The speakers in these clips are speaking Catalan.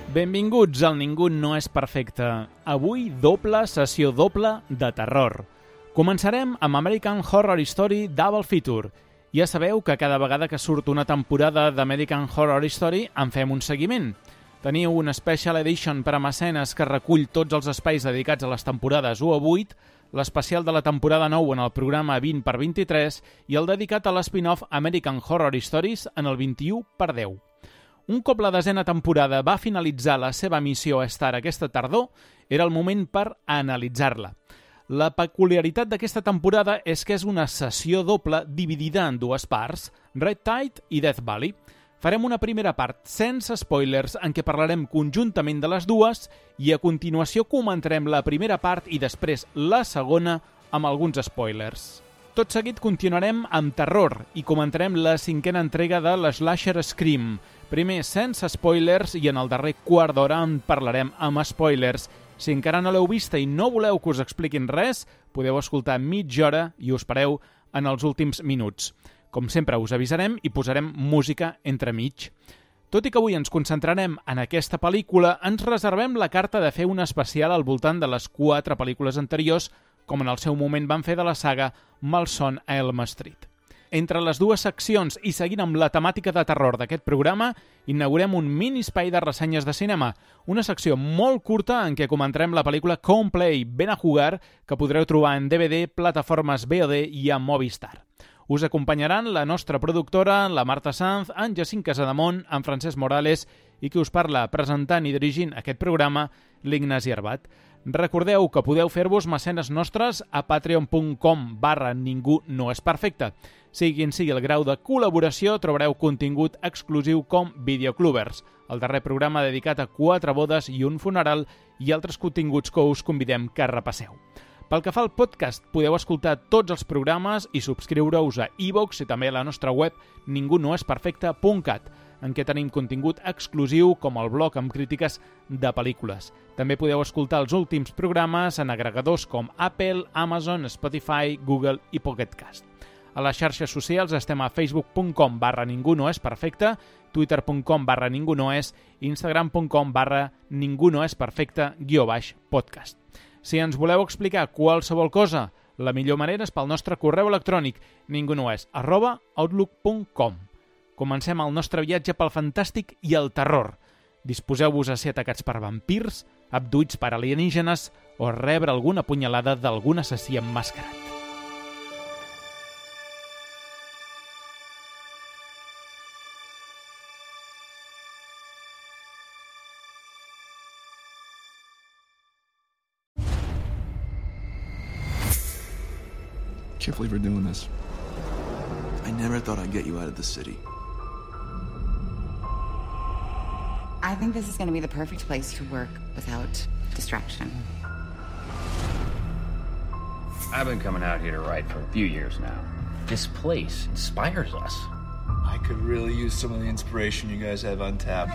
Benvinguts al Ningú no és perfecte. Avui doble sessió doble de terror. Començarem amb American Horror Story Double Feature. Ja sabeu que cada vegada que surt una temporada d'American Horror Story en fem un seguiment. Teniu un Special Edition per a mecenes que recull tots els espais dedicats a les temporades 1 a 8, l'especial de la temporada 9 en el programa 20x23 i el dedicat a l'espin-off American Horror Stories en el 21x10. Un cop la 10a temporada va finalitzar la seva missió a Star aquesta tardor, era el moment per analitzar-la. La peculiaritat d'aquesta temporada és que és una sessió doble dividida en dues parts, Red Tide i Death Valley. Farem una primera part sense spoilers en què parlarem conjuntament de les dues i a continuació comentarem la primera part i després la segona amb alguns spoilers. Tot seguit continuarem amb terror i comentarem la 5a entrega de l'Slasher Scream. Primer sense spoilers i en el darrer quart d'hora en parlarem amb spoilers. Si encara no l'heu vista i no voleu que us expliquin res, podeu escoltar mitja hora i us pareu en els últims minuts. Com sempre us avisarem i posarem música entremig. Tot i que avui ens concentrarem en aquesta pel·lícula, ens reservem la carta de fer un especial al voltant de les 4 pel·lícules anteriors, com en el seu moment van fer de la saga Malson a Elm Street. Entre les dues seccions i seguint amb la temàtica de terror d'aquest programa, inaugurem un mini espai de ressenyes de cinema, una secció molt curta en què comentarem la pel·lícula Come Play, Ben a Jugar, que podreu trobar en DVD, plataformes VOD i a Movistar. Us acompanyaran la nostra productora, la Marta Sanz, en Jacint Casademont, en Francesc Morales i qui us parla presentant i dirigint aquest programa, l'Ignasi Arbat. Recordeu que podeu fer-vos mecenes nostres a patreon.com/ningú no és perfecte. Sigui quin sigui el grau de col·laboració, trobareu contingut exclusiu com Videoclubers, el darrer programa dedicat a 4 bodes i un funeral i altres continguts que us convidem que repasseu. Pel que fa al podcast, podeu escoltar tots els programes i subscriure-us a iVoox i també a la nostra web ningunoesperfecte.cat, en què tenim contingut exclusiu com el blog amb crítiques de pel·lícules. També podeu escoltar els últims programes en agregadors com Apple, Amazon, Spotify, Google i Pocket Cast. A les xarxes socials estem a facebook.com/ningú no és perfecte, twitter.com/ningú no és, instagram.com/ningú no és perfecte_podcast. Si ens voleu explicar qualsevol cosa, la millor manera és pel nostre correu electrònic ningunoes@outlook.com. Comencem el nostre viatge pel fantàstic i el terror. Disposeu-vos a ser atacats per vampirs, abduïts per alienígenes o rebre alguna punyalada d'algun assassí emmascarat. I can't believe we're doing this. I never thought I'd get you out of the city. I think this is going to be the perfect place to work without distraction. I've been coming out here to write for a few years now. This place inspires us. I could really use some of the inspiration you guys have on tap.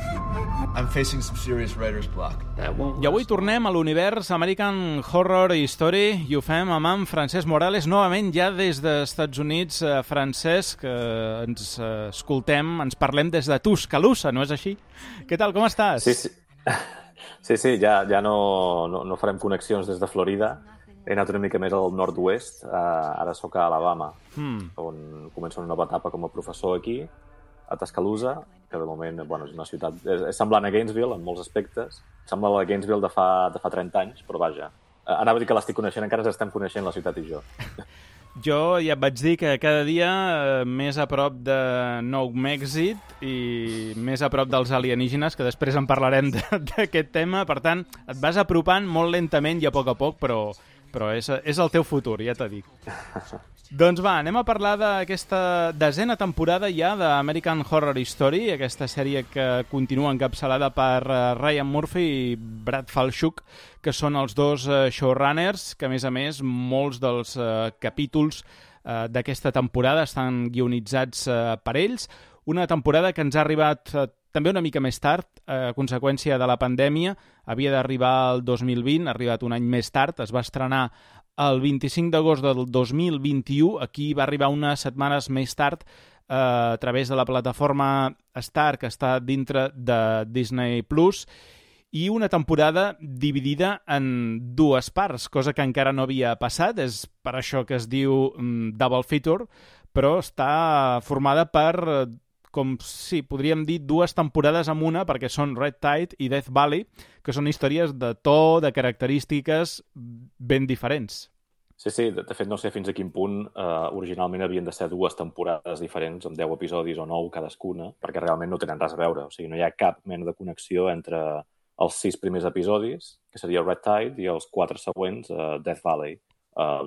I'm facing some serious writer's block. I avui tornem a l'univers American Horror Story i ho fem amb en Francesc Morales, novament ja des dels Estats Units. Francesc, ens escoltem, ens parlem des de Tuscaloosa, no és així? Què tal, com estàs? Sí, ja no farem connexions des de Florida. He anat una mica més al nord-oest, ara sóc a Alabama, on començo una nova etapa com a professor aquí, a Tuscaloosa, que de moment és una ciutat... És semblant a Gainesville en molts aspectes. Sembla la Gainesville de fa 30 anys, però vaja. Anava a dir que l'estic coneixent, encara ens estem coneixent la ciutat i jo. Jo ja et vaig dir que cada dia més a prop de Nou Mèxic i més a prop dels alienígenes, que després en parlarem d'aquest tema. Per tant, et vas apropant molt lentament i a poc, però és el teu futur, ja t'ho dic. Doncs va, anem a parlar d'aquesta 10a temporada ja d'American Horror Story, aquesta sèrie que continua encapçalada per Ryan Murphy i Brad Falchuk, que són els dos showrunners, que a més, molts dels capítols d'aquesta temporada estan guionitzats per ells. Una temporada que ens ha arribat també una mica més tard, a conseqüència de la pandèmia. Havia d'arribar el 2020, ha arribat un any més tard, es va estrenar el 25 d'agost del 2021, aquí va arribar unes setmanes més tard a través de la plataforma Star, que està dintre de Disney+, i una temporada dividida en dues parts, cosa que encara no havia passat, és per això que es diu Double Feature, però està formada per, com sí, podríem dir, dues temporades en una, perquè són Red Tide i Death Valley, que són històries de to, de característiques ben diferents. Sí, de fet no sé fins a quin punt originalment havien de ser dues temporades diferents, amb 10 episodis o 9 cadascuna, perquè realment no tenen res a veure. O sigui, no hi ha cap mena de connexió entre els 6 primers episodis, que seria Red Tide, i els 4 següents, Death Valley.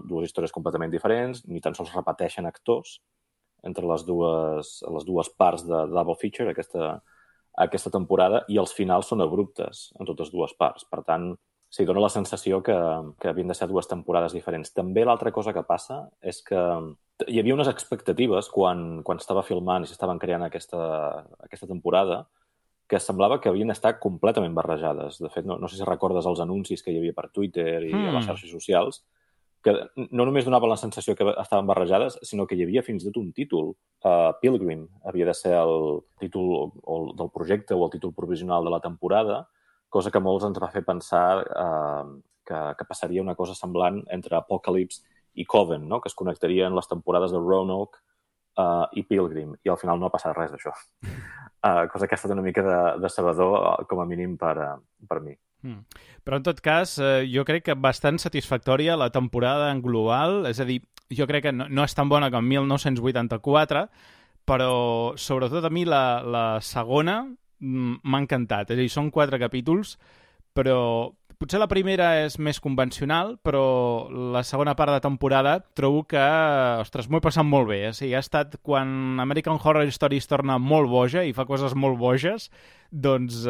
Dues històries completament diferents, ni tan sols repeteixen actors entre les dues parts de Double Feature, aquesta temporada, i els finals són abruptes en totes dues parts. Per tant, sí, dona la sensació que havien de ser dues temporades diferents. També l'altra cosa que passa és que hi havia unes expectatives quan estava filmant i s'estaven creant aquesta temporada que semblava que havien estat completament barrejades. De fet, no sé si recordes els anuncis que hi havia per Twitter i a les xarxes socials, que no només donaven la sensació que estaven barrejades, sinó que hi havia fins i tot un títol. Pilgrim havia de ser el títol del projecte o el títol provisional de la temporada, cosa que molts ens va fer pensar que passaria una cosa semblant entre Apocalypse i Coven, no? Que es connectarien les temporades de Roanoke i Pilgrim, i al final no ha passat res d'això. Cosa que ha estat una mica decebedor, com a mínim per mi. Però en tot cas, jo crec que bastant satisfactòria la temporada en global, és a dir, jo crec que no és tan bona com 1984, però sobretot a mi la segona m'ha encantat. És a dir, són 4 capítols, però potser la primera és més convencional, però la segona part de temporada trobo que, ostres, m'ho he passat molt bé. O sigui, ha estat quan American Horror Story es torna molt boja i fa coses molt boges, doncs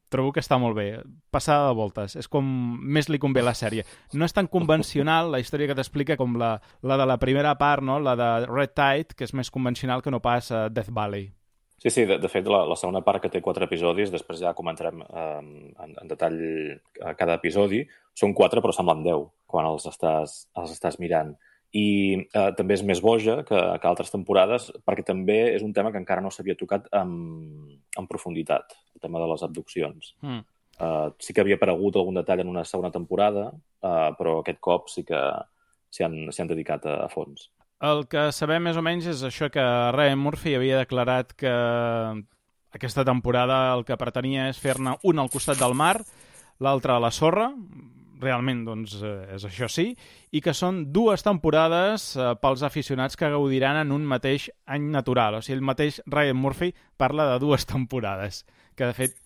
trobo que està molt bé. Passada de voltes. És com més li convé la sèrie. No és tan convencional la història que t'explica com la de la primera part, no? La de Red Tide, que és més convencional que no pas Death Valley. Sí, de fet, la segona part, que té 4 episodis, després ja comentarem en detall cada episodi, són 4 però semblen 10 quan els estàs mirant. I també és més boja que altres temporades, perquè també és un tema que encara no s'havia tocat en profunditat, el tema de les abduccions. Sí que havia aparegut algun detall en una segona temporada, però aquest cop sí que s'hi han dedicat a fons. El que sabem més o menys és això, que Ryan Murphy havia declarat que aquesta temporada el que pretenia és fer-ne una al costat del mar, l'altra a la sorra, realment doncs és això sí, i que són 2 temporades pels aficionats que gaudiran en un mateix any natural. O sigui, el mateix Ryan Murphy parla de 2 temporades, que de fet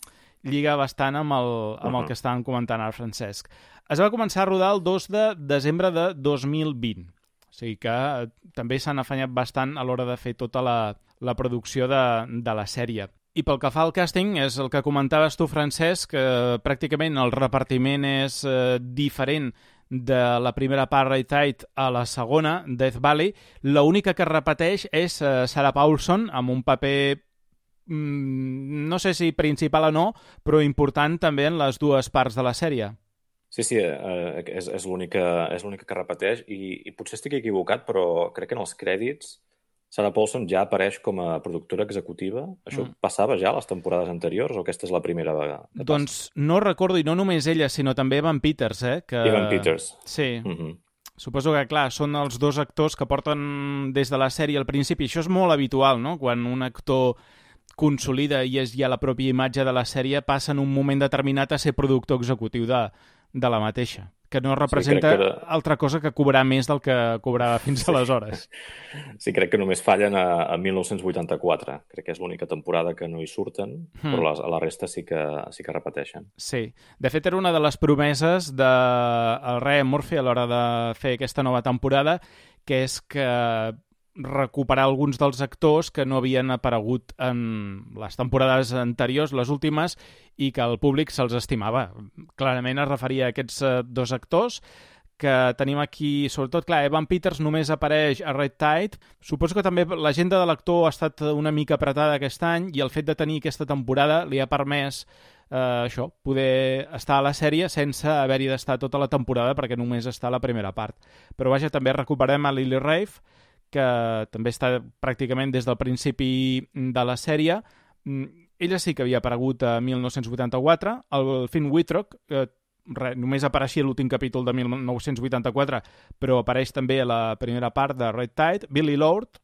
lliga bastant amb el que estàvem comentant ara, Francesc. Es va començar a rodar el 2 de desembre de 2020. O sigui que també s'han afanyat bastant a l'hora de fer tota la producció de la sèrie. I pel que fa al càsting, és el que comentaves tu, Francesc, que pràcticament el repartiment és diferent de la primera part, Red Tide, a la segona, Death Valley. L'única que repeteix és Sarah Paulson, amb un paper, no sé si principal o no, però important també en les 2 parts de la sèrie. Sí, és l'única que repeteix i potser estic equivocat, però crec que en els crèdits Sarah Paulson ja apareix com a productora executiva. Això passava ja a les temporades anteriors o aquesta és la primera vegada? Doncs no recordo, i no només ella, sinó també Evan Peters. Evan Peters. Sí. Suposo que, clar, són els 2 actors que porten des de la sèrie al principi. Això és molt habitual, no? Quan un actor consolida i és ja la pròpia imatge de la sèrie, passa en un moment determinat a ser productor executiu de la mateixa, que no representa altra cosa que cobrar més del que cobrava fins aleshores. Sí, crec que només fallen a 1984. Crec que és l'única temporada que no hi surten, però a la resta sí que repeteixen. Sí. De fet, era una de les promeses del Ryan Murphy a l'hora de fer aquesta nova temporada, que és que recuperar alguns dels actors que no havien aparegut en les temporades anteriors, les últimes, i que el públic se'ls estimava. Clarament es referia a aquests 2 actors que tenim aquí, sobretot, clar, Evan Peters només apareix a Red Tide. Suposo que també l'agenda de l'actor ha estat una mica apretada aquest any i el fet de tenir aquesta temporada li ha permès poder estar a la sèrie sense haver-hi d'estar tota la temporada perquè només està a la primera part. Però vaja, també recuperem a Lily Rafe, que també està pràcticament des del principi de la sèrie. ella sí que havia aparegut a 1984, el Finn Wittrock, que només apareixia l'últim capítol de 1984, però apareix també a la primera part de Red Tide. Billy Lord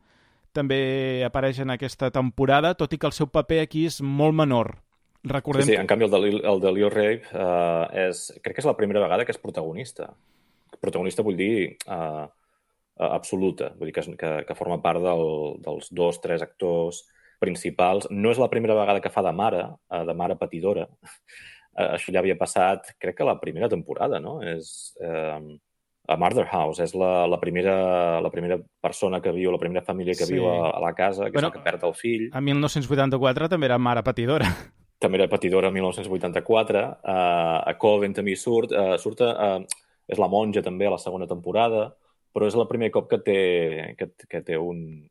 també apareix en aquesta temporada, tot i que el seu paper aquí és molt menor. Recordem Sí, en canvi el de Leo Rabe crec que és la primera vegada que és protagonista. Protagonista vull dir absoluta, vull dir que forma part dels 2-3 actors principals. No és la primera vegada que fa de mare patidora. Això ja havia passat, crec que la primera temporada, no? És a Murder House, és la primera persona que viu, la primera família que viu a la casa, que és la que perd el fill. A 1984 també era mare patidora. També era patidora a 1984. A Coven també surt. És la monja també a la segona temporada, però és el primer cop que té un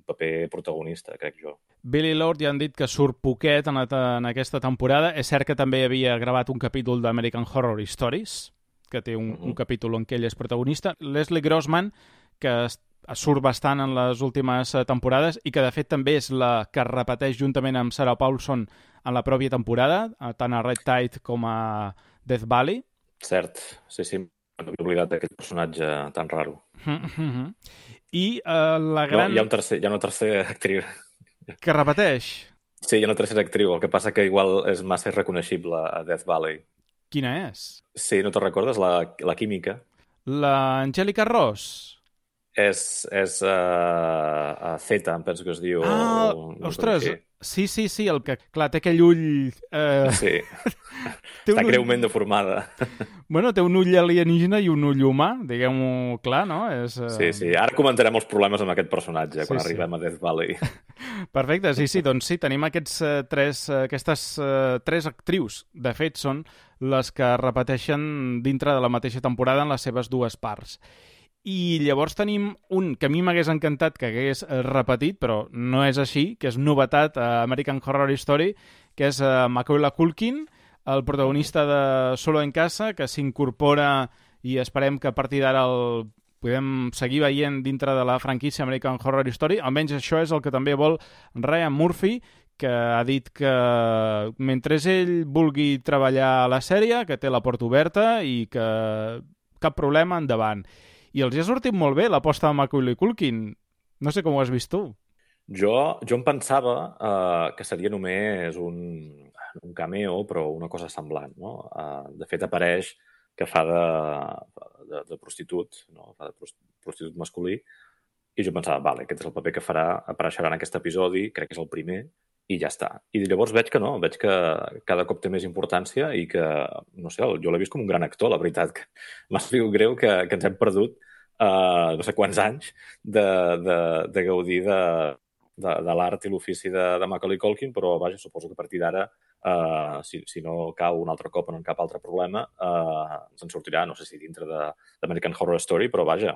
paper protagonista, crec jo. Billy Lord ja han dit que surt poquet en aquesta temporada. És cert que també havia gravat un capítol d'American Horror Stories, que té un capítol en què ell és protagonista. Leslie Grossman, que surt bastant en les últimes temporades i que de fet també és la que repeteix juntament amb Sarah Paulson en la pròpia temporada, tant a Red Tide com a Death Valley. Cert, sí. No he oblidat d'aquest personatge tan raro. I la gran... No, hi ha una tercera actriu. Que repeteix? Sí, hi ha una tercera actriu, el que passa que igual és massa reconeixible a Death Valley. Quina és? Sí, no te'n recordes? La química. La Angélica Ross? És Zeta, em penso que es diu. Ostres, sí, el que, clar, té aquell ull... Sí, està greument deformada. Bueno, té un ull alienígena i un ull humà, diguem-ho clar, no? Sí, ara comentarem els problemes amb aquest personatge quan arribem a Death Valley. Perfecte, sí, doncs sí, tenim aquestes tres actrius. De fet, són les que repeteixen dintre de la mateixa temporada en les seves dues parts. I llavors tenim un que a mi m'hagués encantat que hagués repetit, però no és així, que és novetat a American Horror Story, que és Macaulay Culkin, el protagonista de Solo en Casa, que s'incorpora i esperem que a partir d'ara el podem seguir veient dintre de la franquícia American Horror Story. Almenys això és el que també vol Ryan Murphy, que ha dit que mentre ell vulgui treballar a la sèrie, que té la porta oberta i que cap problema, endavant. I els ha sortit molt bé l'aposta de Macaulay Culkin. No sé com ho has vist tu. Jo em pensava que seria només un cameo, però una cosa semblant, no? De fet, apareix que fa de prostitut, no? Fa de prostitut masculí, i jo pensava, vale, aquest és el paper que farà, apareixerà en aquest episodi, crec que és el primer, i ja està. I llavors veig que no, veig que cada cop té més importància i que, no sé, jo l'he vist com un gran actor, la veritat. Que m'ha sigut greu que ens hem perdut no sé quants anys de gaudir de l'art i l'ofici de Macaulay Culkin, però vaja, suposo que a partir d'ara, si no cau un altre cop en cap altre problema, se'n sortirà, no sé si dintre d'American Horror Story, però vaja,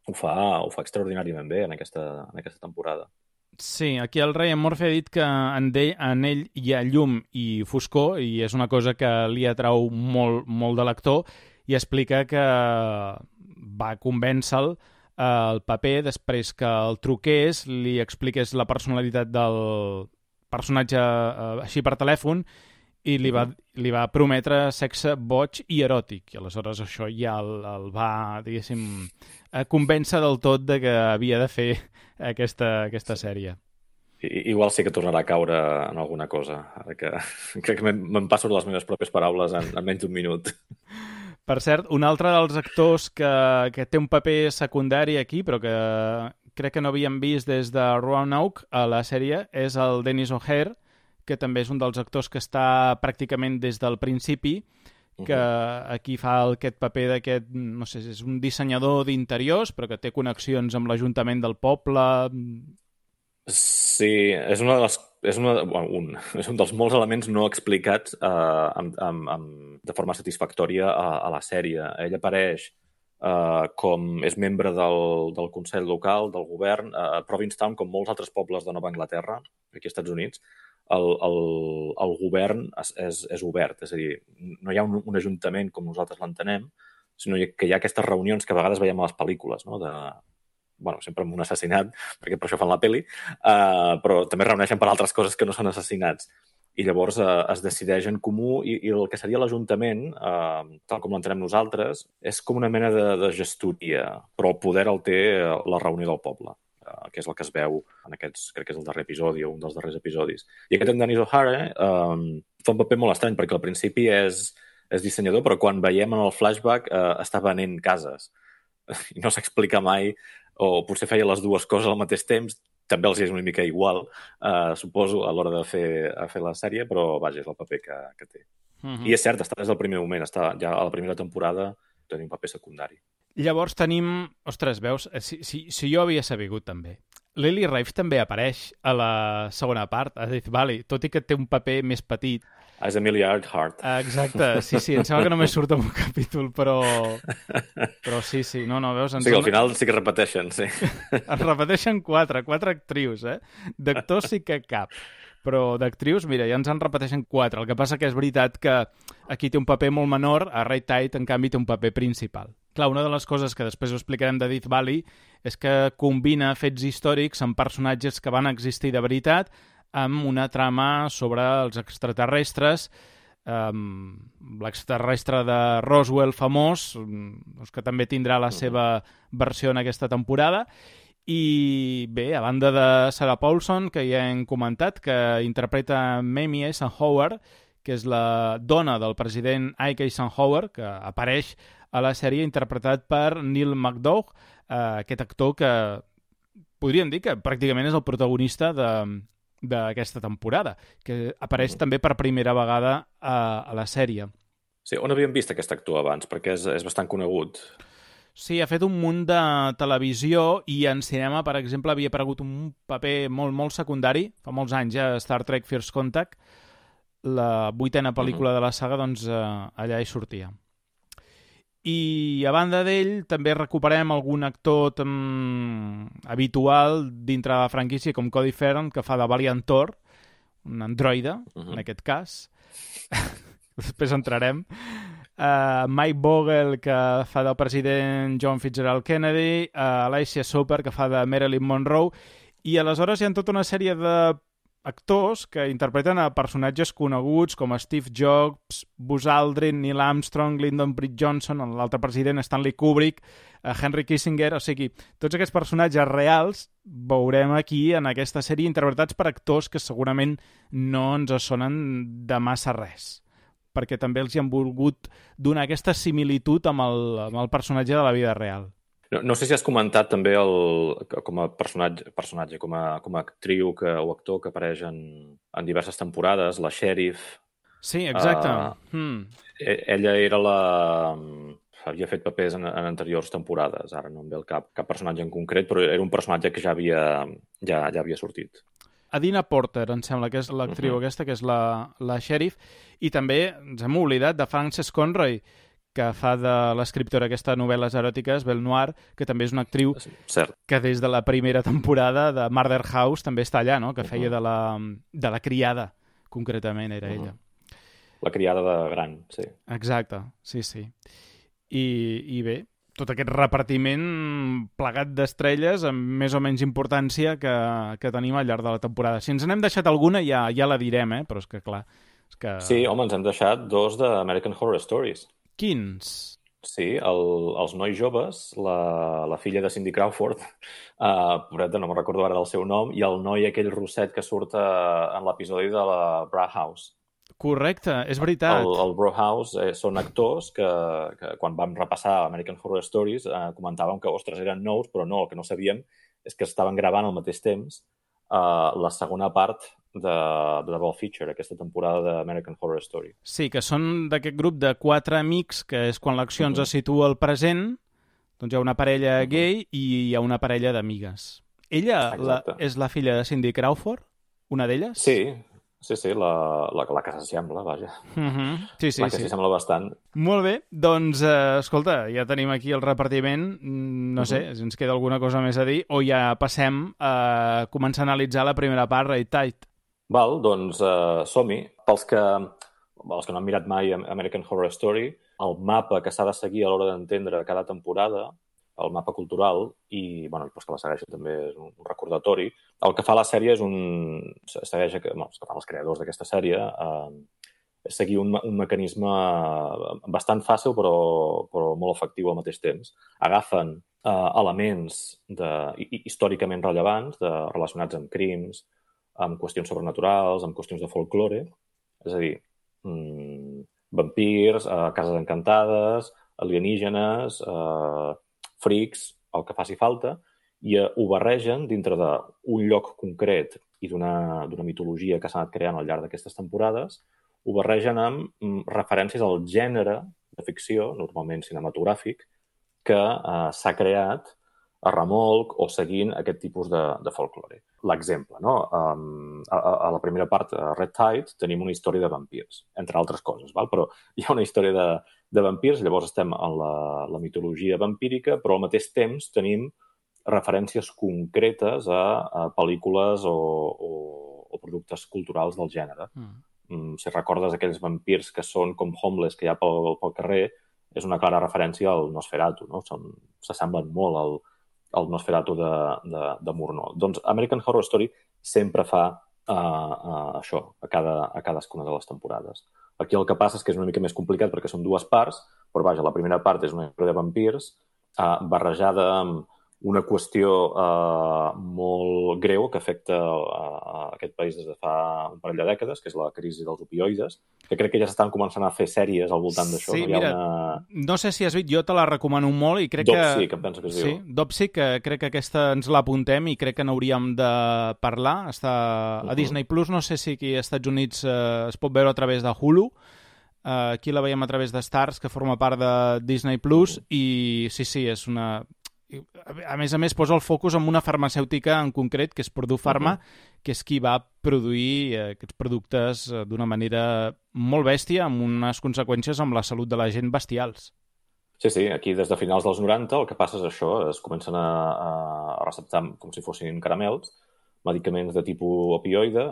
ho fa extraordinàriament bé en aquesta temporada. Sí, aquí el Ryan Murphy ha dit que en ell hi ha llum i foscor i és una cosa que li atrau molt de l'actor i explica que va convèncer-lo el paper després que el truqués, li expliqués la personalitat del personatge així per telèfon i li va prometre sexe boig i eròtic. I aleshores això ja el va, diguéssim, convèncer del tot de que havia de fer aquesta sèrie. Igual sí que tornarà a caure en alguna cosa, ara que crec que me'n passo les meves pròpies paraules en menys d'un minut. Per cert, un altre dels actors que té un paper secundari aquí, però que crec que no havíem vist des de Roanoke a la sèrie, és el Dennis O'Hare, que també és un dels actors que està pràcticament des del principi, que aquí fa aquest paper d'aquest, no sé, és un dissenyador d'interiors, però que té connexions amb l'Ajuntament del poble. Sí, és un dels molts elements no explicats de forma satisfactòria a la sèrie. Ell apareix com és membre del Consell Local, del govern, a Provincetown, com molts altres pobles de Nova Anglaterra, aquí als Estats Units. El govern és obert, és a dir, no hi ha un ajuntament com nosaltres l'entenem, sinó que hi ha aquestes reunions que a vegades veiem a les pel·lícules, no? Sempre amb un assassinat, perquè per això fan la pel·li, però també reuneixen per altres coses que no són assassinats. i llavors es decideix en comú i el que seria l'Ajuntament, tal com l'entenem nosaltres, és com una mena de gestoria, però el poder el té la reunió del poble, que és el que es veu en aquests, crec que és el darrer episodi o un dels darrers episodis. I aquest en Dennis O'Hara fa un paper molt estrany, perquè al principi és dissenyador, però quan veiem en el flashback està venent cases. I no s'explica mai, o potser feia les dues coses al mateix temps, també els és una mica igual, suposo, a l'hora de fer la sèrie, però vaja, és el paper que té. I és cert, està des del primer moment, està ja a la primera temporada, té un paper secundari. Llavors tenim... Ostres, veus? Si jo havia sabut també. Lily Rafe també apareix a la segona part, a Death Valley, tot i que té un paper més petit. És Amelia Earhart. Exacte, sí, em sembla que només surt en un capítol, però sí, no, veus? Sí, al final sí que repeteixen, sí. Es repeteixen quatre actrius, D'actors sí que cap, però d'actrius, mira, ja ens en repeteixen 4. El que passa que és veritat que aquí té un paper molt menor, a Red Tide, en canvi, té un paper principal. Clar, una de les coses que després ho explicarem de Death Valley és que combina fets històrics amb personatges que van existir de veritat amb una trama sobre els extraterrestres, l'extraterrestre de Roswell famós, que també tindrà la seva versió en aquesta temporada. I bé, a banda de Sarah Paulson, que ja hem comentat, que interpreta Mamie Eisenhower, que és la dona del president Ike Eisenhower, que apareix a la sèrie interpretat per Neil McDough, aquest actor que podríem dir que pràcticament és el protagonista d'aquesta temporada, que apareix també per primera vegada a la sèrie. Sí, on havíem vist aquest actor abans? Perquè és bastant conegut. Sí, ha fet un munt de televisió i en cinema, per exemple, havia aparegut un paper molt, molt secundari, fa molts anys, a Star Trek First Contact, la 8ª pel·lícula de la saga, doncs allà hi sortia. I a banda d'ell també recuperem algun actor habitual dintre de la franquícia com Cody Farron, que fa de Valiant Thor, un androide, en aquest cas. Després entrarem. Mike Vogel, que fa del president John Fitzgerald Kennedy, Alicia Soper, que fa de Marilyn Monroe, i aleshores hi ha tota una sèrie d'actors que interpreten a personatges coneguts com Steve Jobs, Buzz Aldrin, Neil Armstrong, Lyndon B. Johnson, l'altre president Stanley Kubrick, Henry Kissinger, o sigui, tots aquests personatges reals veurem aquí en aquesta sèrie interpretats per actors que segurament no ens sonen de massa res, perquè també els hi han volgut donar aquesta similitud amb el personatge de la vida real. No sé si has comentat també com a personatge com a actriu o actor que apareix en diverses temporades, la Sheriff. Sí, exacte. Ella havia fet papers en anteriors temporades, ara no em ve el cap personatge en concret, però era un personatge que ja havia sortit. Adina Porter, em sembla que és l'actriu aquesta, que és la Sheriff, i també ens hem oblidat de Frances Conroy, que fa de l'escriptora d'aquestes novel·les eròtiques, Belle Noire, que també és una actriu que des de la primera temporada de Murder House també està allà, no? Que feia de la criada, concretament, era ella. La criada de gran, sí. Exacte, sí. I bé, tot aquest repartiment plegat d'estrelles amb més o menys importància que tenim al llarg de la temporada. Si ens n'hem deixat alguna ja la direm, però és que clar... Sí, home, ens hem deixat 2 d'American Horror Stories. Quins? Sí, els nois joves, la filla de Cindy Crawford, pobreta, no me'n recordo ara del seu nom, i el noi aquell rosset que surt en l'episodi de la Bra House. Correcte, és veritat. El Bro House són actors que quan vam repassar American Horror Stories comentàvem que, ostres, eren nous, però no, el que no sabíem és que estaven gravant al mateix temps la segona part de Double Feature, aquesta temporada d'American Horror Story. Sí, que són d'aquest grup de 4 amics, que és quan l'acció ens situa al present, doncs hi ha una parella gay i hi ha una parella d'amigues. Ella és la filla de Cindy Crawford, una d'elles? Sí, la que s'assembla, vaja. Sí. La que s'hi sembla bastant. Molt bé, doncs, escolta, ja tenim aquí el repartiment. No sé, si ens queda alguna cosa més a dir, o ja passem a començar a analitzar la primera part, Red Tide. Val, doncs som-hi. Pels que no han mirat mai American Horror Story, el mapa que s'ha de seguir a l'hora d'entendre cada temporada el mapa cultural i, bueno, doncs que la segueixi també és un recordatori. El que fa la sèrie és segueix, el que fan els creadors d'aquesta sèrie, és seguir un mecanisme bastant fàcil però molt efectiu al mateix temps. Agafen elements històricament rellevants relacionats amb crims, amb qüestions sobrenaturals, amb qüestions de folklore, és a dir, vampirs, cases encantades, alienígenes, freaks, el que faci falta, i ho barregen dintre d'un lloc concret i d'una mitologia que s'ha anat creant al llarg d'aquestes temporades, ho barregen amb referències al gènere de ficció, normalment cinematogràfic, que s'ha creat a remolc o seguint aquest tipus de folklore. L'exemple, no? A la primera part, Red Tide, tenim una història de vampirs, entre altres coses, val? Però hi ha una història de vampirs, llavors estem en la mitologia vampírica, però al mateix temps tenim referències concretes a pel·lícules o productes culturals del gènere. Si recordes aquells vampirs que són com homeless que hi ha pel carrer, és una clara referència al Nosferatu, no? S'assemblen molt al Nosferatu de Murnau. Doncs American Horror Story sempre fa això, a cadascuna de les temporades. Aquí el que passa és que és una mica més complicat perquè són dues parts, però vaja, la primera part és una història de vampirs barrejada amb una qüestió molt greu que afecta aquest país des de fa un parell de dècades, que és la crisi dels opioides, que crec que ja s'estan començant a fer sèries al voltant d'això. Sí, mira, no sé si has vist, jo te la recomano molt i crec Dopsic, em penso que es diu. Sí, Dopsic, que crec que aquesta ens l'apuntem i crec que n'hauríem de parlar. Està a Disney+, no sé si aquí als Estats Units es pot veure a través de Hulu. Aquí la veiem a través de Stars, que forma part de Disney+, i sí, és una... A més, posa el focus en una farmacèutica en concret, que és Purdue Pharma, que és qui va produir aquests productes d'una manera molt bèstia, amb unes conseqüències amb la salut de la gent bestials. Sí, aquí des de finals dels 90 el que passa és això, es comencen a receptar com si fossin caramels, medicaments de tipus opioide,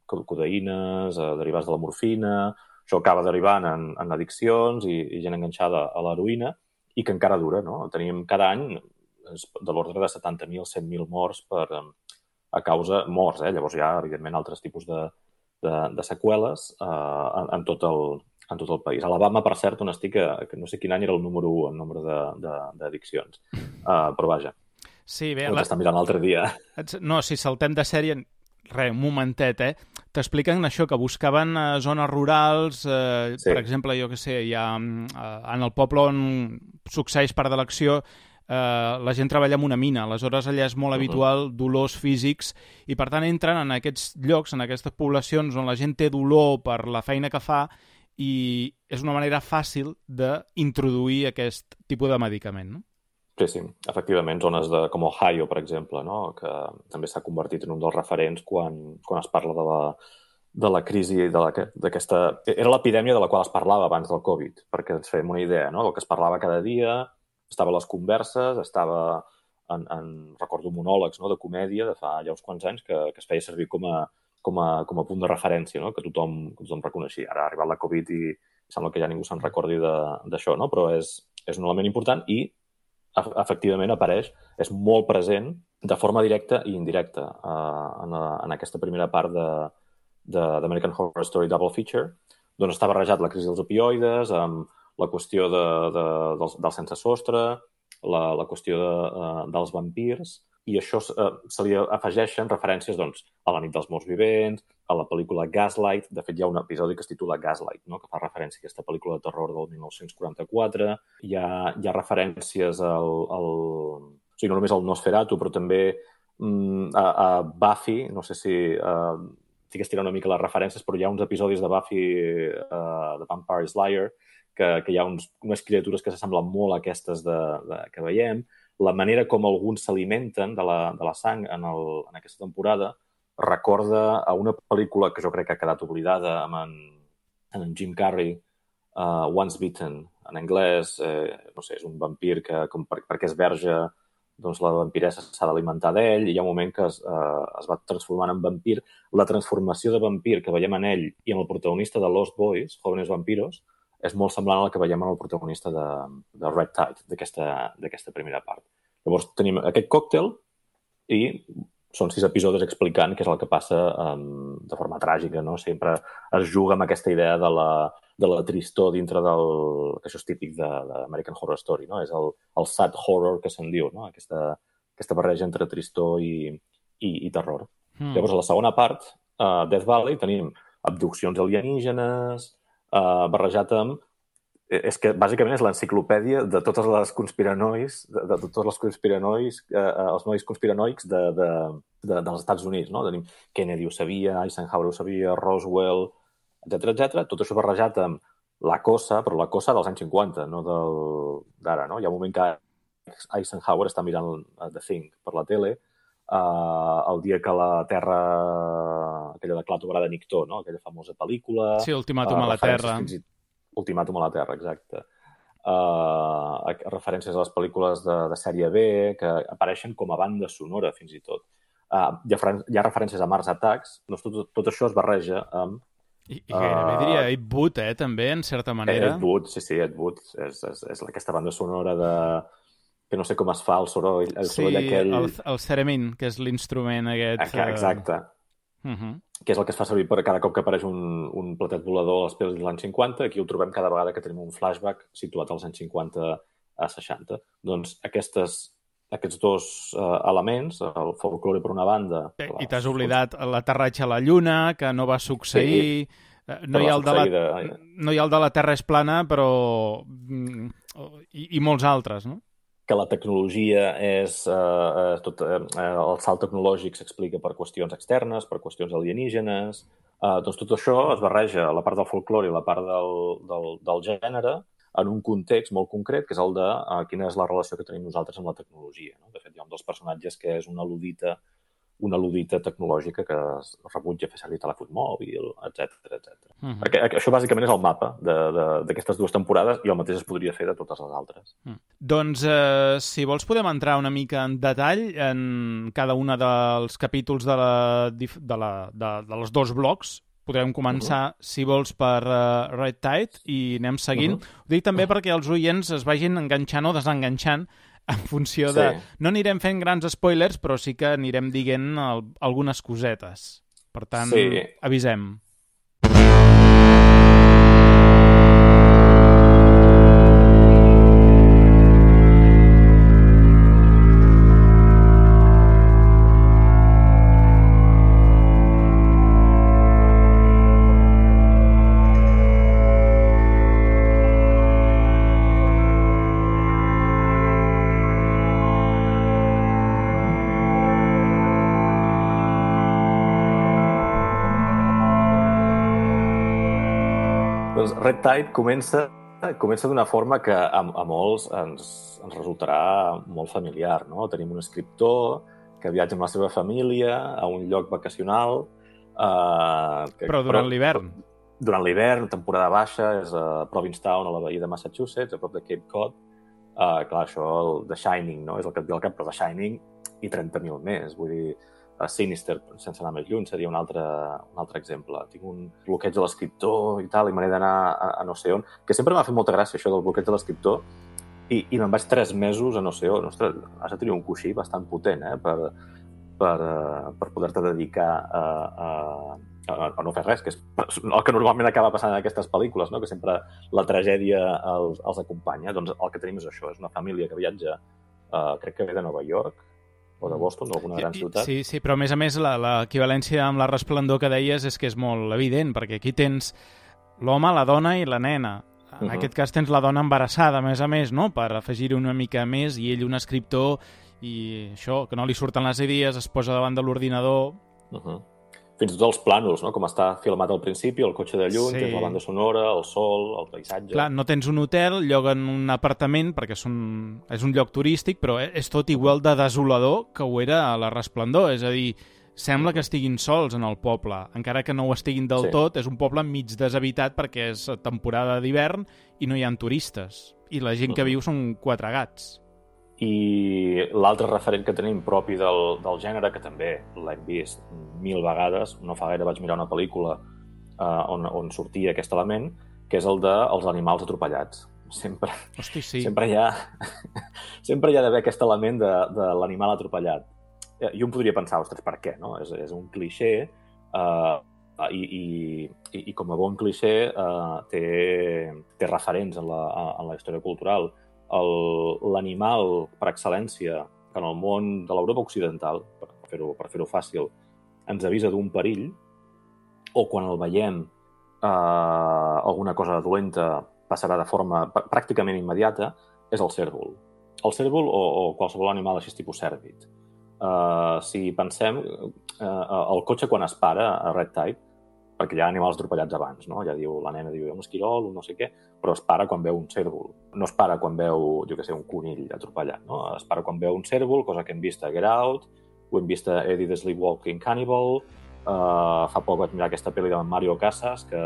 codeïnes, derivats de la morfina, això acaba derivant en addiccions i gent enganxada a l'heroïna, i que encara dura, no? Tenim cada any de l'ordre de 70.000, 100.000 morts a causa... Morts, llavors hi ha, evidentment, altres tipus de seqüeles en tot el país. A Alabama, per cert, on estic, que no sé quin any era el número 1 en nombre d'addiccions. Però vaja, sí, bé, ho estan mirant l'altre dia. No, si saltem de sèrie... Res, un momentet, T'expliquen això, que buscaven zones rurals, sí. Per exemple, jo què sé, hi ha, en el poble on succeeix part de l'acció, la gent treballa en una mina, aleshores allà és molt habitual dolors físics i per tant entren en aquests llocs, en aquestes poblacions on la gent té dolor per la feina que fa i és una manera fàcil d'introduir aquest tipus de medicament, no? Sí, efectivament, zones com Ohio, per exemple, no? Que també s'ha convertit en un dels referents quan es parla de la crisi d'aquesta... Era l'epidèmia de la qual es parlava abans del Covid, perquè ens fem una idea, no? El que es parlava cada dia, estava a les converses, estava recordo monòlegs, no? De comèdia de fa ja uns quants anys que es feia servir com a punt de referència, no? Que tothom reconeixia. Ara ha arribat la Covid i sembla que ja ningú se'n recordi d'això, no? Però és un element important i efectivament apareix, és molt present de forma directa i indirecta en aquesta primera part d'American Horror Story Double Feature, doncs està barrejat la crisi dels opioides, amb la qüestió del sense sostre, la qüestió dels vampirs, i això se li afegeixen referències doncs, a la nit dels morts vivents, a la pel·lícula Gaslight. De fet, hi ha un episodi que es titula Gaslight, no? Que fa referència a aquesta pel·lícula de terror del 1944. Hi ha referències o sigui, no només al Nosferatu, però també a Buffy. No sé si estic estirant una mica les referències, però hi ha uns episodis de Buffy, de Vampire Slayer, que hi ha unes criatures que s'assemblen molt a aquestes que veiem. La manera com alguns s'alimenten de la sang en aquesta temporada recorda a una pel·lícula que jo crec que ha quedat oblidada amb en Jim Carrey, Once Bitten. En anglès, no sé, és un vampir que perquè és verge, doncs la vampiressa s'ha d'alimentar d'ell i hi ha un moment que es va transformant en vampir. La transformació de vampir que veiem en ell i en el protagonista de Lost Boys, Jóvenes Vampiros, és molt semblant al que veiem en el protagonista de Red Tide, d'aquesta primera part. Llavors tenim aquest còctel i són 6 episodis explicant què és el que passa de forma tràgica, no? Sempre es juga amb aquesta idea de la tristor dintre del... que això és típic d'American Horror Story, no? És el sad horror que se'n diu, no? Aquesta barreja entre tristor i terror. Llavors, a la segona part, Death Valley, tenim abduccions alienígenes, barrejat amb... És que, bàsicament, és l'enciclopèdia de totes les conspiranois, de tots els conspiranois, els nois conspiranoics dels Estats Units, no? Tenim Kennedy ho sabia, Eisenhower ho sabia, Roswell, etc. Tot això barrejat amb la cosa, però la cosa dels anys 50, no d'ara, no? Hi ha un moment que Eisenhower està mirant The Thing per la tele, el dia que la Terra, aquella de Clar Tobrada de Nictó, no? Aquella famosa pel·lícula... Sí, Ultimàtum a la Terra. Ultimàtum a la Terra, exacte. Referències a les pel·lícules de sèrie B que apareixen com a banda sonora, fins i tot. Hi ha referències a Mars Attacks, doncs tot això es barreja amb... I gairebé diria Ed Wood, també, en certa manera. Ed Wood, sí, Ed Wood. És aquesta banda sonora de... que no sé com es fa el soroll aquell... Sí, el theremin, que és l'instrument aquest... Exacte. Que és el que es fa servir per cada cop que apareix un platet volador als peus dels anys 50. Aquí ho trobem cada vegada que tenim un flashback situat als anys 50 a 60. Doncs aquests dos elements, el folklore per una banda... I t'has oblidat l'aterratge a la Lluna, que no va succeir... Sí, no hi ha el de la Terra és plana, però... I molts altres, no? Que la tecnologia és... el salt tecnològic s'explica per qüestions externes, per qüestions alienígenes... Doncs tot això es barreja, la part del folklore i la part del gènere, en un context molt concret, que és el de quina és la relació que tenim nosaltres amb la tecnologia. No? De fet, hi ha un dels personatges que és una ludita tecnològica que es rebutja fer servir telèfon mòbil, etc. Perquè això bàsicament és el mapa d'aquestes 2 temporades i el mateix es podria fer de totes les altres. Doncs, si vols, podem entrar una mica en detall en cada un dels capítols dels 2 blocs. Podrem començar, si vols, per Red Tide i anem seguint. Ho dic també perquè els oients es vagin enganxant o desenganxant en funció de... No anirem fent grans spoilers, però sí que anirem dient algunes cosetes. Per tant, avisem. Red Tide comença d'una forma que a molts ens resultarà molt familiar, no? Tenim un escriptor que viatja amb la seva família a un lloc vacacional... Però durant l'hivern. Durant l'hivern, temporada baixa, és a Provincetown, a la bahia de Massachusetts, a prop de Cape Cod. Clar, això, el The Shining, no? És el que et ve al cap, però The Shining i 30.000 més. Vull dir, Sinister, sense anar més lluny, seria un altre exemple. Tinc un bloqueig de l'escriptor i tal, i me n'he d'anar a no sé on, que sempre m'ha fet molta gràcia, això del bloqueig de l'escriptor, i me'n vaig 3 mesos a no sé on. Ostres, has de tenir un coixí bastant potent, per poder-te dedicar a no fer res, que és el que normalment acaba passant en aquestes pel·lícules, no? Que sempre la tragèdia els acompanya. Doncs el que tenim és això, és una família que viatja, crec que ve de Nova York, o de Boston, d'alguna gran ciutat. Sí, però a més l'equivalència amb la resplendor que deies és que és molt evident, perquè aquí tens l'home, la dona i la nena. En aquest cas tens la dona embarassada, a més, no? Per afegir una mica més, i ell un escriptor, i això, que no li surten les idees, es posa davant de l'ordinador... Fins i tot els plànols, no? Com està filmat al principi, el cotxe de lluny, tens la banda sonora, el sol, el paisatge... Clar, no tens un hotel, lloguen un apartament, perquè és un lloc turístic, però és tot igual de desolador que ho era a la Resplendor. És a dir, sembla que estiguin sols en el poble, encara que no ho estiguin del tot. És un poble mig deshabitat perquè és temporada d'hivern i no hi ha turistes. I la gent que viu són 4 gats. I l'altre referent que tenim propi del gènere, que també l'hem vist 1000 vegades, no fa gaire vaig mirar una pel·lícula on sortia aquest element, que és el dels animals atropellats. Sempre, Hosti, sí. sempre hi ha d'haver aquest element de l'animal atropellat. Jo em podria pensar, ostres, per què? No? És un clixé i com a bon clixé té referents en la història cultural. L'animal per excel·lència en el món de l'Europa occidental, per fer-ho fàcil, ens avisa d'un perill, o quan el veiem alguna cosa dolenta passarà de forma pràcticament immediata, és el cérvol. El cérvol o qualsevol animal així tipus cèrvid. Si pensem, el cotxe quan es para a Red Tide, perquè hi ha animals atropellats abans, no? Ja la nena diu un esquirol, un no sé què, però es para quan veu un cérvol. No es para quan veu, jo què sé, un conill atropellat, no? Es para quan veu un cérvol, cosa que hem vist a Get Out, ho hem vist a Eddie the Sleepwalking Cannibal, fa poc vaig mirar aquesta pel·li de Mario Casas, que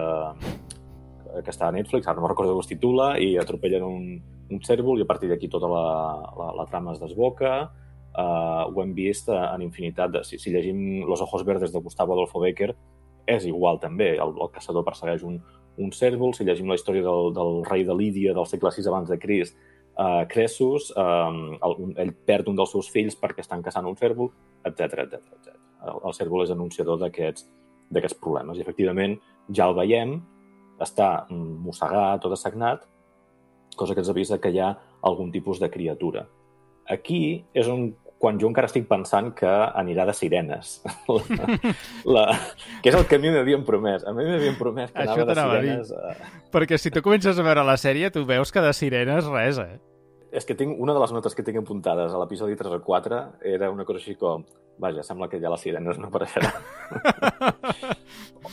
està a Netflix, ara no recordo com es titula, i atropellen un cérvol i a partir d'aquí tota la trama es desboca. Ho hem vist en infinitat. Si llegim Los ojos verdes de Gustavo Adolfo Bécquer, és igual també. El caçador persegueix un cérvol. Si llegim la història del rei de Lídia del segle VI abans de Crist, Cressus, ell perd un dels seus fills perquè estan caçant un cérvol, etc. El cérvol és anunciador d'aquests problemes. I, efectivament, ja el veiem, està mossegat o dessagnat, cosa que ens avisa que hi ha algun tipus de criatura. Aquí és quan jo encara estic pensant que anirà de sirenes. Que és el que a mi m'havien promès. A mi m'havien promès que anava de sirenes. Perquè si tu comences a veure la sèrie, tu veus que de sirenes res, És que una de les notes que tinc apuntades a l'episodi 3 o 4 era una cosa així com, vaja, sembla que ja les sirenes no apareixerà.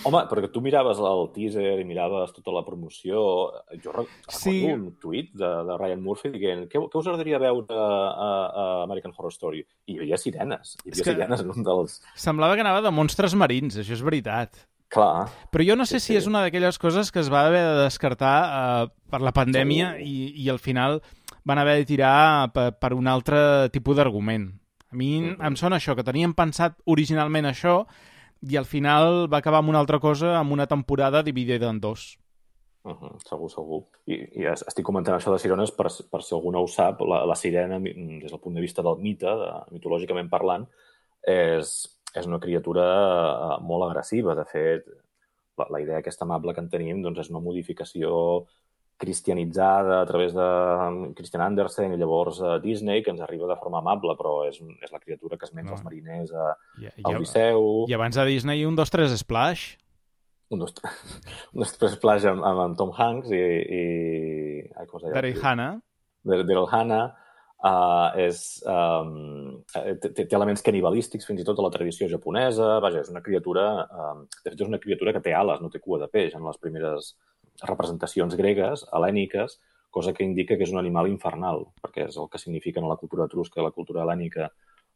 Home, perquè tu miraves el teaser i miraves tota la promoció. Jo recordo un tuit de Ryan Murphy dient què us agradaria veure a American Horror Story? I hi havia sirenes. Hi havia sirenes en un dels... Semblava que anava de monstres marins, això és veritat. Clar. Però jo no sé si és una d'aquelles coses que es va haver de descartar per la pandèmia i al final van haver de tirar per un altre tipus d'argument. A mi em sona això, que teníem pensat originalment això i al final va acabar amb una altra cosa, amb una temporada dividida en dos. Segur. I estic comentant això de sirenes per si algú no ho sap. La sirena, des del punt de vista del mite, mitològicament parlant, és una criatura molt agressiva. De fet, la idea aquesta amable que en tenim és una modificació cristianitzada a través de Christian Andersen i llavors Disney, que ens arriba de forma amable, però és la criatura que es menja els mariners a Odisseu. I abans de Disney, 1, 2, 3 Splash. 1, 2, 3 Splash amb Tom Hanks i com es deia? Daryl Hannah. Daryl Hannah. Té elements canibalístics fins i tot a la tradició japonesa. Vaja, és una criatura... De fet, és una criatura que té ales, no té cua de peix en les primeres representacions gregues, hel·lèniques, cosa que indica que és un animal infernal, perquè és el que significa en la cultura etrusca i la cultura hel·lènica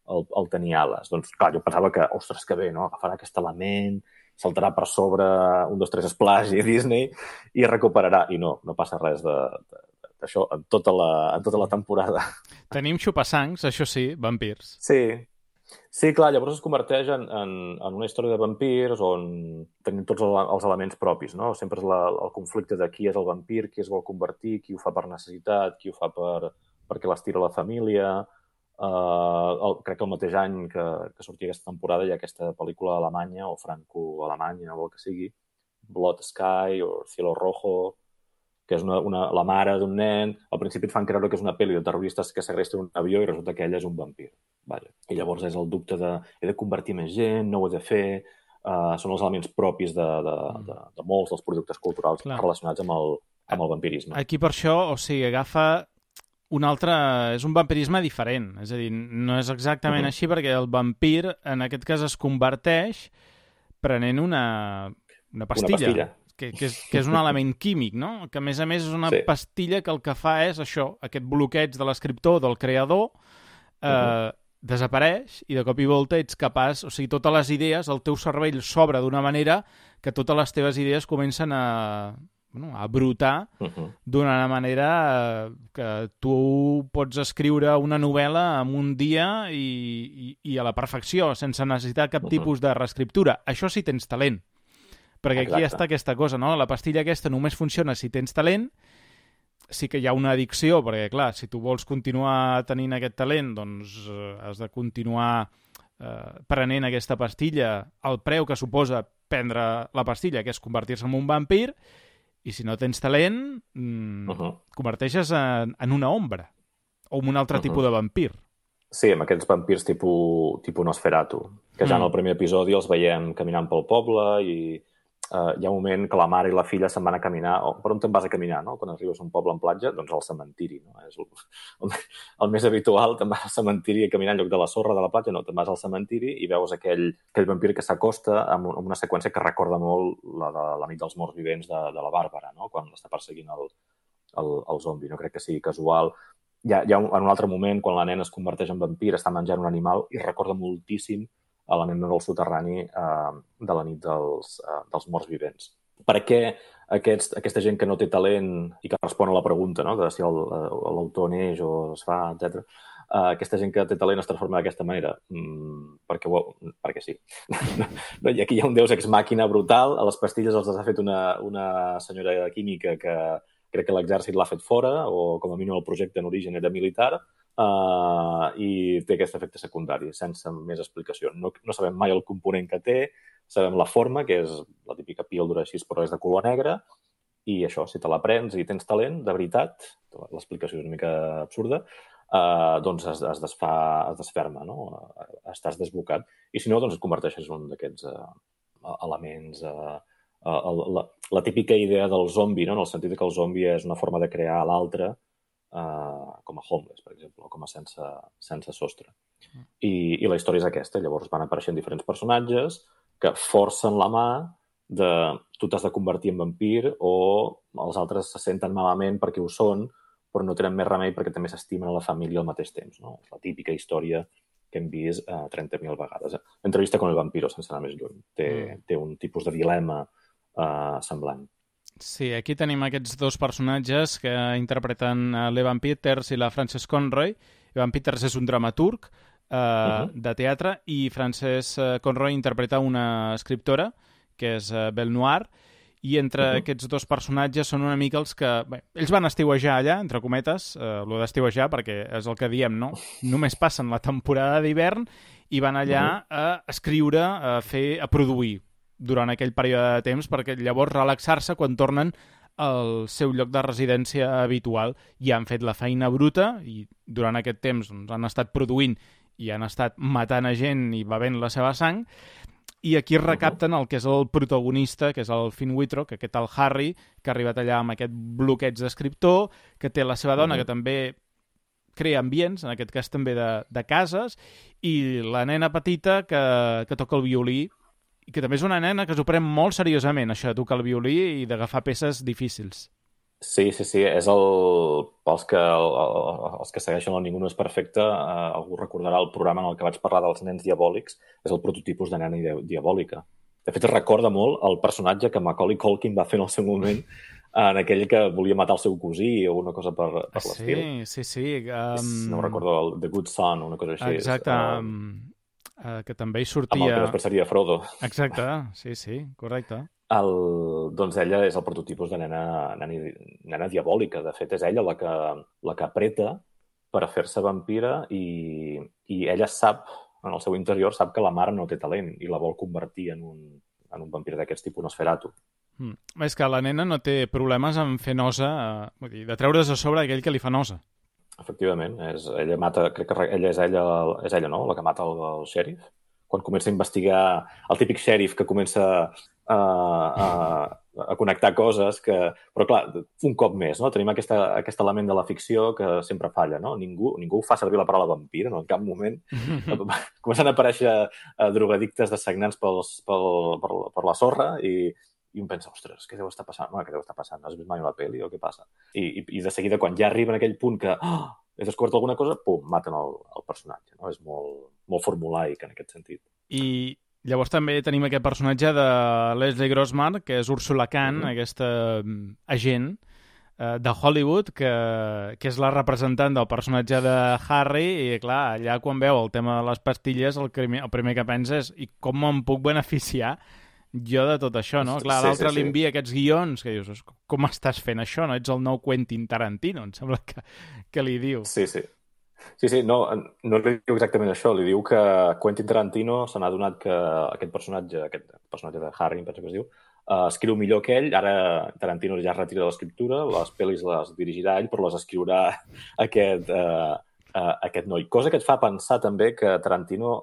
el tenir ales. Doncs, clar, jo pensava que, ostres, que bé, no? Agafarà aquest element, saltarà per sobre 1, 2, 3 Splash i Disney i recuperarà. I no passa res d'això en tota la temporada. Tenim xupassancs, això sí, vampirs. Sí, clar, llavors es converteix en una història de vampirs on tenim tots els elements propis, no? Sempre és el conflicte de qui és el vampir, qui es vol convertir, qui ho fa per necessitat, qui ho fa perquè l'estira la família. Crec que el mateix any que sortia aquesta temporada hi ha aquesta pel·lícula alemanya o franco-alemanya o el que sigui, Blood Sky o Cielo Rojo, que és la mare d'un nen. Al principi et fan creure que és una pel·li de terroristes que segresten un avió i resulta que ella és un vampir. Vaja. I llavors és el dubte de he de convertir més gent, no ho he de fer. Són els elements propis de molts dels productes culturals relacionats amb el vampirisme. Aquí per això, o sigui, agafa un altre... És un vampirisme diferent. És a dir, no és exactament així perquè el vampir, en aquest cas, es converteix prenent una pastilla. Que és un element químic, no? Que, a més és una pastilla que el que fa és això, aquest bloqueig de l'escriptor, del creador, desapareix i de cop i volta ets capaç... O sigui, totes les idees, el teu cervell s'obre d'una manera que totes les teves idees comencen a brotar d'una manera que tu pots escriure una novel·la en un dia i a la perfecció, sense necessitar cap tipus de reescriptura. Això sí tens talent. Perquè aquí Exacte. està aquesta cosa, no? La pastilla aquesta només funciona si tens talent, sí que hi ha una addicció, perquè, clar, si tu vols continuar tenint aquest talent, doncs has de continuar prenent aquesta pastilla, el preu que suposa prendre la pastilla, que és convertir-se en un vampir, i si no tens talent, converteixes en una ombra, o en un altre tipus de vampir. Sí, amb aquests vampirs tipus Nosferatu, que ja en el primer episodi els veiem caminant pel poble i hi ha un moment que la mare i la filla se'n van a caminar. Per on te'n vas a caminar, no? Quan arribes a un poble en platja, doncs al cementiri, no? És el més habitual, te'n vas al cementiri a caminar en lloc de la sorra de la platja, no, te'n vas al cementiri i veus aquell vampir que s'acosta amb una seqüència que recorda molt la de la nit dels morts vivents de la Bàrbara, no? Quan l'està perseguint el zombi. No crec que sigui casual. Hi ha en un altre moment, quan la nena es converteix en vampir, està menjant un animal i recorda moltíssim a la nena del soterrani de la nit dels morts vivents. Per què aquesta gent que no té talent i que respon a la pregunta, no?, de si l'autor neix o es fa, etc. Aquesta gent que té talent es transforma d'aquesta manera? Perquè sí. I aquí hi ha un deus ex màquina brutal. A les pastilles els ha fet una senyora química que crec que l'exèrcit l'ha fet fora, o com a mínim el projecte en origen era militar, i té aquest efecte secundari, sense més explicació. No sabem mai el component que té, sabem la forma, que és la típica píldora així, però és de color negre, i això, si te la prens i tens talent, de veritat, l'explicació és una mica absurda, doncs es desferma, no? Estàs desbocat. I si no, doncs et converteixes en un d'aquests elements... La típica idea del zombi, no? En el sentit que el zombi és una forma de crear l'altre, com a homeless, per exemple, o com a sense sostre. I la història és aquesta. Llavors van apareixent diferents personatges que forcen la mà de tu t'has de convertir en vampir o els altres se senten malament perquè ho són, però no tenen més remei perquè també s'estimen a la família al mateix temps. No? És la típica història que hem vist 30.000 vegades. Entrevista con el vampiro, sense anar més lluny. Té un tipus de dilema semblant. Sí, aquí tenim aquests dos personatges que interpreten l'Evan Peters i la Frances Conroy. Evan Peters és un dramaturg de teatre i Frances Conroy interpreta una escriptora, que és Belle Noire, i entre aquests dos personatges són una mica els que... Bé, ells van estiuejar allà, entre cometes, lo d'estiuejar, perquè és el que diem, no? Només passen la temporada d'hivern i van allà a escriure, a produir durant aquell període de temps, perquè llavors relaxar-se quan tornen al seu lloc de residència habitual. I han fet la feina bruta i durant aquest temps doncs, han estat produint i han estat matant a gent i bevent la seva sang, i aquí recapten el que és el protagonista, que és el Finn Wittrock, aquest tal Harry, que ha arribat allà amb aquest bloqueig d'escriptor, que té la seva dona, que també crea ambients, en aquest cas també de cases, i la nena petita que toca el violí, i que també és una nena que s'ho pren molt seriosament, això de tocar el violí i d'agafar peces difícils. Sí, és els que segueixen el Ningú no és perfecte, algú recordarà el programa en el que vaig parlar dels nens diabòlics, és el prototipus de nena diabòlica. De fet, recorda molt el personatge que Macaulay Culkin va fer en el seu moment, en aquell que volia matar el seu cosí o una cosa per l'estil. Sí. No recordo, The Good Son, una cosa així. Exacte, que també hi sortia... Amb el que després seria Frodo. Exacte, sí, correcte. Doncs ella és el prototipus de nena diabòlica. De fet, és ella la que apreta per fer-se vampira i ella sap, en el seu interior, sap que la mare no té talent i la vol convertir en un vampir d'aquest tipus Nosferatu. És que la nena no té problemes en fer nosa, vull dir, de treure's a sobre aquell que li fa nosa. Efectivament, ella mata, crec que és ella, no?, la que mata el xèrif. Quan comença a investigar el típic xèrif que comença a connectar coses que... Però clar, un cop més, no? Tenim aquest element de la ficció que sempre falla, no? Ningú fa servir la paraula vampir, no? En cap moment. Comencen a aparèixer drogadictes dessagnants per la sorra i un pensa, ostres, què deu estar passant? Què deu estar passant? Has vist mai una pel·li o què passa? I de seguida, quan ja arriben a aquell punt que he descobert alguna cosa, pum, maten el personatge. No? És molt formulaic en aquest sentit. I llavors també tenim aquest personatge de Leslie Grossman, que és Ursula Kahn, aquesta agent de Hollywood, que és la representant del personatge de Harry, i clar, allà quan veu el tema de les pastilles, el primer que pensa és i com me'n puc beneficiar jo de tot això, no? Clar, l'altre li envia aquests guions que dius, com estàs fent això, no? Ets el nou Quentin Tarantino, em sembla que li diu. Sí, no li diu exactament això, li diu que Quentin Tarantino se n'ha adonat que aquest personatge de Harry, em penso que es diu, escriu millor que ell. Ara Tarantino ja es retira de l'escriptura, les pel·lis les dirigirà ell, però les escriurà aquest noi. Cosa que et fa pensar també que Tarantino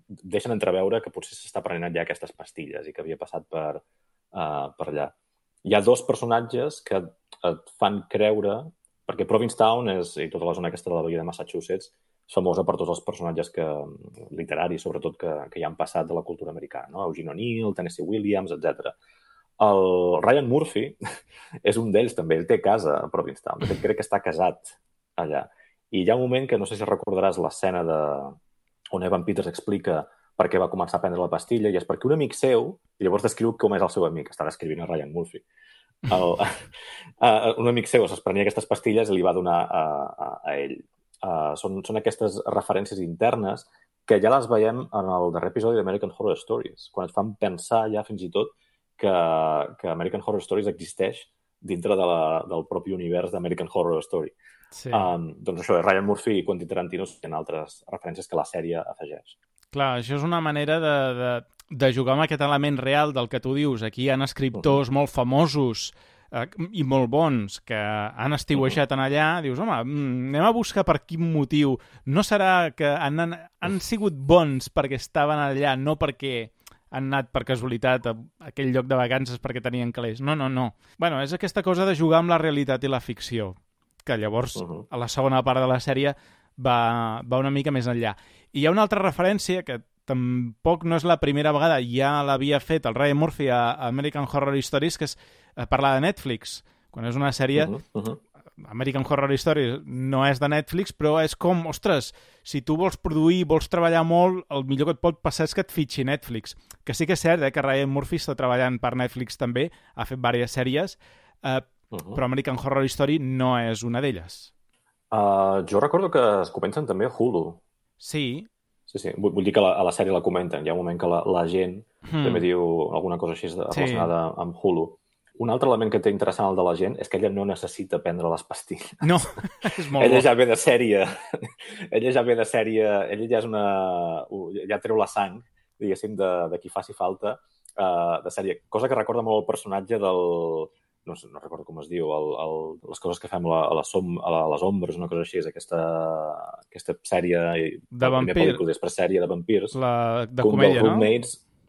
deixen entreveure que potser s'està prenent ja aquestes pastilles i que havia passat per allà. Hi ha dos personatges que et fan creure, perquè Provincetown i tota la zona aquesta de la Bahia de Massachusetts és famosa per tots els personatges literaris, sobretot, que hi han passat de la cultura americana, no? Eugene O'Neill, Tennessee Williams, etc. El Ryan Murphy és un d'ells també, ell té casa a Provincetown, de fet crec que està casat allà. I hi ha un moment que no sé si recordaràs l'escena on Evan Peters explica per què va començar a prendre la pastilla, i és perquè un amic seu, i llavors descriu com és el seu amic, està descrivint a Ryan Murphy. Un amic seu es prenia aquestes pastilles i li va donar a ell. Són aquestes referències internes que ja les veiem en el darrer episodi d'American Horror Stories, quan et fan pensar ja fins i tot que American Horror Stories existeix dintre del propi univers d'American Horror Story. Sí. Doncs això, Ryan Murphy i Quentin Tarantino tenen altres referències que la sèrie afegeix. Clar, això és una manera de jugar amb aquest element real del que tu dius. Aquí hi ha escriptors molt famosos i molt bons que han estiuejat en allà. Dius, home, anem a buscar per quin motiu. No serà que han sigut bons perquè estaven allà, no perquè han anat per casualitat a aquell lloc de vacances perquè tenien calés. No. Bueno, és aquesta cosa de jugar amb la realitat i la ficció, que llavors a la segona part de la sèrie va una mica més enllà. I hi ha una altra referència que tampoc no és la primera vegada, ja l'havia fet el Ryan Murphy a American Horror Stories, que és parlar de Netflix. Quan és una sèrie... American Horror Stories no és de Netflix, però és com, ostres, si tu vols produir, vols treballar molt, el millor que et pot passar és que et fitxi Netflix. Que sí que és cert que Ryan Murphy està treballant per Netflix també, ha fet diverses sèries, però American Horror Story no és una d'elles. Jo recordo que es comencen també a Hulu. Sí. Sí. Vull dir que a la sèrie la comenten. Hi ha un moment que la gent també diu alguna cosa així relacionada amb Hulu. Un altre element que té interessant el de la gent és que ella no necessita prendre les pastilles. No, és molt ella ja ve de sèrie. Ella ja és ja treu la sang, diguéssim, de qui faci falta de sèrie. Cosa que recorda molt el personatge del... No recordo com es diu, les coses que fem a les ombres, una cosa així, és aquesta sèrie de vampirs, després sèrie de vampirs, de comèdia, no?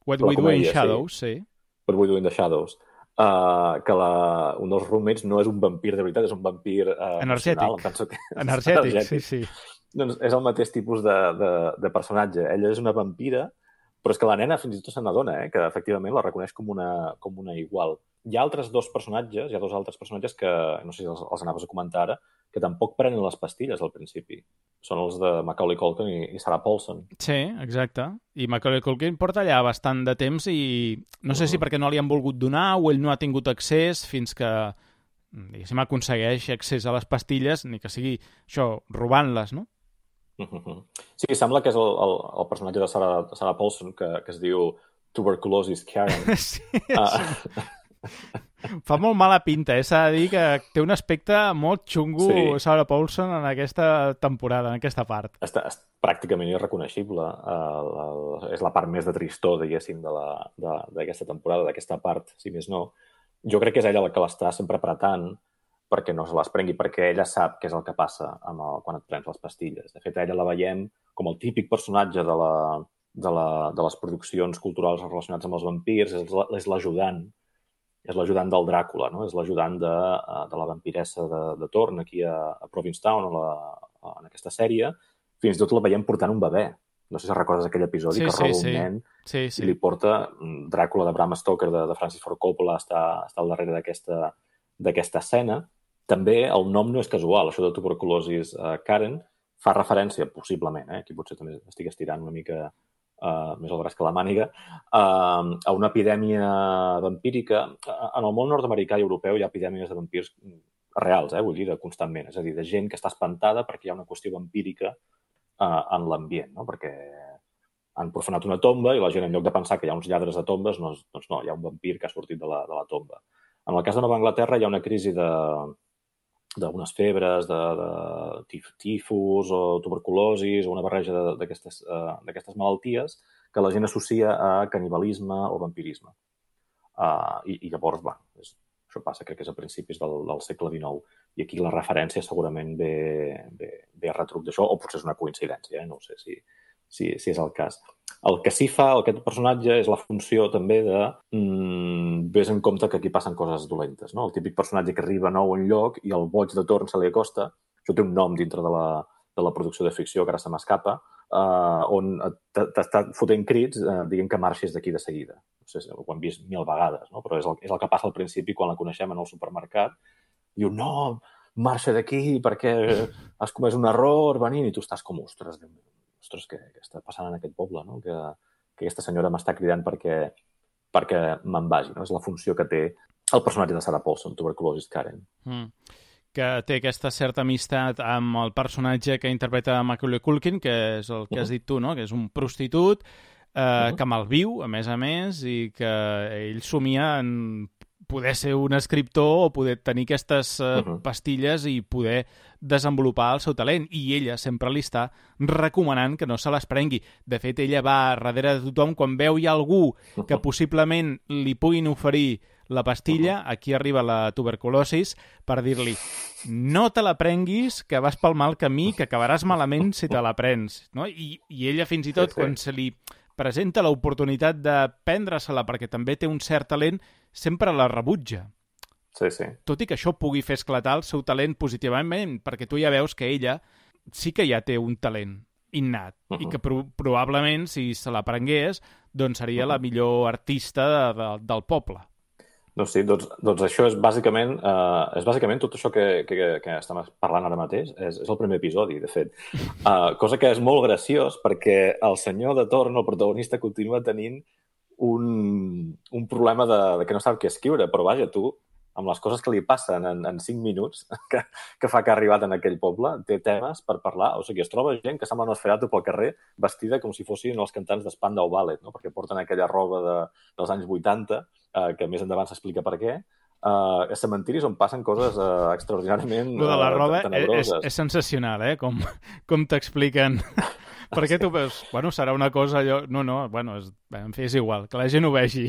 What We Do in Shadows, sí. What We Do in the Shadows. Que un dels roommates no és un vampir de veritat, és un vampir energètic, sí. Doncs és el mateix tipus de personatge. Ella és una vampira, però és que la nena fins i tot se n'adona, que efectivament la reconeix com una igual. Hi ha dos altres personatges que, no sé si els anaves a comentar ara, que tampoc prenen les pastilles al principi. Són els de Macaulay Culkin i Sarah Paulson. Sí, exacte. I Macaulay Culkin porta allà bastant de temps i no sé si perquè no li han volgut donar o ell no ha tingut accés fins que, diguéssim, aconsegueix accés a les pastilles, ni que sigui això, robant-les, no? Sí, sembla que és el personatge de Sarah Paulson que es diu Tuberculosis Karen. Sí. Fa molt mala pinta, s'ha de dir que té un aspecte molt xungo, sí. Sarah Paulson en aquesta temporada, en aquesta part. És pràcticament irreconeixible. És la part més de tristor, diguéssim, d'aquesta temporada, d'aquesta part, si més no. Jo crec que és ella la que l'està sempre apretant perquè no se les prengui, perquè ella sap què és el que passa quan et prens les pastilles. De fet, ella la veiem com el típic personatge de les produccions culturals relacionades amb els vampirs, és l'ajudant. És l'ajudant del Dràcula, no? És l'ajudant de la vampiressa de torn aquí a Provincetown, en aquesta sèrie. Fins i tot la veiem portant un bebè. No sé si recordes aquell episodi que roba un nen i li porta Dràcula de Bram Stoker, de Francis Ford Coppola, està al darrere d'aquesta escena. També el nom no és casual, això de Tuberculosis Karen fa referència, possiblement, aquí potser també estic estirant una mica més el braç que la màniga, a una epidèmia vampírica. En el món nord-americà i europeu hi ha epidèmies de vampirs reals, vull dir, constantment. És a dir, de gent que està espantada perquè hi ha una qüestió vampírica en l'ambient, no? Perquè han profanat una tomba i la gent, en lloc de pensar que hi ha uns lladres de tombes, doncs no, hi ha un vampir que ha sortit de la tomba. En el cas de Nova Anglaterra hi ha una crisi d'unes febres, de tifus o tuberculosis o una barreja d'aquestes malalties que la gent associa a canibalisme o vampirisme. I llavors, això passa, crec que és a principis del segle XIX. I aquí la referència segurament ve a retruc d'això, o potser és una coincidència, no sé si és el cas. El que sí fa aquest personatge és la funció també de ves en compte que aquí passen coses dolentes, no? El típic personatge que arriba nou a un lloc i el boig de torn se li acosta. Això té un nom dintre de la producció de ficció, que ara se m'escapa, on t'està fotent crits dient que marxis d'aquí de seguida. No sé si ho hem vist 1000 vegades, no? Però és el que passa al principi quan la coneixem en el supermercat. Diu, no, marxa d'aquí perquè has comès un error venint, i tu estàs com, ostres, què està passant en aquest poble, no? Que aquesta senyora m'està cridant perquè me'n vagi, no? És la funció que té el personatge de Sarah Paulson, Tuberculosis Karen. Que té aquesta certa amistat amb el personatge que interpreta Macaulay Culkin, que és el que has dit tu, no? Que és un prostitut que malviu, a més, i que ell somia en poder ser un escriptor o poder tenir aquestes pastilles i poder desenvolupar el seu talent. I ella sempre li està recomanant que no se les prengui. De fet, ella va darrere de tothom quan veu hi ha algú que possiblement li puguin oferir la pastilla, aquí arriba la tuberculosis, per dir-li no te la prenguis, que vas pel mal camí, que acabaràs malament si te la prens. No? I ella fins i tot, quan se li presenta l'oportunitat de prendre-se-la perquè també té un cert talent, sempre la rebutja. Sí. Tot i que això pugui fer esclatar el seu talent positivament, perquè tu ja veus que ella sí que ja té un talent innat i que probablement, si se la prengués, doncs seria la millor artista del poble. Doncs sí, doncs això és bàsicament tot això que estem parlant ara mateix, és el primer episodi, de fet. Cosa que és molt graciós perquè el senyor de torn, el protagonista, continua tenint un problema de que no sap què escriure, però vaja, tu, amb les coses que li passen en 5 minuts que fa que ha arribat en aquell poble, té temes per parlar. O sigui, es troba gent que sembla Nosferatu pel carrer vestida com si fossin els cantants d'Spandau Ballet, no? Perquè porten aquella roba dels anys 80, que més endavant s'explica per què, a cementiris on passen coses extraordinàriament tenebroses. Lo de la roba és sensacional, com t'expliquen. Perquè tu veus, serà una cosa allò... en fi, és igual, que la gent ho vegi.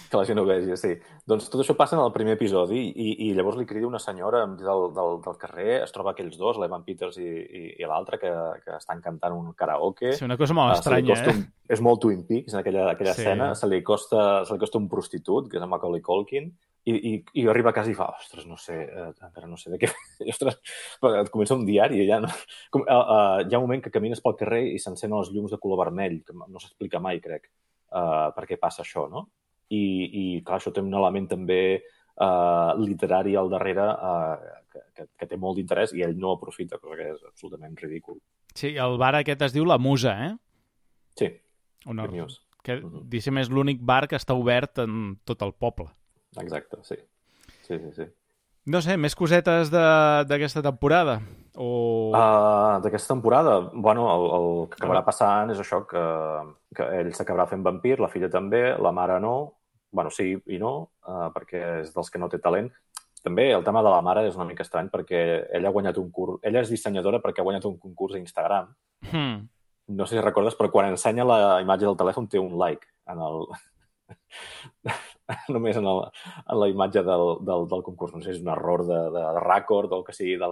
Que la gent ho vegi, sí. Doncs tot això passa en el primer episodi i llavors li crida una senyora del carrer, es troba aquells dos, l'Evan Peters i l'altre, que estan cantant un karaoke. Sí, una cosa molt estranya, És molt Twin Peaks, en aquella escena. Se li costa un prostitut, que és en Macaulay Culkin, i arriba a casa i fa, ostres, no sé, encara no sé de què... Ostres, et comença un diari, ja no... Hi ha un moment que camines pel carrer i s'encenen els llums de color vermell, que no s'explica mai, crec, per què passa això, no? I clar, això té un element també literari al darrere que té molt d'interès i ell no aprofita, cosa que és absolutament ridícul. Sí, el bar aquest es diu La Musa, Sí, News. Que, diguéssim, és l'únic bar que està obert en tot el poble. Exacte, sí. No sé, més cosetes d'aquesta temporada? D'aquesta temporada? El que acabarà passant és això, que ell s'acabarà fent vampir, la filla també, la mare no. Sí i no, perquè és dels que no té talent. També el tema de la mare és una mica estrany perquè ella ha guanyat un concurs. Ella és dissenyadora perquè ha guanyat un concurs a Instagram. No sé si recordes, però quan ensenya la imatge del telèfon té un like només en la imatge del concurs. No sé si és un error de rècord o el que sigui de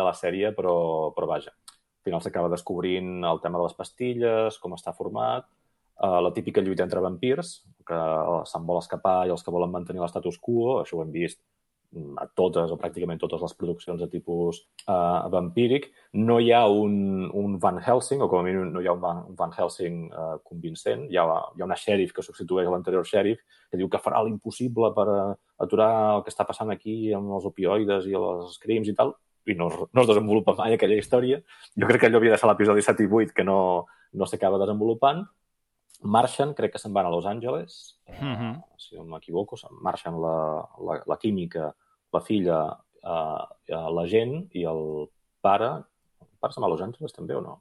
la sèrie, però vaja. Al final s'acaba descobrint el tema de les pastilles, com està format, la típica lluita entre vampirs, que se'n vol escapar i els que volen mantenir l'estatus quo. Això ho hem vist a totes o pràcticament totes les produccions de tipus vampíric. No hi ha un Van Helsing, o com a mínim no hi ha un Van Helsing convincent. Hi ha una xèrif que substitueix l'anterior xèrif que diu que farà l'impossible per aturar el que està passant aquí amb els opioides i els crims i tal, i no es desenvolupa mai aquella història. Jo crec que allò havia de ser l'episodi 7 i 8 que no s'acaba desenvolupant. Marxen, crec que se'n van a Los Angeles, si no m'equivoco, marxen la química, la filla, la gent i el pare. El pare se'n va a Los Angeles també o no?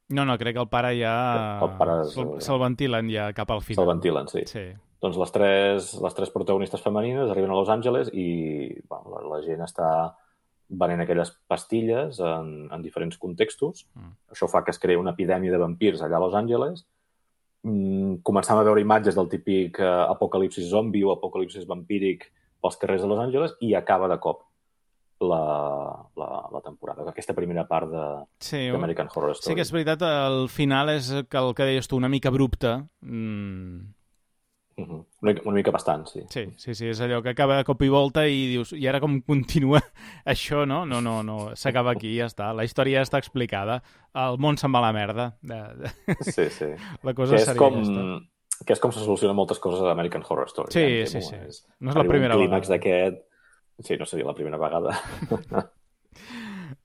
No, crec que el pare ja... El pare se'l ventilen ja cap al final. Se'l ventilen, sí. Doncs les tres protagonistes femenines arriben a Los Angeles i la gent està venent aquelles pastilles en diferents contextos. Això fa que es creï una epidèmia de vampirs allà a Los Angeles. Començam a veure imatges del típic apocalipsis zombi o apocalipsis vampíric pels carrers de Los Angeles i acaba de cop la temporada, aquesta primera part d'American Horror Story. Sí que és veritat, el final és el que deies tu, una mica abrupte. Una mica bastant, sí. Sí, és allò que acaba de cop i volta i dius, i ara com continua això, no? No, s'acaba aquí, ja està. La història ja està explicada. El món se'n va a la merda. Sí. La cosa seria aquesta. Que és com se solucionen moltes coses a American Horror Story. Sí. No és la primera vegada. Un clímax d'aquest... Sí, no seria la primera vegada.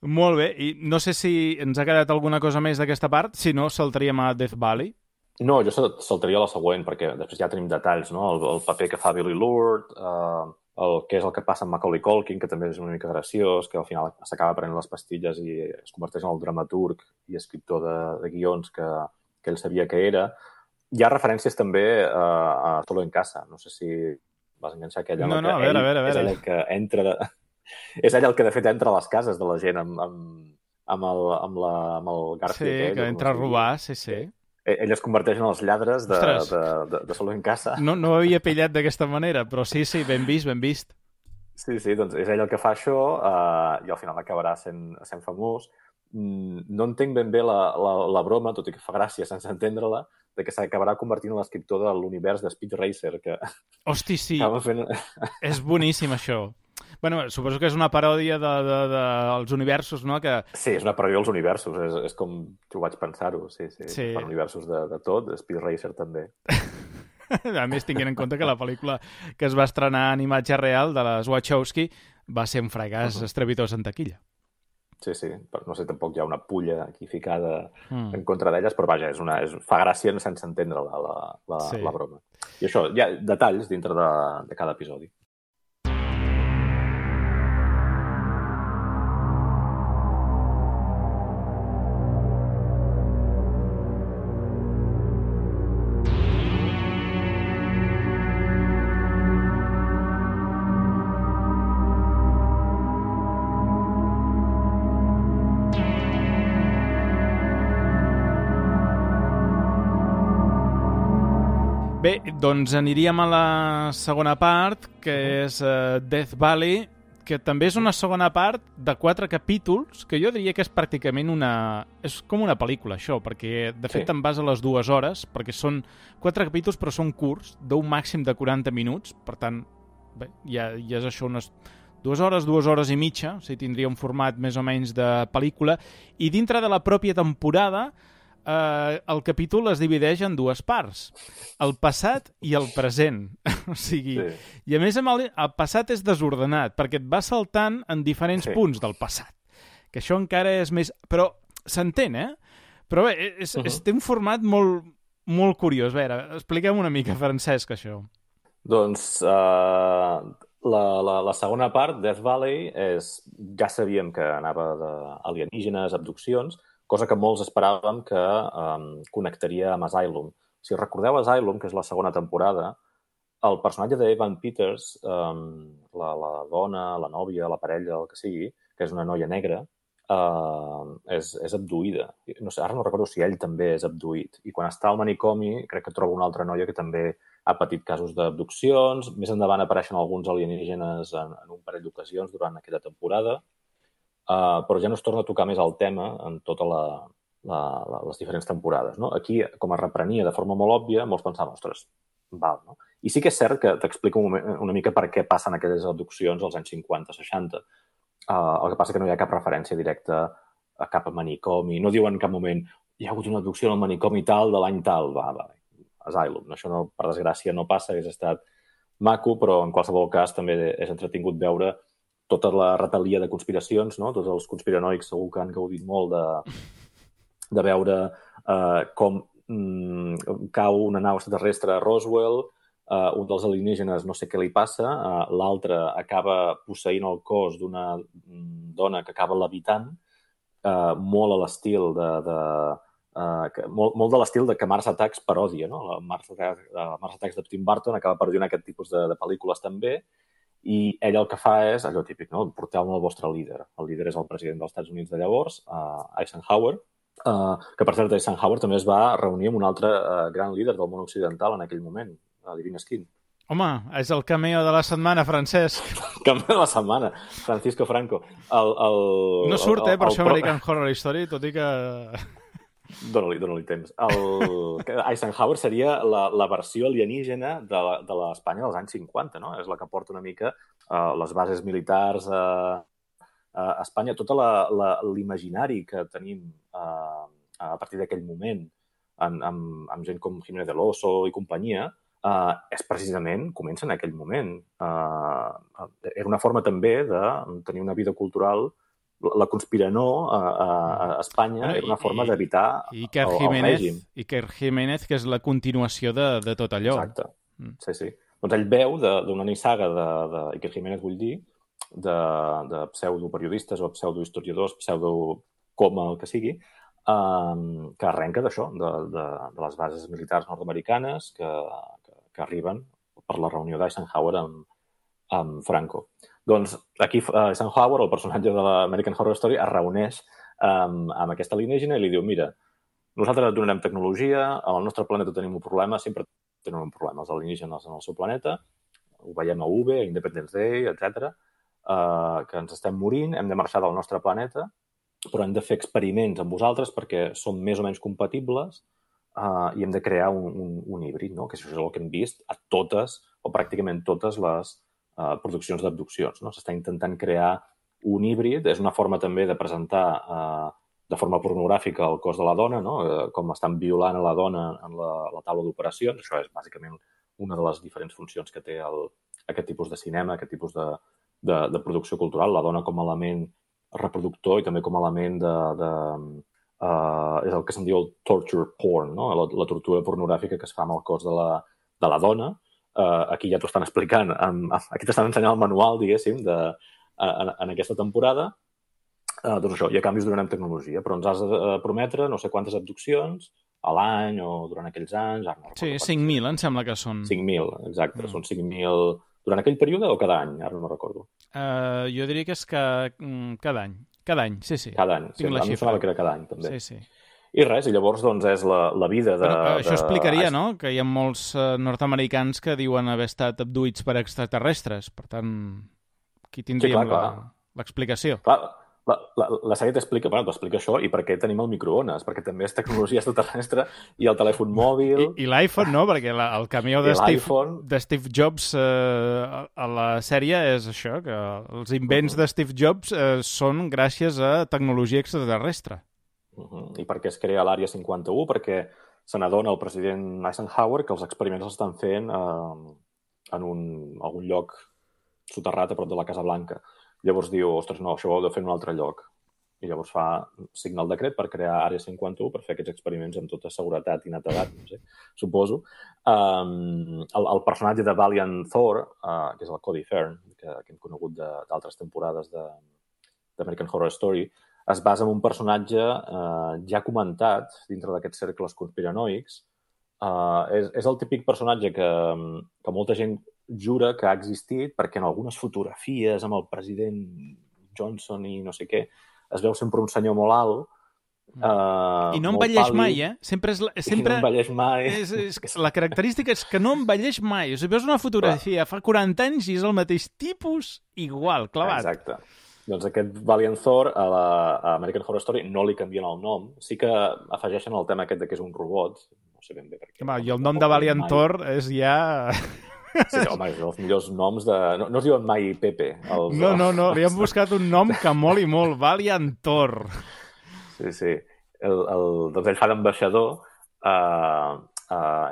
Molt bé, i no sé si ens ha quedat alguna cosa més d'aquesta part, si no saltaríem a Death Valley. No, jo saltaria la següent, perquè després ja tenim detalls, no? El paper que fa Billy Lourd, què és el que passa amb Macaulay Culkin, que també és una mica graciós, que al final s'acaba prenent les pastilles i es converteix en el dramaturg i escriptor de guions que ell sabia que era. Hi ha referències també a Solo en Casa. No sé si vas enganxar aquella... No, a veure. És ell el que entra... És ell el que, de fet, entra a les cases de la gent amb el Garfield. Sí, que entra a robar, sí. Ell es converteix en els lladres de Solo en Casa. No ho havia pillat d'aquesta manera, però sí, ben vist. Sí, doncs és ell el que fa això i al final acabarà sent famós. No entenc ben bé la broma, tot i que fa gràcia sense entendre-la, de que s'acabarà convertint en l'escriptor de l'univers de Speed Racer. Hosti, sí. És boníssim, això. Bueno, suposo que és una paròdia dels universos, no? Sí, és una paròdia dels universos. És com jo vaig pensar-ho, sí. Per universos de tot, Speed Racer també. A més, tinguent en compte que la pel·lícula que es va estrenar en imatge real de les Wachowski va ser un fracàs estrepitós en taquilla. Sí, no sé, tampoc hi ha una pulla aquí ficada en contra d'elles, però vaja, fa gràcia sense entendre la broma. I això, hi ha detalls dintre de cada episodi. Bé, doncs aniríem a la segona part, que és Death Valley, que també és una segona part de 4 capítols, que jo diria que és pràcticament és com una pel·lícula, això, perquè de fet te'n vas a les 2 hores, perquè són 4 capítols però són curts, d'un màxim de 40 minuts, per tant, bé, ja és això, unes 2 hores i mitja, o sigui, tindria un format més o menys de pel·lícula, i dintre de la pròpia temporada el capítol es divideix en 2 parts, el passat i el present. O sigui, i a més el passat és desordenat, perquè et va saltant en diferents punts del passat, que això encara és més... Però s'entén, Però bé, té un format molt, molt curiós. A veure, expliquem una mica, Francesc, això. Doncs la segona part, Death Valley, ja sabíem que anava d'alienígenes, abduccions, cosa que molts esperàvem que connectaria amb Asylum. Si recordeu Asylum, que és la segona temporada, el personatge d'Evan Peters, la dona, la nòvia, la parella, el que sigui, que és una noia negra, és abduïda. No sé, ara no recordo si ell també és abduït. I quan està al manicomi, crec que troba una altra noia que també ha patit casos d'abduccions. Més endavant apareixen alguns alienígenes en un parell d'ocasions durant aquella temporada. Però ja no es torna a tocar més el tema en totes les diferents temporades. No? Aquí, com es reprenia de forma molt òbvia, molts pensaven, ostres, val, no? I sí que és cert que t'explico una mica per què passen aquelles abduccions als anys 50-60. El que passa que no hi ha cap referència directa a cap manicomi. No diuen en cap moment hi ha hagut una abducció al manicomi tal de l'any tal. Va, Asylum. Això, no, per desgràcia, no passa. Hauria estat maco, però en qualsevol cas també és entretingut veure tota la retalia de conspiracions, no? Tots els conspiranoics segur que han gaudit molt de veure com cau una nau extraterrestre a Roswell, un dels alienígenes no sé què li passa, l'altre acaba posseint el cos d'una dona que acaba levitant, molt a l'estil molt de l'estil de que Mars Attacks parodia, no? Mars Attacks de Tim Burton acaba parodiant aquest tipus de pel·lícules també, i ell el que fa és allò típic, no? Porteu-me el vostre líder. El líder és el president dels Estats Units de llavors, Eisenhower, que per cert Eisenhower també es va reunir amb un altre gran líder del món occidental en aquell moment, Irving Skin. Home, és el cameo de la setmana, Francesc. Cameo de la setmana, Francisco Franco. No surt, per això American Horror Story, tot i que... Dóna-li temps. Eisenhower seria la versió alienígena de l'Espanya dels anys 50, no? És la que porta una mica les bases militars a Espanya. Tot l'imaginari que tenim a partir d'aquell moment amb gent com Jiménez del Oso i companyia és precisament, comença en aquell moment. Era una forma també de tenir una vida cultural. La conspiranó a Espanya era una forma d'evitar el règim. Iker Jiménez, que és la continuació de tot allò. Exacte, sí. Doncs ell veu d'una nissaga d'Iker Jiménez, vull dir, de pseudoperiodistes o pseudohistoriadors, pseudocoma, el que sigui, que arrenca d'això, de les bases militars nord-americanes que arriben per la reunió d'Eisenhower amb Franco. Doncs aquí Eisenhower, el personatge de l'American Horror Story, es reuneix amb aquesta alienígena i li diu, mira, nosaltres et donarem tecnologia, al nostre planeta tenim un problema, sempre tenen un problema, els alienígenes en el seu planeta, ho veiem a UV, a Independence Day, etc., que ens estem morint, hem de marxar del nostre planeta, però hem de fer experiments amb vosaltres perquè som més o menys compatibles i hem de crear un híbrid, no? Que això és el que hem vist a totes, o pràcticament totes les produccions d'abduccions, no? S'està intentant crear un híbrid, és una forma també de presentar de forma pornogràfica el cos de la dona, no? Com estan violant a la dona en la taula d'operacions. Això és bàsicament una de les diferents funcions que té aquest tipus de cinema, aquest tipus de producció cultural, la dona com a element reproductor i també com a element és el que se'n diu el torture porn, no? La tortura pornogràfica que es fa amb el cos de la dona. Aquí ja t'ho estan explicant, aquí t'estan ensenyant el manual, diguéssim, en aquesta temporada. Doncs això, i a canvi us donarem tecnologia, però ens has de prometre no sé quantes abduccions a l'any o durant aquells anys. Sí, 5.000 em sembla que són. 5.000, exacte. Són 5.000 durant aquell període o cada any? Ara no recordo. Jo diria que és cada any. Cada any, sí. Cada any, sí. A mi em semblava que era cada any, també. Sí. I res, i llavors doncs, és la vida de... Però això explicaria, no?, que hi ha molts nord-americans que diuen haver estat abduïts per extraterrestres. Per tant, aquí tindríem l'explicació. Clar, la sèrie t'explica això i per què tenim el microones, perquè també és tecnologia extraterrestre i el telèfon mòbil... I l'iPhone, no?, perquè el cameo de Steve Jobs a la sèrie és això, que els invents de Steve Jobs són gràcies a tecnologia extraterrestre. I per què es crea l'Àrea 51? Perquè se n'adona el president Eisenhower que els experiments els estan fent en algun lloc soterrat a prop de la Casa Blanca. Llavors diu, ostres, no, això ho heu de fer en un altre lloc. I llavors signa el decret per crear Àrea 51 per fer aquests experiments amb tota seguretat i netedat, no sé, suposo. El personatge de Valiant Thor, que és el Cody Fern, que hem conegut d'altres temporades d'American Horror Story, es basa en un personatge ja comentat dintre d'aquests cercles conspiranoics. És el típic personatge que molta gent jura que ha existit perquè en algunes fotografies amb el president Johnson i no sé què es veu sempre un senyor molt alt. I no envelleix mai, eh? Sempre no envelleix mai. La característica és que no envelleix mai. O sigui, veus una fotografia fa 40 anys i és el mateix tipus, igual, clavat. Exacte. Doncs aquest Valiant Thor a American Horror Story no li canvien el nom. Sí que afegeixen el tema aquest de que és un robot. No sé ben bé per què. I el nom de Valiant Thor és ja... Sí, home, és els millors noms de... No es diuen mai Pepe. No, li han buscat un nom que moli molt. Valiant Thor. Sí. Doncs ell fa d'ambaixador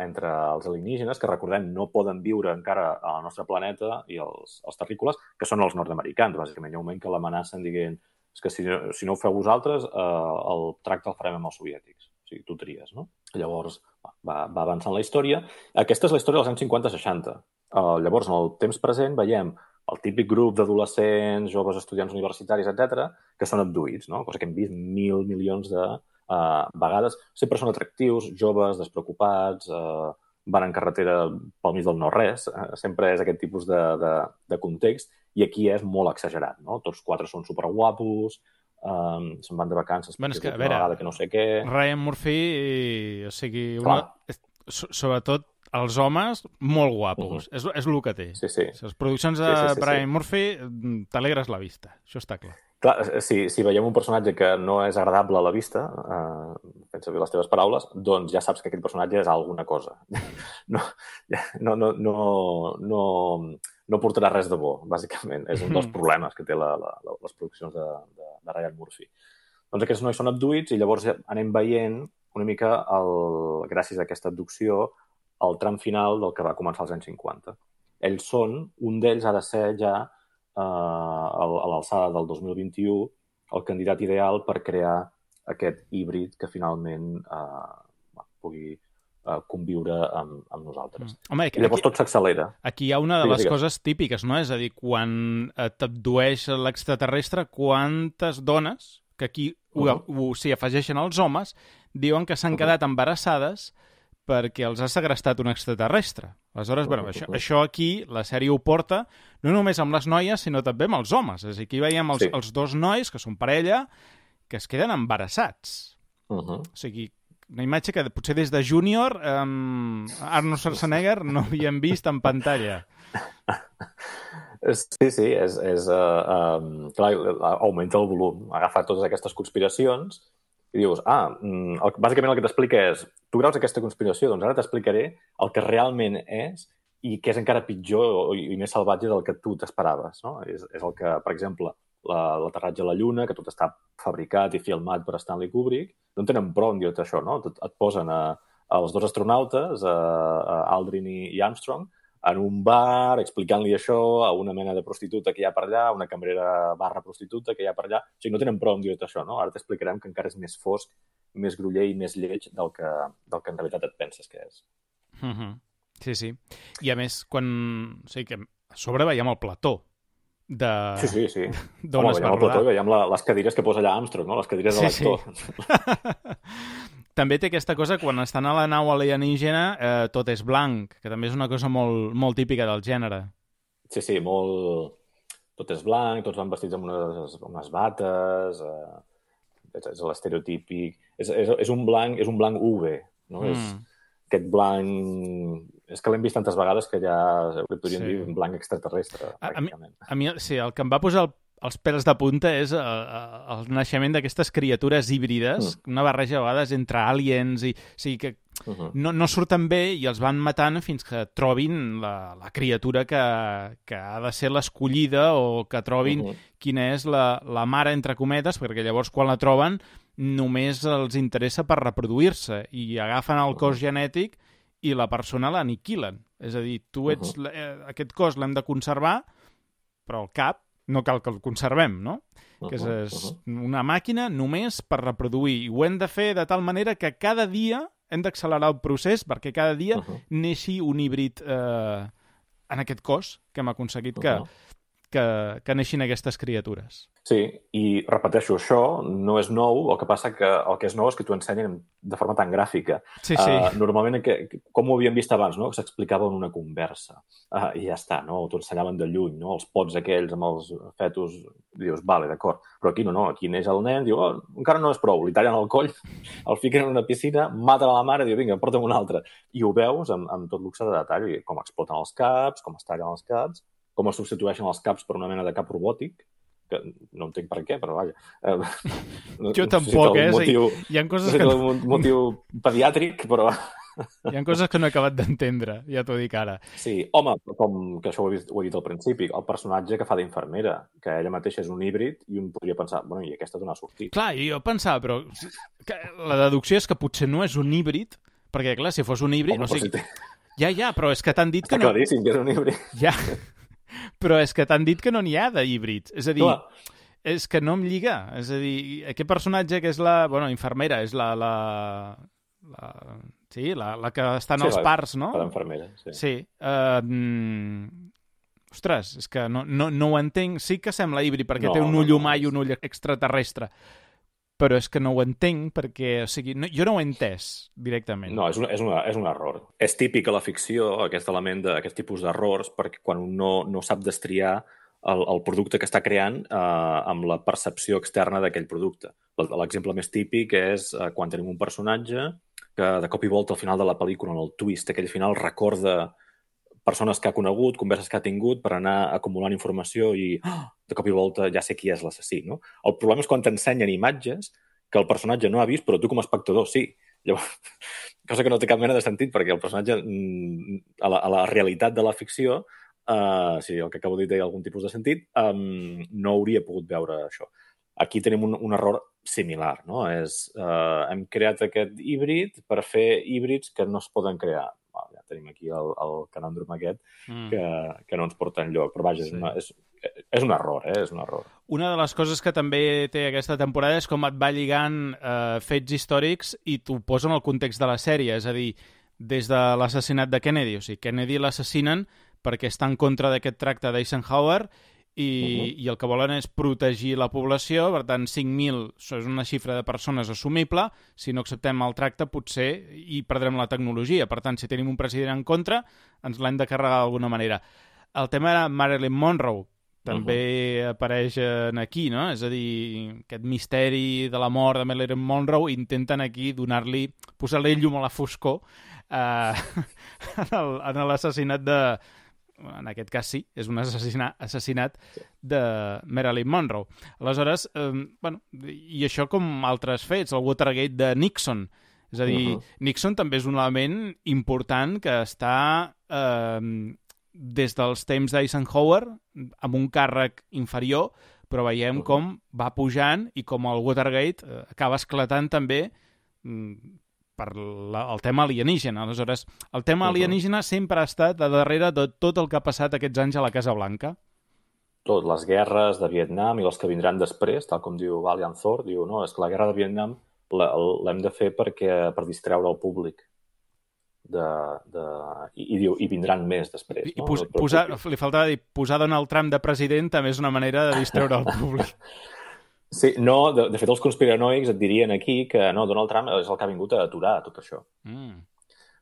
entre els alienígenes, que recordem no poden viure encara al nostre planeta, i els terrícoles, que són els nord-americans, bàsicament. Hi ha un moment que l'amenacen dient que si no ho feu vosaltres, el tracte el farem amb els soviètics. O sigui, tu tries, no? Llavors va avançant la història. Aquesta és la història dels anys 50-60. Llavors, en el temps present, veiem el típic grup d'adolescents, joves estudiants universitaris, etc., que són abduïts, no? Cosa que hem vist milions de a vegades sempre són atractius, joves, despreocupats, van en carretera pel mig del no-res, sempre és aquest tipus de context, i aquí és molt exagerat, no? Tots 4 són superguapos, se'n van de vacances Bueno, és que, a una veure, vegada que no sé què... Ryan Murphy, o sigui, Clar. sobretot els homes, molt guapos. És el que té. Sí, sí. Les produccions de Ryan Murphy t'alegres la vista, això està clar. Clar, si veiem un personatge que no és agradable a la vista, fent servir les teves paraules, doncs ja saps que aquest personatge és alguna cosa. No portarà res de bo, bàsicament. És un dels problemes que té les produccions de Ryan Murphy. Doncs aquests nois són abduïts i llavors anem veient una mica, gràcies a aquesta abducció, el tram final del que va començar als anys 50. Ells són, un d'ells ha de ser ja a l'alçada del 2021 el candidat ideal per crear aquest híbrid que finalment pugui conviure amb nosaltres. Home, I llavors tot s'accelera. Aquí hi ha una de les coses típiques, no? És a dir, quan t'abdueix l'extraterrestre, quantes dones, que aquí s'hi afegeixen els homes, diuen que s'han quedat embarassades perquè els ha segrestat un extraterrestre. Aleshores, bueno, això aquí, la sèrie ho porta, no només amb les noies, sinó també amb els homes. És a dir, aquí veiem els 2 nois, que són parella, que es queden embarassats. O sigui, una imatge que potser des de júnior Arnold Schwarzenegger no havíem vist en pantalla. Sí, clar, augmenta el volum. Agafa totes aquestes conspiracions i dius, bàsicament el que t'explica és, tu creus aquesta conspiració, doncs ara t'explicaré el que realment és i que és encara pitjor i més salvatge del que tu t'esperaves, no? És el que, per exemple, l'aterratge a la Lluna, que tot està fabricat i filmat per Stanley Kubrick, no en tenen prou en dir-te això, no? Et posen els 2 astronautes, Aldrin i Armstrong, en un bar, explicant-li això a una mena de prostituta que hi ha per allà, una cambrera barra prostituta que hi ha per allà. O sigui, no tenen prou en dir-te això, no? Ara t'explicarem que encara és més fosc, més groller i més lleig del que en realitat et penses que és. Sí. I a més, quan... O sigui, que a sobre veiem el plató de... Sí. D'on es va rodar. Veiem el plató i veiem les cadires que posa allà Armstrong, no? Les cadires de l'actor. Sí. També té aquesta cosa, quan estan a la nau alienígena, tot és blanc, que també és una cosa molt, molt típica del gènere. Sí, molt... Tot és blanc, tots van vestits amb unes bates, és l'estereotípic... És un blanc UV, no? És aquest blanc... És que l'hem vist tantes vegades que ja podríem dir un blanc extraterrestre, pràcticament. A mi, sí, el que em va posar els pèls de punta és el naixement d'aquestes criatures híbrides, una barreja a vegades entre aliens, o sigui que no surten bé i els van matant fins que trobin la criatura que ha de ser l'escollida o que trobin quina és la mare, entre cometes, perquè llavors quan la troben només els interessa per reproduir-se i agafen el cos genètic i la persona l'aniquilen. És a dir, tu ets... Aquest cos l'hem de conservar, però el cap no cal que el conservem, no? Que és una màquina només per reproduir. I ho hem de fer de tal manera que cada dia hem d'accelerar el procés perquè cada dia neixi un híbrid en aquest cos que hem aconseguit que neixin aquestes criatures. Sí, i repeteixo, això no és nou, el que passa que el que és nou és que t'ho ensenyen de forma tan gràfica. Sí. Normalment, com ho havíem vist abans, no? S'explicava en una conversa. I ja està, no? T'ho ensenyaven de lluny, no? Els pots aquells amb els fetus, dius, vale, d'acord. Però aquí no, aquí neix el nen, diu, encara no és prou, li tallen el coll, el fiquen en una piscina, maten a la mare i diu, vinga, porta'm un altre. I ho veus amb tot luxe de detall, com exploten els caps, com es tallen els caps, com es substitueixen els caps per una mena de cap robòtic, que no entenc per què, però vaja. Jo tampoc, hi ha coses que... un motiu pediàtric, però... Hi ha coses que no he acabat d'entendre, ja t'ho dic ara. Sí, home, com que això ho he dit al principi, el personatge que fa d'infermera, que ella mateixa és un híbrid, i un podria pensar, bueno, i aquesta d'on ha sortit? Clar, jo pensava, però la deducció és que potser no és un híbrid, perquè, clar, si fos un híbrid... Home, o sigui... Ja, però és que t'han dit que no... Està claríssim que és un híbrid. Ja, però és que t'han dit que no n'hi ha d'híbrids. És a dir, és que no em lliga. És a dir, aquest personatge que és la... Bueno, infermera, és sí, la que està en els parts, no? La infermera, sí. Sí. Ostres, és que no ho entenc. Sí que sembla híbrid, perquè té un ull humà i un ull extraterrestre. però és que no ho entenc perquè, o sigui, jo no ho he entès directament. No, és un error. És típic a la ficció aquest element d'aquest tipus d'errors perquè quan un no sap destriar el producte que està creant amb la percepció externa d'aquell producte. L'exemple més típic és quan tenim un personatge que de cop i volta al final de la pel·lícula, en el twist, aquell final recorda persones que ha conegut, converses que ha tingut per anar acumulant informació i de cop i volta ja sé qui és l'assassí, no? El problema és quan t'ensenyen imatges que el personatge no ha vist, però tu com a espectador sí. Llavors, cosa que no té cap mena de sentit, perquè el personatge, a la realitat de la ficció, si el que acabo de dir té algun tipus de sentit, no hauria pogut veure això. Aquí tenim un error similar, no? Hem creat aquest híbrid per fer híbrids que no es poden crear. Ja tenim aquí el canòndrom aquest que no ens porta enlloc. Però vaja, és un error, és un error. Una de les coses que també té aquesta temporada és com et va lligant fets històrics i t'ho posa en el context de la sèrie. És a dir, des de l'assassinat de Kennedy. O sigui, Kennedy l'assassinen perquè està en contra d'aquest tracte d'Eisenhower i el que volen és protegir la població, per tant 5.000 és una xifra de persones assumible, si no acceptem el tracte potser hi perdrem la tecnologia, per tant si tenim un president en contra ens l'hem de carregar d'alguna manera. El tema era Marilyn Monroe, també apareix aquí, no? És a dir, aquest misteri de la mort de Marilyn Monroe intenten aquí posar-li llum a la foscor en l'assassinat en aquest cas sí, és un assassinat de Marilyn Monroe. Aleshores, i això com altres fets, el Watergate de Nixon. És a dir, Nixon també és un element important que està des dels temps d'Eisenhower amb un càrrec inferior, però veiem com va pujant i com el Watergate acaba esclatant també per el tema alienígena. Aleshores, el tema alienígena sempre ha estat a darrere de tot el que ha passat aquests anys a la Casa Blanca. Tot, les guerres de Vietnam i les que vindran després, tal com diu Valiant Thor, diu, no, és que la guerra de Vietnam l'hem de fer per distreure el públic. I vindran més després. Li faltava dir, posar Donald Trump de president també és una manera de distreure el públic. Sí, no, de fet els conspiranoics et dirien aquí que no, Donald Trump és el que ha vingut a aturar tot això.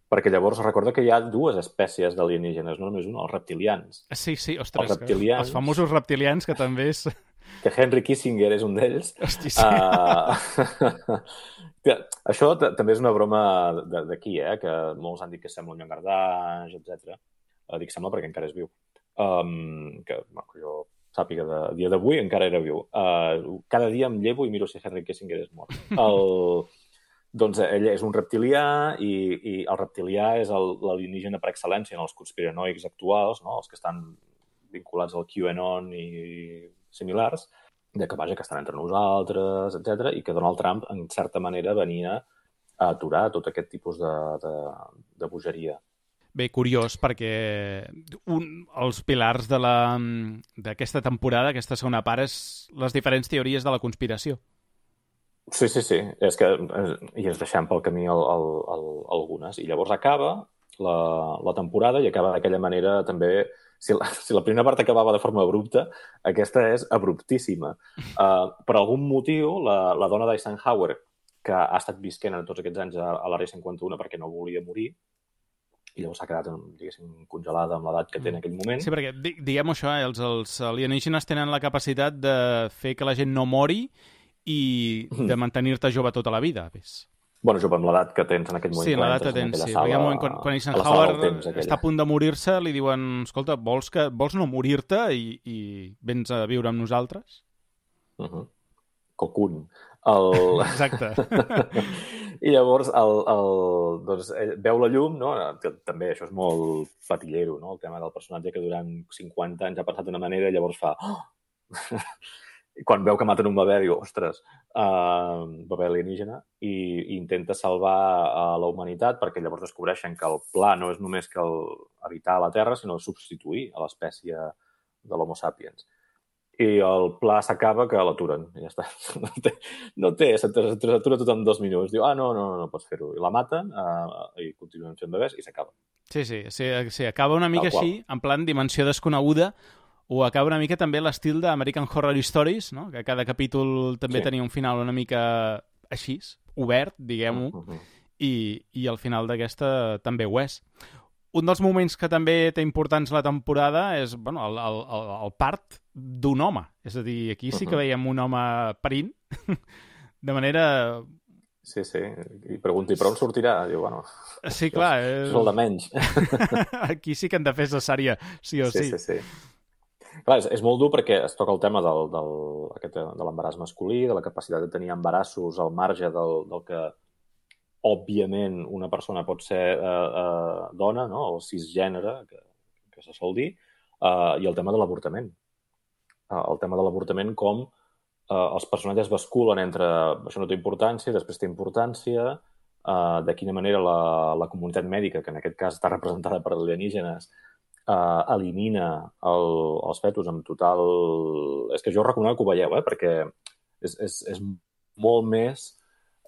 Perquè llavors recorda que hi ha dues espècies d'alienígenes, no només una, els reptilians. Sí, ostres, els famosos reptilians que també és... Que Henry Kissinger és un d'ells. Hosti, sí. Això també és una broma d'aquí, que molts han dit que sembla un llangardaix, etc. Dic sembla perquè encara és viu. Que jo sàpiga de dia d'avui encara era viu. Cada dia em llevo i miro si Henry Kissinger és mort. Doncs ell és un reptilià i el reptilià és l'alienígena per excel·lència en els conspiranoics actuals, no? Els que estan vinculats al QAnon i similars, que estan entre nosaltres, etc. I que Donald Trump, en certa manera, venia a aturar tot aquest tipus de bogeria. Bé, curiós, perquè els pilars d'aquesta temporada, aquesta segona part, és les diferents teories de la conspiració. Sí. És que i ens deixem pel camí algunes. I llavors acaba la temporada i acaba d'aquella manera també... Si la primera part acabava de forma abrupta, aquesta és abruptíssima. Per algun motiu, la dona d'Eisenhower, que ha estat visquent en tots aquests anys a l'Àrea 51 perquè no volia morir, i llavors s'ha quedat, diguéssim, congelada amb l'edat que té en aquell moment. Sí, perquè diguem això, els alienígenes tenen la capacitat de fer que la gent no mori i de mantenir-te jove tota la vida. Bueno, jove, amb l'edat que tens en aquell moment. Sí, l'edat que tens, sí. Perquè quan Eisenhower està a punt de morir-se, li diuen, escolta, vols no morir-te i vens a viure amb nosaltres? Cocoon. Exacte. I llavors doncs, ell veu la llum, no? També això és molt patillero, no? El tema del personatge que durant 50 anys ha pensat d'una manera i llavors fa... I quan veu que maten un bebè, diu, ostres, bebè alienígena, i intenta salvar la humanitat perquè llavors descobreixen que el pla no és només que habitar a la Terra, sinó substituir a l'espècie de l'Homo sapiens. I el pla s'acaba que l'aturen. I ja està. S'atura tot en 2 minuts. Diu, no pots fer-ho. I la maten i continuen fent bebès i s'acaba. Sí, acaba una mica així, en plan dimensió desconeguda, o acaba una mica també l'estil d'American Horror Stories, no? Que cada capítol també tenia un final una mica així, obert, diguem-ho, i al final d'aquesta també ho és. Un dels moments que també té importants la temporada és el part d'un home. És a dir, aquí sí que veiem un home parint, de manera... Sí, i pregunti, però on sortirà? Diu, bueno... Sí, clar. És el de menys. Aquí sí que hem de fer cesària, sí o sí. Sí. Clar, és molt dur perquè es toca el tema de l'embaràs masculí, de la capacitat de tenir embarassos al marge del que òbviament una persona pot ser dona, no? O cisgènere, que se sol dir, i el tema de l'avortament. El tema de l'avortament com els personatges basculen entre això no té importància, després té importància, de quina manera la comunitat mèdica, que en aquest cas està representada per alienígenes, elimina els fetus amb total... És que jo recomano que ho veieu, perquè és molt més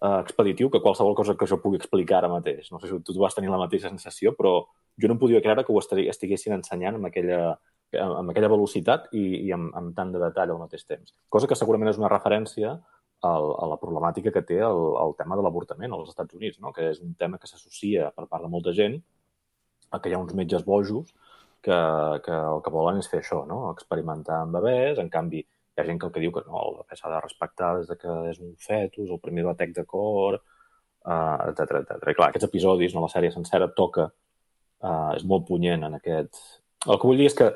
expeditiu que qualsevol cosa que jo pugui explicar ara mateix. No sé si tu vas tenir la mateixa sensació, però jo no em podia creure que ho estiguessin ensenyant amb aquella velocitat i amb tant de detall al mateix temps. Cosa que segurament és una referència a la problemàtica que té el tema de l'avortament als Estats Units, no? Que és un tema que s'associa per part de molta gent a que hi ha uns metges bojos que el que volen és fer això, no? Experimentar amb bebès. En canvi, hi ha gent que el que diu que no, el bebè s'ha de respectar des que és un fetus, el primer batec de cor, etc. I clar, aquests episodis, la sèrie sencera toca, és molt punyent en aquest... El que vull dir és que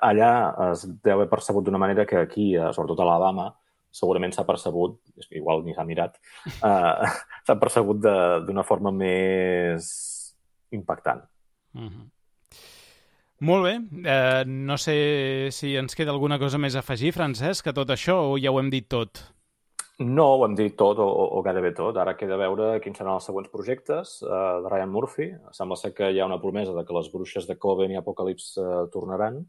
allà es deu haver percebut d'una manera que aquí, sobretot a Alabama, segurament s'ha percebut, igual ni s'ha mirat, s'ha percebut d'una forma més impactant. Molt bé. No sé si ens queda alguna cosa més a afegir, Francesc, a tot això, o ja ho hem dit tot? No, ho hem dit tot, o gairebé tot. Ara queda veure quins seran els següents projectes de Ryan Murphy. Sembla ser que hi ha una promesa de que les bruixes de Coven i Apocalypse tornaran.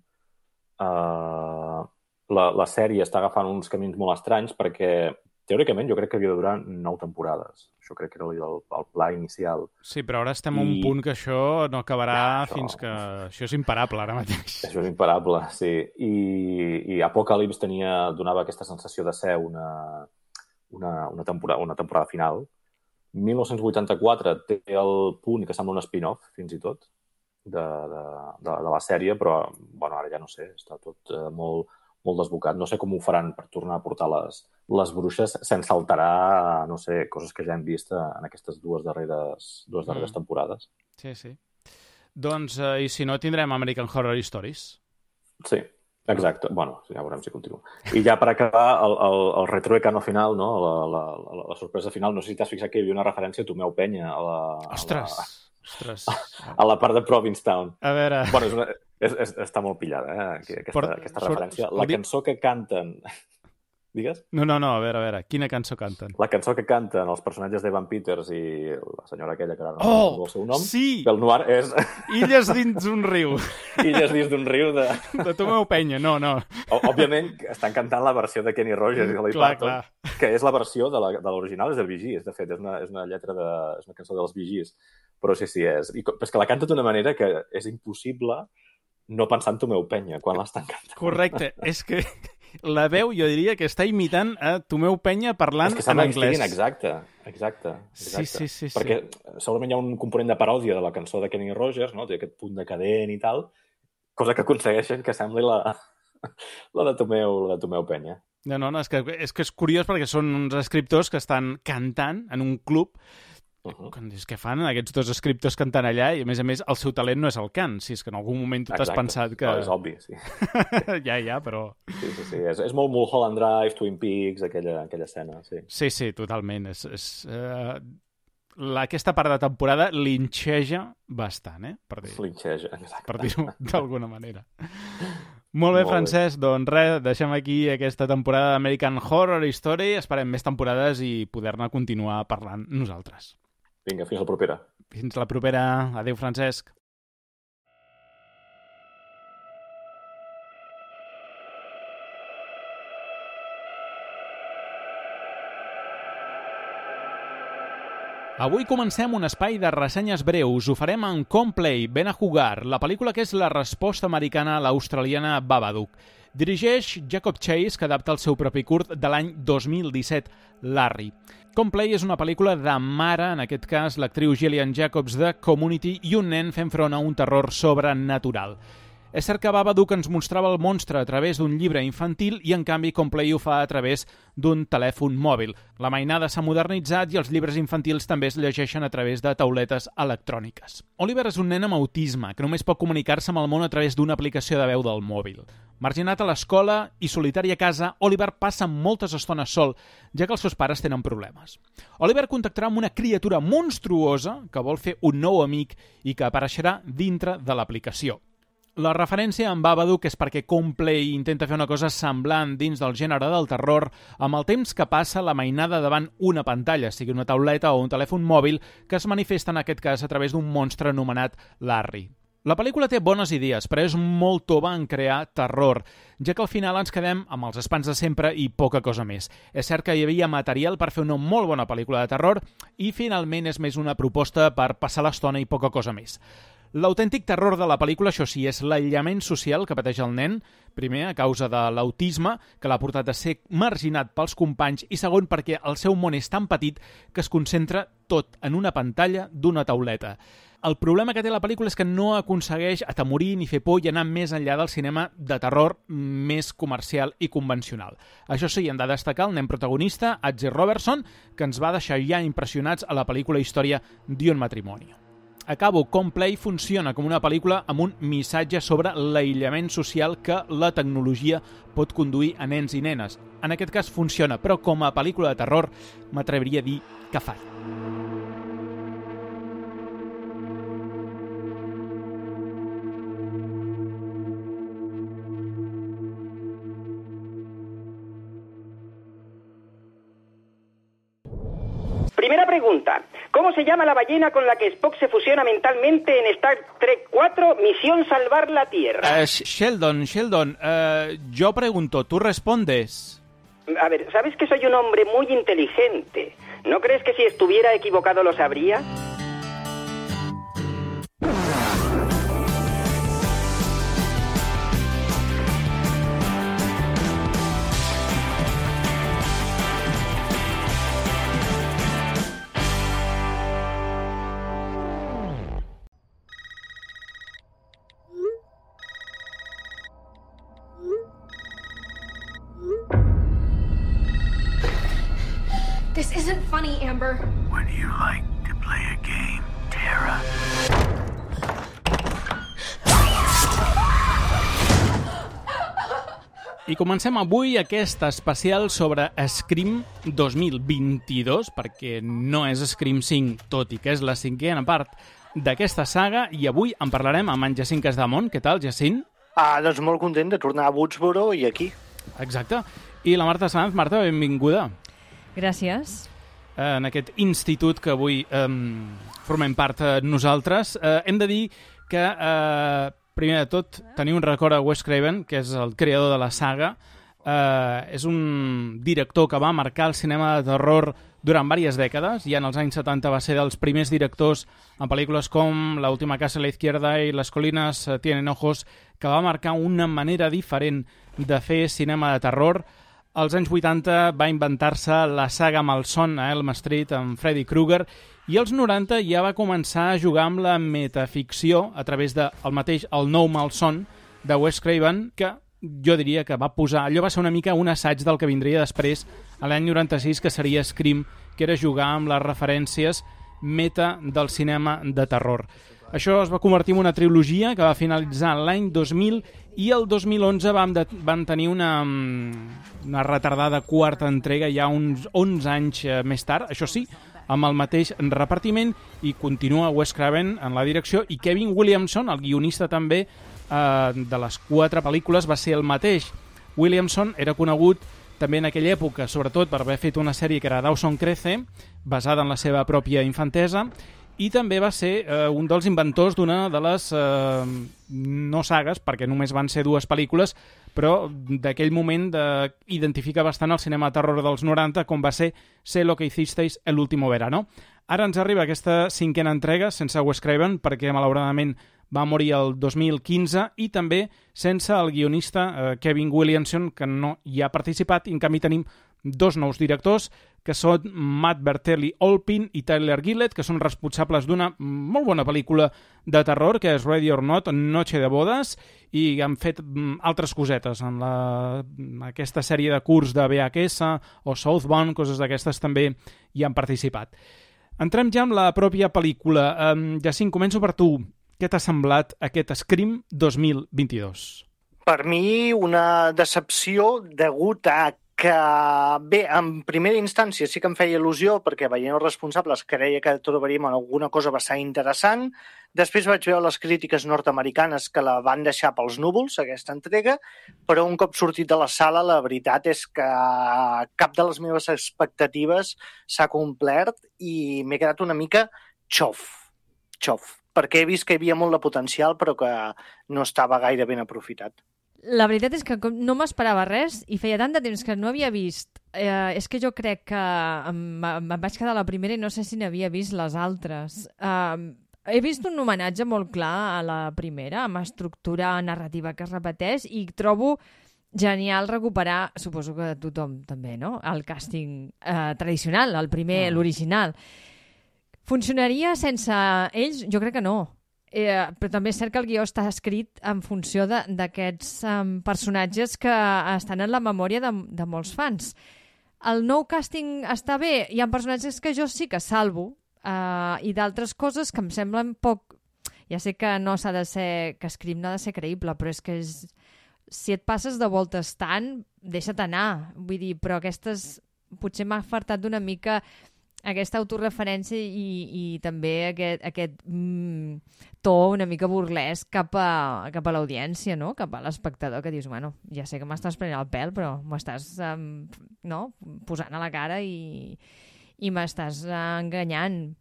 La sèrie està agafant uns camins molt estranys perquè, teòricament, jo crec que havia de durar 9 temporades. Això crec que era el pla inicial. Sí, però ara estem a un punt que això no acabarà fins que... Això és imparable, ara mateix. Això és imparable, sí. I Apocalypse donava aquesta sensació de ser una temporada final. 1984 té el punt que sembla un spin-off, fins i tot, de la sèrie, però bueno, ara ja no sé, està tot molt desbocat. No sé com ho faran per tornar a portar les bruixes sense alterar, no sé, coses que ja hem vist en aquestes dues darreres temporades. Sí. Doncs, i si no, tindrem American Horror Stories. Sí, exacte. Bueno, ja veurem si continua. I ja per acabar, el retroecano final, no? La sorpresa final, no sé si t'has fixat que hi havia una referència a Tomeu Penya Ostres! A la part de Provincetown. A veure... Bueno, està molt pillada, aquesta referència. La cançó que canten... Digues? No, a veure, quina cançó canten? La cançó que canten els personatges d'Evan Peters i la senyora aquella que ara no recordo el seu nom, sí! del Noir és... Illes dins d'un riu. Illes dins d'un riu de... De Tomeu Penya, no. Òbviament, estan cantant la versió de Kenny Rogers i Dolly Parton, que és la versió de l'original, és del Bee Gees, de fet, és una lletra és una cançó dels Bee Gees. Però sí, és... És que la canta d'una manera que és impossible no pensar en Tomeu Penya quan l'estan cantant. Correcte, és que la veu jo diria que està imitant a Tomeu Penya parlant en anglès. Exacte. Sí. Perquè segurament hi ha un component de paròdia de la cançó de Kenny Rogers, no? Té aquest punt decadent i tal, cosa que aconsegueixen que sembli la de Tomeu Penya. No, és que és curiós perquè són uns escriptors que estan cantant en un club. És que fan aquests dos escriptors cantant allà i, a més, el seu talent no és el cant, si és que en algun moment tu t'has pensat que... No, és obvi, sí. Ja, però... Sí. És molt Mulholland Drive, Twin Peaks, aquella escena, sí. Sí, totalment. Aquesta part de temporada linxeja bastant, Linxeja, exacte. Per dir-ho d'alguna manera. Molt bé, Francesc, doncs res, deixem aquí aquesta temporada d'American Horror Story, esperem més temporades i poder-ne continuar parlant nosaltres. Vinga, fins la propera. Fins la propera. Adéu, Francesc. Avui comencem un espai de ressenyes breus. Ho farem en Complay, Ben a Jugar, la pel·lícula que és la resposta americana a l'australiana Babadook. Dirigeix Jacob Chase, que adapta el seu propi curt de l'any 2017, Larry. Complay és una pel·lícula de mare, en aquest cas l'actriu Gillian Jacobs de Community, i un nen fent front a un terror sobrenatural. És cert que Babadook ens mostrava el monstre a través d'un llibre infantil i, en canvi, Complay ho fa a través d'un telèfon mòbil. La mainada s'ha modernitzat i els llibres infantils també es llegeixen a través de tauletes electròniques. Oliver és un nen amb autisme que només pot comunicar-se amb el món a través d'una aplicació de veu del mòbil. Marginat a l'escola i solitari a casa, Oliver passa moltes estones sol, ja que els seus pares tenen problemes. Oliver contactarà amb una criatura monstruosa que vol fer un nou amic i que apareixerà dintre de l'aplicació. La referència en Babadook és perquè Complay intenta fer una cosa semblant dins del gènere del terror amb el temps que passa la mainada davant una pantalla, sigui una tauleta o un telèfon mòbil, que es manifesta en aquest cas a través d'un monstre anomenat Larry. La pel·lícula té bones idees, però és molt tova en crear terror, ja que al final ens quedem amb els espants de sempre i poca cosa més. És cert que hi havia material per fer una molt bona pel·lícula de terror i finalment és més una proposta per passar l'estona i poca cosa més. L'autèntic terror de la pel·lícula, això sí, és l'aïllament social que pateix el nen, primer, a causa de l'autisme, que l'ha portat a ser marginat pels companys, i segon, perquè el seu món és tan petit que es concentra tot en una pantalla d'una tauleta. El problema que té la pel·lícula és que no aconsegueix atemorir ni fer por i anar més enllà del cinema de terror més comercial i convencional. Això sí, hem de destacar el nen protagonista, Adzi Robertson, que ens va deixar ja impressionats a la pel·lícula Història d'un matrimoni. Acabo, Complay funciona com una pel·lícula amb un missatge sobre l'aïllament social que la tecnologia pot conduir a nens i nenes. En aquest cas funciona, però com a pel·lícula de terror m'atreviria a dir que falla. Primera pregunta. ¿Cómo se llama la ballena con la que Spock se fusiona mentalmente en Star Trek 4, Misión Salvar la Tierra? Sheldon, yo pregunto, ¿tú respondes? A ver, ¿sabes que soy un hombre muy inteligente? ¿No crees que si estuviera equivocado lo sabría? This isn't funny, Amber. Would you like to play a game, Tara? I comencem avui aquest especial sobre Scream 2022, perquè no és Scream 5, tot i que és la cinquena part d'aquesta saga, i avui en parlarem amb en Jacint Casdamont. Què tal, Jacint? Doncs molt content de tornar a Woodsboro i aquí. Exacte. I la Marta Sanz. Marta, benvinguda. Gràcies. En aquest institut que avui formem part nosaltres. Hem de dir que, primer de tot, tenir un record a Wes Craven, que és el creador de la saga. És un director que va marcar el cinema de terror durant diverses dècades. Ja en els anys 70 va ser dels primers directors en pel·lícules com La última casa a la izquierda i Las colinas tienen ojos, que va marcar una manera diferent de fer cinema de terror. Als anys 80 va inventar-se la saga Malson a Elm Street amb Freddy Krueger i als 90 ja va començar a jugar amb la metaficció a través del mateix El nou Malson de Wes Craven, que jo diria que va posar... Allò va ser una mica un assaig del que vindria després a l'any 96, que seria Scream, que era jugar amb les referències meta del cinema de terror. Això es va convertir en una trilogia que va finalitzar l'any 2000 i el 2011 van tenir una retardada quarta entrega ja uns 11 anys més tard, això sí, amb el mateix repartiment, i continua Wes Craven en la direcció, i Kevin Williamson, el guionista també de les 4 pel·lícules, va ser el mateix. Williamson era conegut també en aquella època, sobretot per haver fet una sèrie que era Dawson Crece, basada en la seva pròpia infantesa, i també va ser un dels inventors d'una de les no sagues, perquè només van ser 2 pel·lícules, però d'aquell moment identifica bastant el cinema de terror dels 90, com va ser Sé lo que hicisteis el último verano. Ara ens arriba aquesta 5a entrega sense Wes Craven, perquè malauradament va morir el 2015, i també sense el guionista Kevin Williamson, que no hi ha participat, i en canvi tenim 2 nous directors, que són Matt Bertelli-Olpin i Tyler Gillett, que són responsables d'una molt bona pel·lícula de terror, que és Ready or Not, Noche de Bodas, i han fet altres cosetes en aquesta sèrie de curts de VHS o Southbound, coses d'aquestes també hi han participat. Entrem ja amb la pròpia pel·lícula. Jacint, començo per tu. Què t'ha semblat aquest Scream 2022? Per mi, una decepció degut a que, bé, en primera instància sí que em feia il·lusió perquè veient els responsables creia que trobaríem alguna cosa bastant interessant. Després vaig veure les crítiques nord-americanes que la van deixar pels núvols, aquesta entrega, però un cop sortit de la sala la veritat és que cap de les meves expectatives s'ha complert i m'he quedat una mica xof, perquè he vist que hi havia molt de potencial però que no estava gaire ben aprofitat. La veritat és que no m'esperava res i feia tant de temps que no havia vist. És que jo crec que em vaig quedar a la primera i no sé si n'havia vist les altres. He vist un homenatge molt clar a la primera, amb estructura narrativa que es repeteix, i trobo genial recuperar, suposo que tothom també, no?, el càsting tradicional, el primer, l'original. Funcionaria sense ells? Jo crec que no. Però també és cert que el guió està escrit en funció d'aquests personatges que estan en la memòria de molts fans. El nou càsting està bé, hi ha personatges que jo sí que salvo i d'altres coses que em semblen poc... Ja sé que no s'ha de ser... que Scream no ha de ser creïble, però és que si et passes de voltes tant, deixa't anar. Vull dir, però aquestes... Potser m'ha fartat d'una mica aquesta autorreferència i també aquest to una mica burlesc cap a l'audiència, no?, cap a l'espectador, que dius, bueno, ja sé que m'estàs prenent el pèl, però m'estàs posant a la cara i m'estàs enganyant.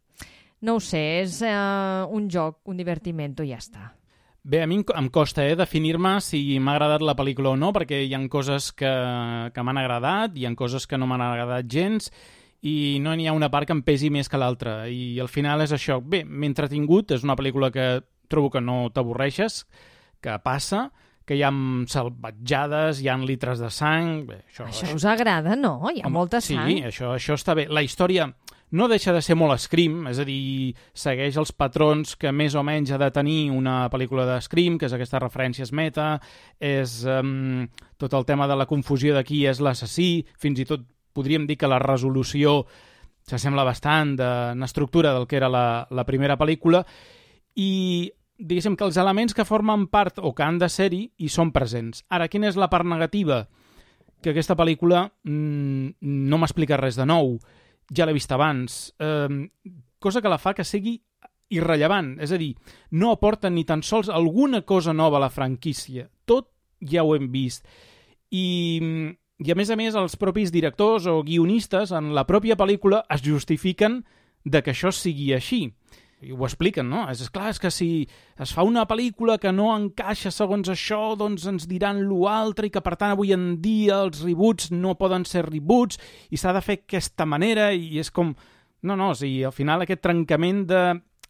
No ho sé, és un joc, un divertimento i ja està. Bé, a mi em costa definir-me si m'ha agradat la pel·lícula o no, perquè hi ha coses que m'han agradat, hi ha coses que no m'han agradat gens, i no n'hi ha una part que em pesi més que l'altra, i al final és això. Bé, m'he entretingut, és una pel·lícula que trobo que no t'avorreixes, que passa, que hi ha salvatjades, hi ha litres de sang... Bé, això us agrada, no? Hi ha molta sang. Sí, això està bé. La història no deixa de ser molt Scream, és a dir, segueix els patrons que més o menys ha de tenir una pel·lícula de Scream, que és aquestes referències meta, és tot el tema de la confusió de qui és l'assassí, fins i tot podríem dir que la resolució s'assembla bastant en estructura del que era la primera pel·lícula, i diguéssim que els elements que formen part o que han de ser-hi hi són presents. Ara, quina és la part negativa? Que aquesta pel·lícula no m'explica res de nou, ja l'he vist abans, cosa que la fa que sigui irrellevant, és a dir, no aporta ni tan sols alguna cosa nova a la franquícia, tot ja ho hem vist. I a més, els propis directors o guionistes en la pròpia pel·lícula es justifiquen de que això sigui així. I ho expliquen, no? És clar, és que si es fa una pel·lícula que no encaixa segons això, doncs ens diran l'altre, i que per tant avui en dia els reboots no poden ser reboots i s'ha de fer aquesta manera, i és com... No, o sigui, al final aquest trencament de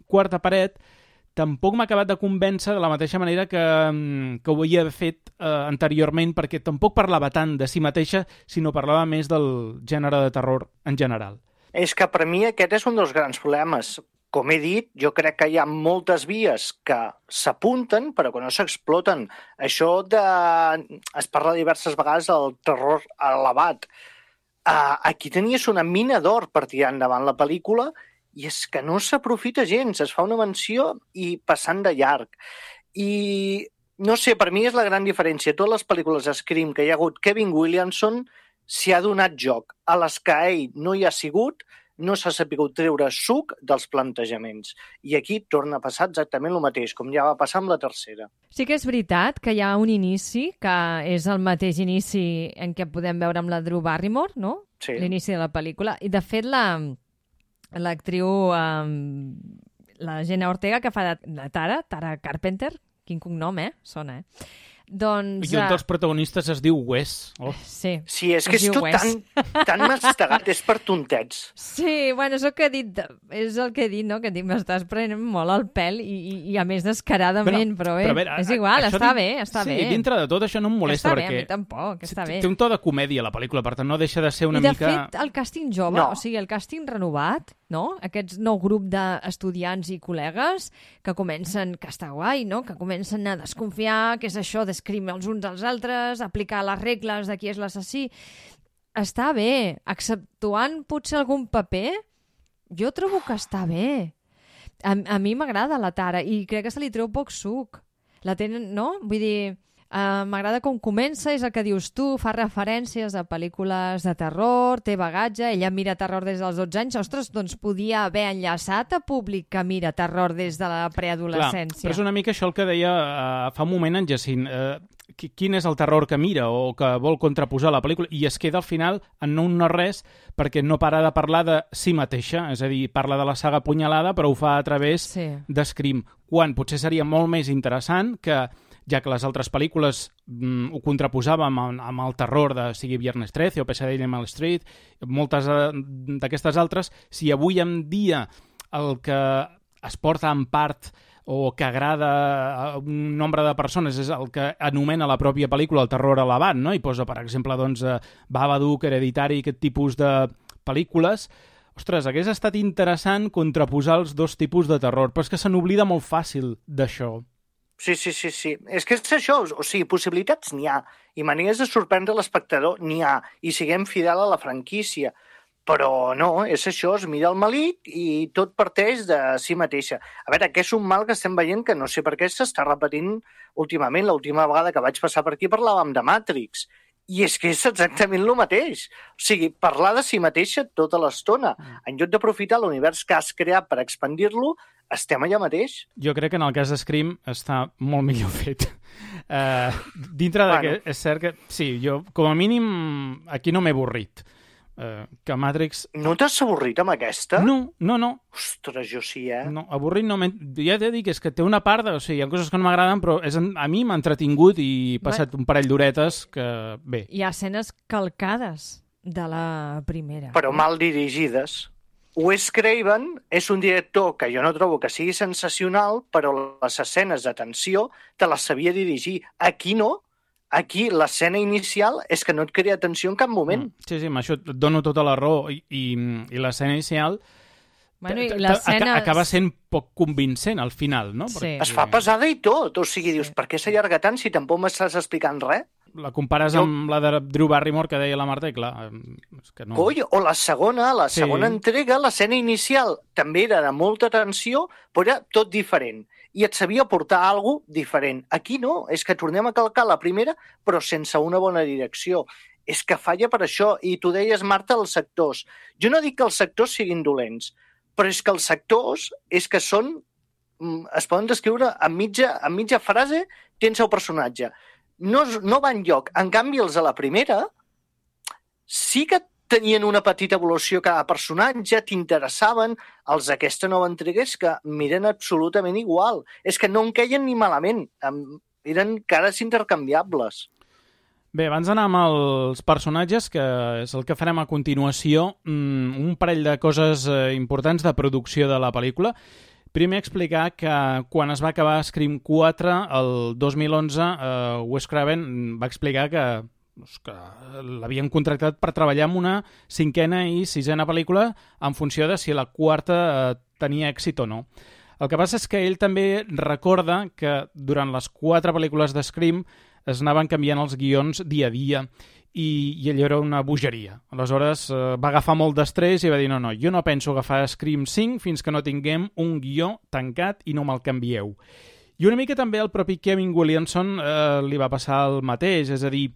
quarta paret tampoc m'ha acabat de convèncer de la mateixa manera que ho havia fet anteriorment, perquè tampoc parlava tant de si mateixa, sinó parlava més del gènere de terror en general. És que per mi aquest és un dels grans problemes. Com he dit, jo crec que hi ha moltes vies que s'apunten però que no s'exploten. Això es parla diverses vegades del terror elevat. Aquí tenies una mina d'or per tirar endavant la pel·lícula i és que no s'aprofita gens, es fa una menció i passant de llarg. I no sé, per mi és la gran diferència. Totes les pel·lícules de Scream que hi ha hagut Kevin Williamson s'hi ha donat joc. A les que ell no hi ha sigut, no s'ha sabut treure suc dels plantejaments. I aquí torna a passar exactament el mateix, com ja va passar amb la tercera. Sí que és veritat que hi ha un inici, que és el mateix inici en què podem veure amb la Drew Barrymore, no? Sí. L'inici de la pel·lícula. I de fet l'actriu, la Jenna Ortega, que fa de Tara Carpenter, quin cognom, sona, Doncs... I un dels protagonistes es diu Wes. Oh. Sí, és que és tot tan mastegat, és per tontets. Sí, bueno, és el que he dit, no? Que dic, m'estàs prenent molt el pèl i a més descaradament, però bé, és igual, està bé. Sí, dintre de tot això no em molesta perquè... perquè... a mi tampoc, està bé. Té un to de comèdia la pel·lícula, per tant no deixa de ser una mica... mica... I de fet, el càsting jove, o sigui, el càsting renovat, no? Aquest nou grup d'estudiants i col·legues que comencen, que està guai, no? Que comencen a desconfiar, que és això d'escriure els uns als altres, aplicar les regles de qui és l'assassí. Està bé, exceptuant potser algun paper, jo trobo que està bé. A mi m'agrada la Tara i crec que se li treu poc suc. La tenen, no? Vull dir... m'agrada com comença, és el que dius tu, fa referències a pel·lícules de terror, té bagatge, ella mira terror des dels 12 anys, ostres, doncs podia haver enllaçat a públic que mira terror des de la preadolescència. Clar, però és una mica això el que deia fa un moment en Jacint, quin és el terror que mira o que vol contraposar la pel·lícula, i es queda al final en no res perquè no para de parlar de si mateixa, és a dir, parla de la saga Punyalada però ho fa a través de Scream, quan potser seria molt més interessant que ja que les altres pel·lícules ho contraposàvem amb el terror de sigui Viernes 13 o Pesadilla en Elm Street, moltes d'aquestes altres, si avui en dia el que es porta en part o que agrada a un nombre de persones és el que anomena la pròpia pel·lícula el terror elevat, no? I posa, per exemple, doncs, Babadook, Hereditary, aquest tipus de pel·lícules. Ostres, hagués estat interessant contraposar els dos tipus de terror, però és que se n'oblida molt fàcil d'això. Sí. És que és això, o sigui, possibilitats n'hi ha, i maneres de sorprendre l'espectador n'hi ha, i siguem fidel a la franquícia. Però no, és això, es mira el malic i tot parteix de si mateixa. A veure, que és un mal que estem veient que no sé per què s'està repetint últimament. L'última vegada que vaig passar per aquí parlàvem de Matrix. I és que és exactament el mateix. O sigui, parlar de si mateixa tota l'estona. En lloc d'aprofitar l'univers que has creat per expandir-lo, estem allà mateix. Jo crec que en el cas de Scream està molt millor fet. Dintre que és cert que... Sí, jo com a mínim aquí no m'he avorrit. Que Matrix... No t'has avorrit amb aquesta? No. Ostres, jo sí, No, avorrit no. Ja t'he dit que és que té una part de... O sigui, hi ha coses que no m'agraden, però a mi m'ha entretingut i he passat un parell d'horetes que... Bé. Hi ha escenes calcades de la primera. Però mal dirigides. Wes Craven és un director que jo no trobo que sigui sensacional, però les escenes de tensió te les sabia dirigir. Aquí no. Aquí l'escena inicial és que no et crea tensió en cap moment. Sí, amb això et dono tota la raó. I l'escena inicial acaba sent poc convincent al final, no? Sí. Es fa pesada i tot. O sigui, dius, per què s'allarga tant si tampoc m'estàs explicant res? La compares amb la de Drew Barrymore que deia la Marta i clar, és que no... Coi, o la segona entrega, l'escena inicial també era de molta tensió, però era tot diferent. I et sabia portar alguna cosa diferent. Aquí no, és que tornem a calcar la primera, però sense una bona direcció. És que falla per això. I tu deies, Marta, els sectors. Jo no dic que els sectors siguin dolents, però és que els sectors es poden descriure en mitja frase, tens el personatge. No va enlloc. En canvi, els de la primera sí que tenien una petita evolució cada personatge, t'interessaven. Els d'aquesta nova entrega és que miren absolutament igual. És que no en queien ni malament. Eren cares intercanviables. Bé, abans d'anar amb els personatges, que és el que farem a continuació, un parell de coses importants de producció de la pel·lícula. Primer explicar que quan es va acabar Scream 4, el 2011, Wes Craven va explicar que l'havien contractat per treballar en una 5ª i 6ª pel·lícula en funció de si la 4 tenia èxit o no. El que passa és que ell també recorda que durant les 4 pel·lícules de Scream es anaven canviant els guions dia a dia i allò era una bogeria. Aleshores va agafar molt d'estrès i va dir no, jo no penso agafar Scream 5 fins que no tinguem un guió tancat i no me'l canvieu. I una mica també el propi Kevin Williamson li va passar el mateix, és a dir,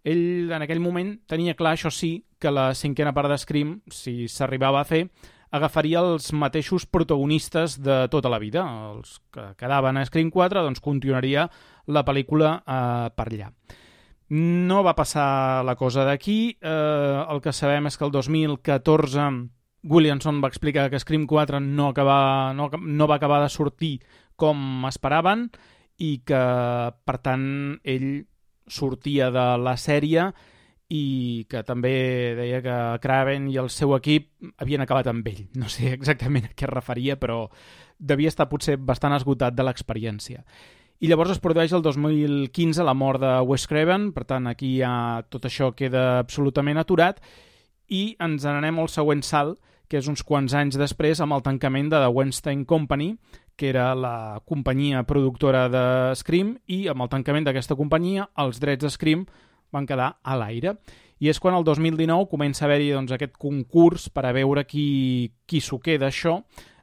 ell en aquell moment tenia clar, això sí, que la 5ª part de Scream, si s'arribava a fer, agafaria els mateixos protagonistes de tota la vida. Els que quedaven a Scream 4, doncs continuaria la pel·lícula per allà. No va passar la cosa d'aquí. El que sabem és que el 2014 Williamson va explicar que Scream 4 no va acabar de sortir com esperaven i que, per tant, ell sortia de la sèrie i que també deia que Craven i el seu equip havien acabat amb ell. No sé exactament a què es referia, però devia estar potser bastant esgotat de l'experiència. I llavors es produeix el 2015 la mort de Wes Craven, per tant aquí ja tot això queda absolutament aturat i ens n'anem al següent salt, que és uns quants anys després amb el tancament de The Weinstein Company, que era la companyia productora de Scream, i amb el tancament d'aquesta companyia els drets de Scream van quedar a l'aire. I és quan el 2019 comença a haver-hi aquest concurs per a veure qui s'ho queda això.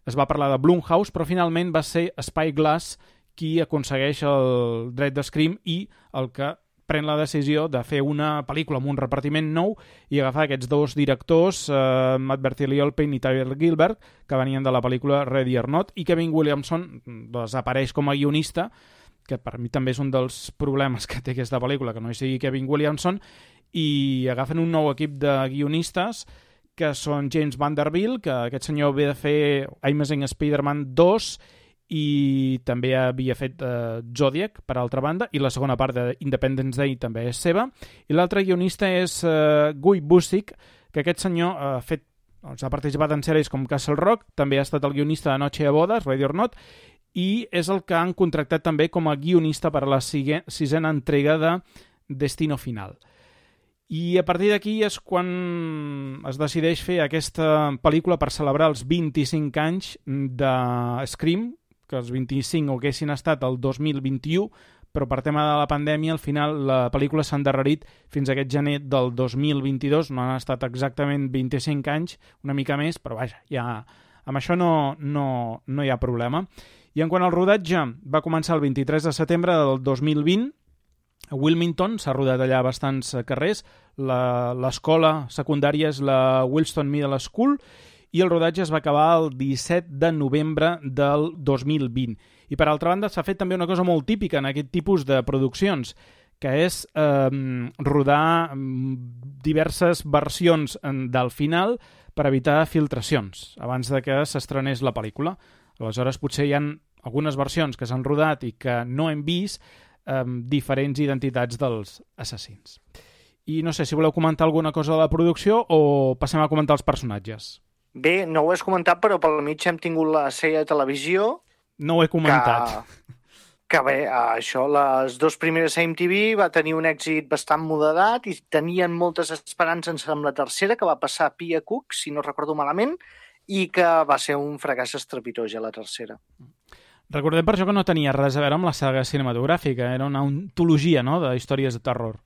Es va parlar de Blumhouse, però finalment va ser Spyglass qui aconsegueix el dret de Scream i el que pren la decisió de fer una pel·lícula amb un repartiment nou i agafar aquests dos directors, Matt Bertheliolpin i Tyler Gilbert, que venien de la pel·lícula Ready or Not, i Kevin Williamson desapareix com a guionista, que per mi també és un dels problemes que té aquesta pel·lícula, que no hi sigui Kevin Williamson, i agafen un nou equip de guionistes que són James Vanderbilt, que aquest senyor ve de fer Amazing Spider-Man 2 i també havia fet Zodiac, per altra banda, i la segona part d'Independence Day també és seva. I l'altre guionista és Guy Busick, que aquest senyor ha participat en sèries com Castle Rock, també ha estat el guionista de Noche de Bodas, Ready or Not, i és el que han contractat també com a guionista per a la sisena entrega de Destino Final. I a partir d'aquí és quan es decideix fer aquesta pel·lícula per celebrar els 25 anys de Scream, que els 25 haguessin estat el 2021, però per tema de la pandèmia al final la pel·lícula s'ha endarrerit fins a aquest gener del 2022, no han estat exactament 25 anys, una mica més, però vaja, ja, amb això no hi ha problema. I en quant al rodatge, va començar el 23 de setembre del 2020, a Wilmington, s'ha rodat allà bastants carrers, l'escola secundària és la Wilston Middle School, i el rodatge es va acabar el 17 de novembre del 2020. I per altra banda s'ha fet també una cosa molt típica en aquest tipus de produccions, que és rodar diverses versions del final per evitar filtracions abans de que s'estrenés la pel·lícula. Aleshores potser hi ha algunes versions que s'han rodat i que no hem vist diferents identitats dels assassins. I no sé si voleu comentar alguna cosa de la producció o passem a comentar els personatges. Bé, no ho has comentat, però pel mig hem tingut la sèrie de televisió. No ho he comentat. Que bé, això, les dues primeres a MTV va tenir un èxit bastant moderat i tenien moltes esperances amb la tercera, que va passar a Pia Cook, si no recordo malament, i que va ser un fracàs estrepitós a la tercera. Recordem per això que no tenia res a veure amb la saga cinematogràfica, era una antologia, no?, de històries de terror.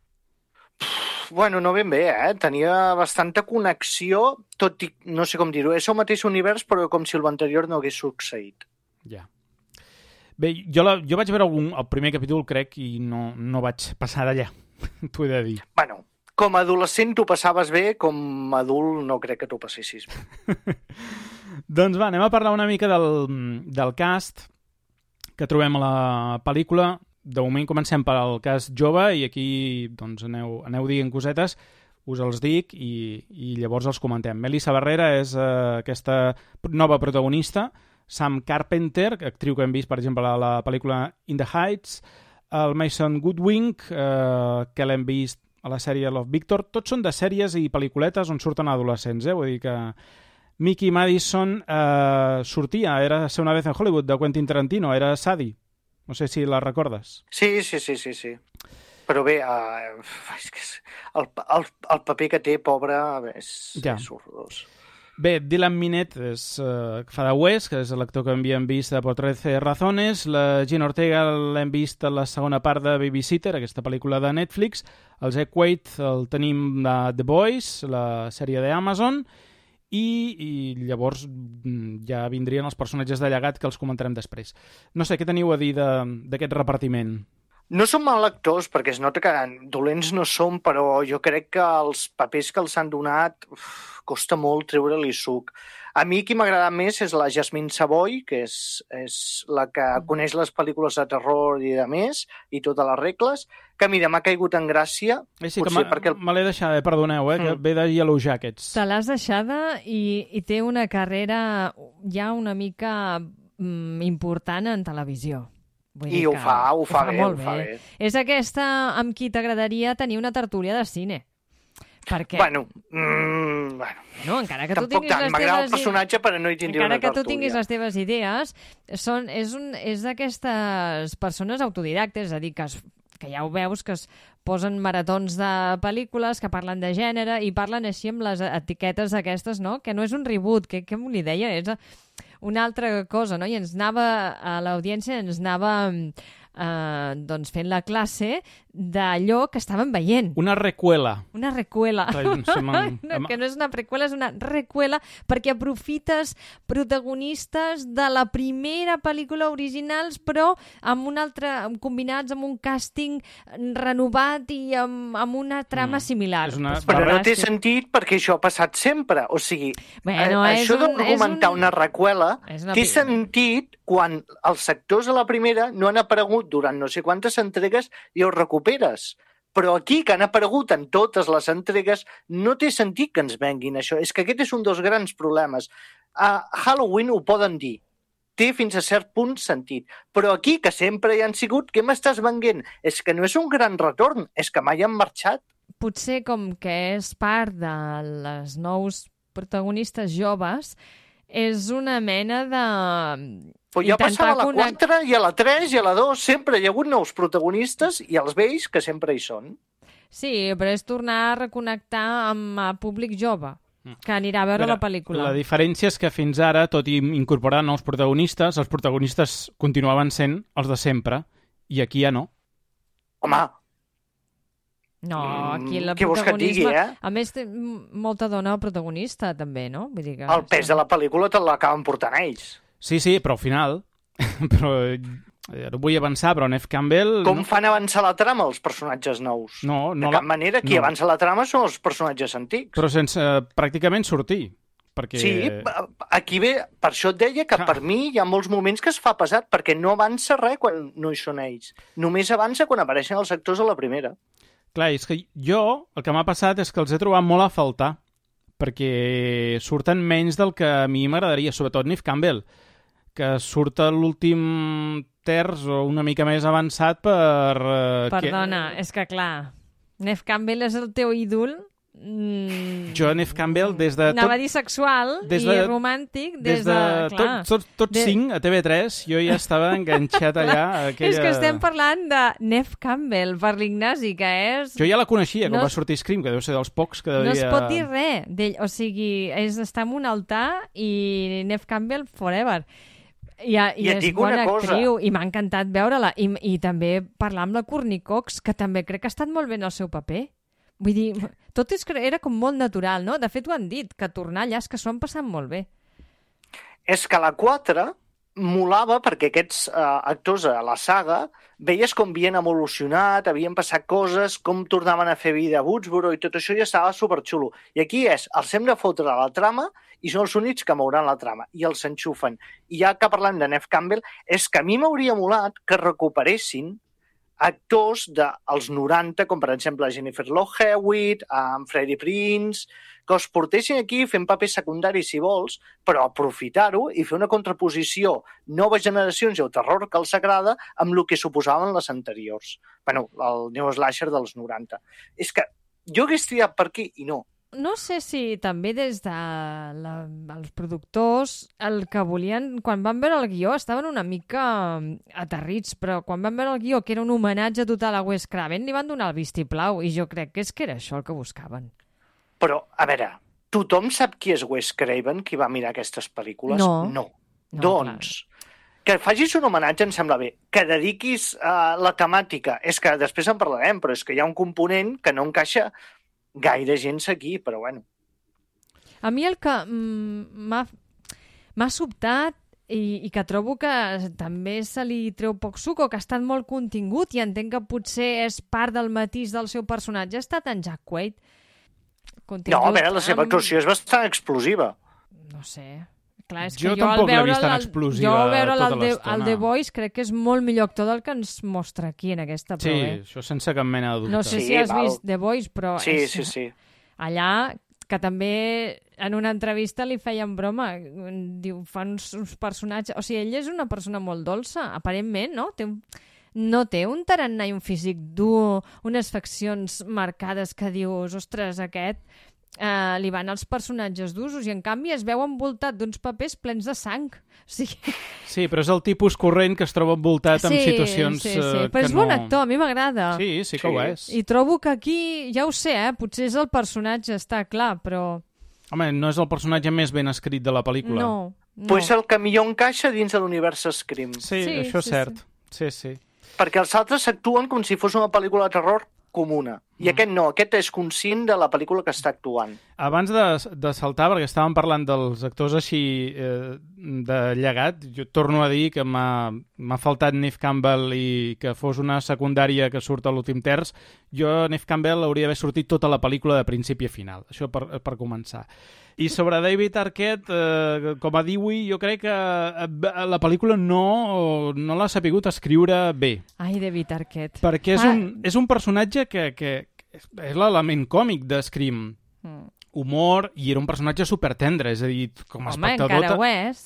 Bueno, no ben bé, tenia bastanta connexió, tot i, no sé com dir-ho, és el mateix univers, però com si l'anterior no hagués succeït. Ja. Bé, jo vaig veure el primer capítol, crec, i no vaig passar d'allà, t'ho he de dir. Bueno, com a adolescent t'ho passaves bé, com a adult no crec que t'ho passessis bé. Doncs va, anem a parlar una mica del cast que trobem a la pel·lícula. De moment comencem pel cas jove i aquí doncs, aneu dient cosetes, us els dic i llavors els comentem. Melissa Barrera és aquesta nova protagonista, Sam Carpenter, actriu que hem vist, per exemple, a la pel·lícula In the Heights, el Mason Goodwin, que l'hem vist a la sèrie Love, Victor. Tots són de sèries i pel·lículetes on surten adolescents, vull dir que Mickey Madison sortia, era Ser una vez en Hollywood, de Quentin Tarantino, era Sadie. No sé si la recordes. Sí. Però bé, és que el paper que té, pobre, és horrorós. Bé, Dylan Minette fa de Wes, que és l'actor que havíem vist a Por 13 razones. La Gina Ortega l'hem vist a la segona part de Babysitter, aquesta pel·lícula de Netflix. El Zack Wade el tenim de The Boys, la sèrie d'Amazon. I llavors ja vindrien els personatges de llegat que els comentarem després. No sé, què teniu a dir d'aquest repartiment? No són mal actors, perquè es nota que dolents no són, però jo crec que els papers que els han donat costa molt treure-li suc. A mi qui m'agrada més és la Jasmine Savoy, que és la que coneix les pel·lícules de terror i de més, i totes les regles, que mira, m'ha caigut en gràcia. Sí, que me l'he deixada, perdoneu, que ve de Yellow Jackets. Te l'has deixada i té una carrera ja una mica important en televisió. I ho fa bé. És aquesta amb qui t'agradaria tenir una tertúlia de cine. Perquè... Bueno, encara que tu tampoc tinguis tant. M'agrada el personatge, però no hi tindria una tertúlia. Encara que tu tinguis les teves idees, és d'aquestes persones autodidactes, és a dir, que ja ho veus, que es posen maratons de pel·lícules, que parlen de gènere i parlen així amb les etiquetes aquestes, no? Que no és un reboot, que m'ho deia, és una altra cosa, no? I a l'audiència ens anava doncs fent la classe d'allò que estaven veient. Una recuela. Una recuela. Que no és una precuela, és una recuela, perquè aprofites protagonistes de la primera pel·lícula originals, però amb un altre, combinats amb un càsting renovat i amb una trama similar. Però no té sentit perquè això ha passat sempre. O sigui, això d'argumentar una recuela té sentit quan els actors a la primera no han aparegut durant no sé quantes entregues i els recuperes. Però aquí, que han aparegut en totes les entregues, no té sentit que ens venguin això. És que aquest és un dels grans problemes. A Halloween ho poden dir. Té fins a cert punt sentit. Però aquí, que sempre hi han sigut, què m'estàs venguent? És que no és un gran retorn, és que mai han marxat. Potser com que és part de les nous protagonistes joves, és una mena de... Però ja passava a la 4 i a la 3 i a la 2, sempre hi ha hagut nous protagonistes i els vells que sempre hi són. Sí, però és tornar a reconnectar amb el públic jove, que anirà a veure la pel·lícula. La diferència és que fins ara, tot i incorporar nous protagonistes, els protagonistes continuaven sent els de sempre, i aquí ja no. Home! No, aquí el què vols que et digui, A més, té molta dona protagonista, també, no? Vull dir que... El pes de la pel·lícula te l'acaben portant ells. Sí, però al final... però no vull avançar, però Neve Campbell... Com fan avançar la trama els personatges nous? No, de cap manera, qui avança la trama són els personatges antics. Però sense pràcticament sortir. Perquè... Sí, aquí ve, per això et deia que per mi hi ha molts moments que es fa pesat, perquè no avança res quan no hi són ells. Només avança quan apareixen els actors a la primera. Clar, és que jo, el que m'ha passat és que els he trobat molt a faltar, perquè surten menys del que a mi m'agradaria, sobretot Neve Campbell, que surt a l'últim terç o una mica més avançat per... Perdona, és que clar, Neve Campbell és el teu ídol... Jo, Neve Campbell, des de... Anava a dir sexual i romàntic, des de... Tots 5 a TV3, jo ja estava enganxat allà. És que estem parlant de Neve Campbell, per l'Ignasi, que és... Jo ja la coneixia, quan va sortir Scream, que deu ser dels pocs que devia... No es pot dir res d'ell, o sigui, està en un altar i Neve Campbell forever. I és bona actriu, i m'ha encantat veure-la. I també parlar amb la Courtney Cox, que també crec que ha estat molt bé en el seu paper. Vull dir, tot era com molt natural, no? De fet, ho han dit, que tornar allà és que s'ho han passat molt bé. És que la 4 molava perquè aquests actors a la saga veies com havien evolucionat, havien passat coses, com tornaven a fer vida a Woodsboro i tot això ja estava superxulo. I aquí els hem de fotre a la trama i són els únics que mouran la trama i els enxufen. I ja que parlant de Neve Campbell, és que a mi m'hauria molat que recuperessin actors dels 90, com per exemple Jennifer Love Hewitt, Freddie Prinze, que els portessin aquí fent papers secundaris si vols, però aprofitar-ho i fer una contraposició noves generacions i el terror que els agrada amb el que suposaven les anteriors. Bueno, el Neo Slasher dels 90. És que jo hagués triat per aquí i no. No sé si també des de els productors el que volien, quan van veure el guió, estaven una mica aterrits, però quan van veure el guió, que era un homenatge total a Wes Craven, li van donar el vistiplau, i jo crec que era això el que buscaven. Però, a veure, tothom sap qui és Wes Craven, qui va mirar aquestes pel·lícules? No. Doncs, que facis un homenatge em sembla bé, que dediquis la temàtica, és que després en parlarem, però és que hi ha un component que no encaixa gaire gent aquí, però bueno. A mi el que m'ha sobtat i que trobo que també se li treu poc suc o que ha estat molt contingut i entenc que potser és part del matís del seu personatge, ha estat en Jack Quaid. No, a veure, la seva actuació és bastant explosiva. No sé. Clar, és jo que tampoc l'he vist tan explosiva tota l'estona. El The Voice crec que és molt millor actor del que ens mostra aquí en aquesta prova. Sí, això sense cap mena de dubte. No sé si has vist The Voice, però sí. allà que també en una entrevista li feien broma, diu, fa uns personatges... O sigui, ell és una persona molt dolça, aparentment, no? No té un tarannà i un físic dur, unes faccions marcades que dius, ostres, aquest li van als personatges d'usos i en canvi es veu envoltat d'uns papers plens de sang. O sigui... Sí, però és el tipus corrent que es troba envoltat en situacions sí. que Però és bon actor, a mi m'agrada. Sí que ho és. I trobo que aquí, ja ho sé, potser és el personatge, està clar, però... Home, no és el personatge més ben escrit de la pel·lícula. No. Però és el que millor encaixa dins de l'univers Scream. Sí, això és cert. Sí. Perquè els altres actuen com si fos una pel·lícula de terror comuna. I aquest no, aquest és conscient de la pel·lícula que està actuant. Abans de saltar, perquè estàvem parlant dels actors així de llegat, jo torno a dir que m'ha faltat Neve Campbell i que fos una secundària que surt a l'últim terç. Jo, Neve Campbell, hauria d'haver sortit tota la pel·lícula de principi a final. Això per començar. I sobre David Arquette, com a Dewey, jo crec que la pel·lícula no l'ha sapigut escriure bé. Ai, David Arquette. Perquè és un personatge que és l'element còmic de Scream. Humor, i era un personatge supertendre, és a dir, com a espectador... Home, encara ho és.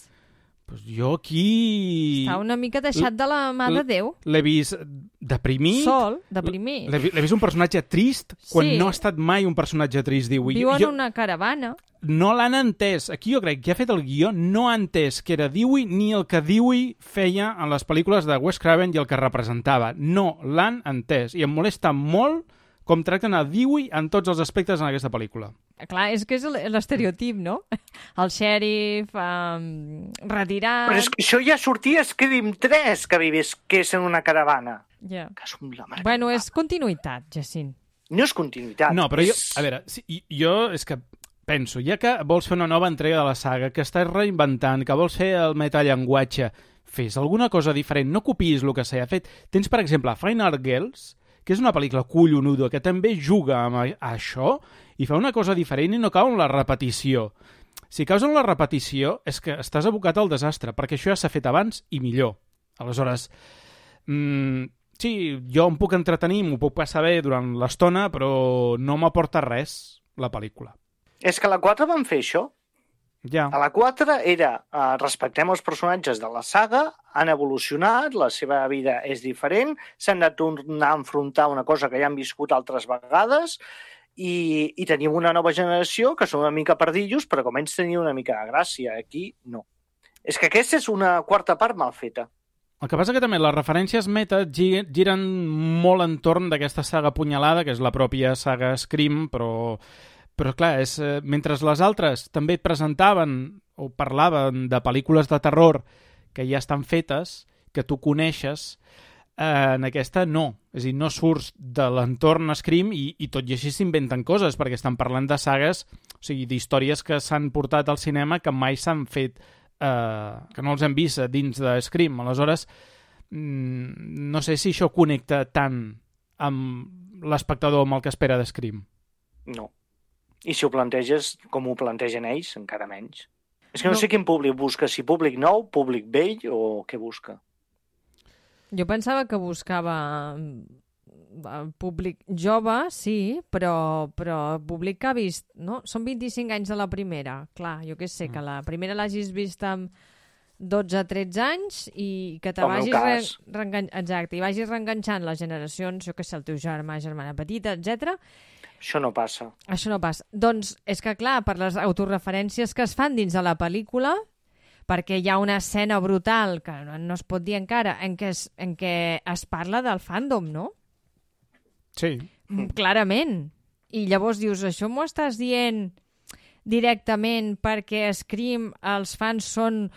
Pues jo aquí... Està una mica deixat de la mà de Déu. L'he vist deprimit. Sol, deprimit. L'he vist un personatge trist quan no ha estat mai un personatge trist, diu. Viu en una caravana. No l'han entès. Aquí jo crec que ha fet el guió, no ha entès que era Dewey ni el que Dewey feia en les pel·lícules de Wes Craven i el que representava. No l'han entès. I em molesta molt com tracten a Dewey en tots els aspectes en aquesta pel·lícula. Clar, és que és l'estereotip, no? El xèrif, retirat... Però és que això ja sortia a Scream 3, que és en una caravana. Ja. Que és la mare. Bueno, és continuïtat, Jacint. No és continuïtat. No, però jo... A veure, jo és que penso, ja que vols fer una nova entrega de la saga, que estàs reinventant, que vols fer el metallenguatge, fes alguna cosa diferent, no copiïs el que s'ha fet. Tens, per exemple, Final Girls, que és una pel·lícula collonuda, que també juga amb això i fa una cosa diferent i no cau en la repetició. Si caus en la repetició és que estàs abocat al desastre, perquè això ja s'ha fet abans i millor. Aleshores, sí, jo em puc entretenir, m'ho puc passar bé durant l'estona, però no m'aporta res la pel·lícula. És que a la 4 van fer això. Ja. A la 4 era respectem els personatges de la saga, han evolucionat, la seva vida és diferent, s'han de tornar a enfrontar una cosa que ja han viscut altres vegades i tenim una nova generació que són una mica perdillos, però com ells tenien una mica de gràcia. Aquí no. És que aquesta és una quarta part mal feta. El que passa que també les referències meta giren molt entorn d'aquesta saga apunyalada, que és la pròpia saga Scream, però clar, mentre les altres també presentaven o parlaven de pel·lícules de terror que ja estan fetes, que tu coneixes, en aquesta no. És a dir, no surts de l'entorn Scream i tot i així s'inventen coses, perquè estan parlant de sagues, o sigui, d'històries que s'han portat al cinema que mai s'han fet, que no els hem vist dins de Scream. Aleshores, no sé si això connecta tant amb l'espectador amb el que espera de Scream. No. I si ho planteges com ho plantegen ells, encara menys. És que no sé quin públic busca, si públic nou, públic vell o què busca. Jo pensava que buscava públic jove, sí, però públic que ha vist... No? Són 25 anys de la primera. Clar, jo què sé, que la primera l'hagis vist amb 12-13 anys i que te vagis exacte, i vagis reenganxant les generacions, jo què sé, el teu germà, germana petita, etc. Això no passa. Això no passa. Doncs és que, clar, per les autoreferències que es fan dins de la pel·lícula, perquè hi ha una escena brutal, que no es pot dir encara, en què es parla del fandom, no? Sí. Clarament. I llavors dius, això m'ho estàs dient directament perquè Scream, els fans són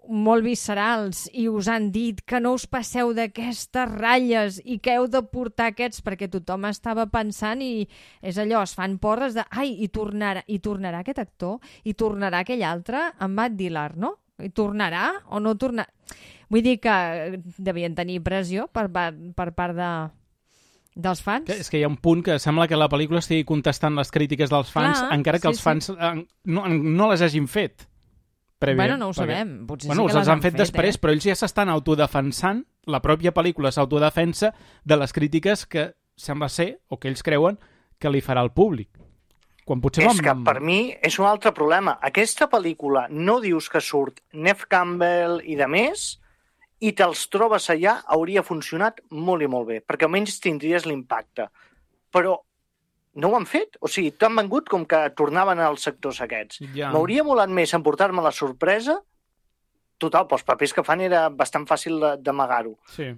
molt viscerals i us han dit que no us passeu d'aquestes ratlles i que heu de portar aquests, perquè tothom estava pensant i és allò, es fan porres de ai, i tornarà aquest actor, i tornarà aquell altre, en Matt Dillard, no? I tornarà o no tornarà? Vull dir que devien tenir pressió per part dels fans. És que hi ha un punt que sembla que la pel·lícula estigui contestant les crítiques dels fans, encara que els fans no les hagin fet. Bueno, no ho sabem. Potser sí que els han fet després, però ells ja s'estan autodefensant, la pròpia pel·lícula s'autodefensa de les crítiques que sembla ser, o que ells creuen, que li farà el públic. Quan potser és que per mi és un altre problema. Aquesta pel·lícula no dius que surt Neve Campbell i de més i te'ls trobes allà, hauria funcionat molt i molt bé, perquè almenys tindries l'impacte. Però no ho han fet. O sigui, t'han vengut com que tornaven als sectors aquests. Ja. M'hauria molat més emportar-me la sorpresa. Total, pels papers que fan era bastant fàcil d'amagar-ho. Sí.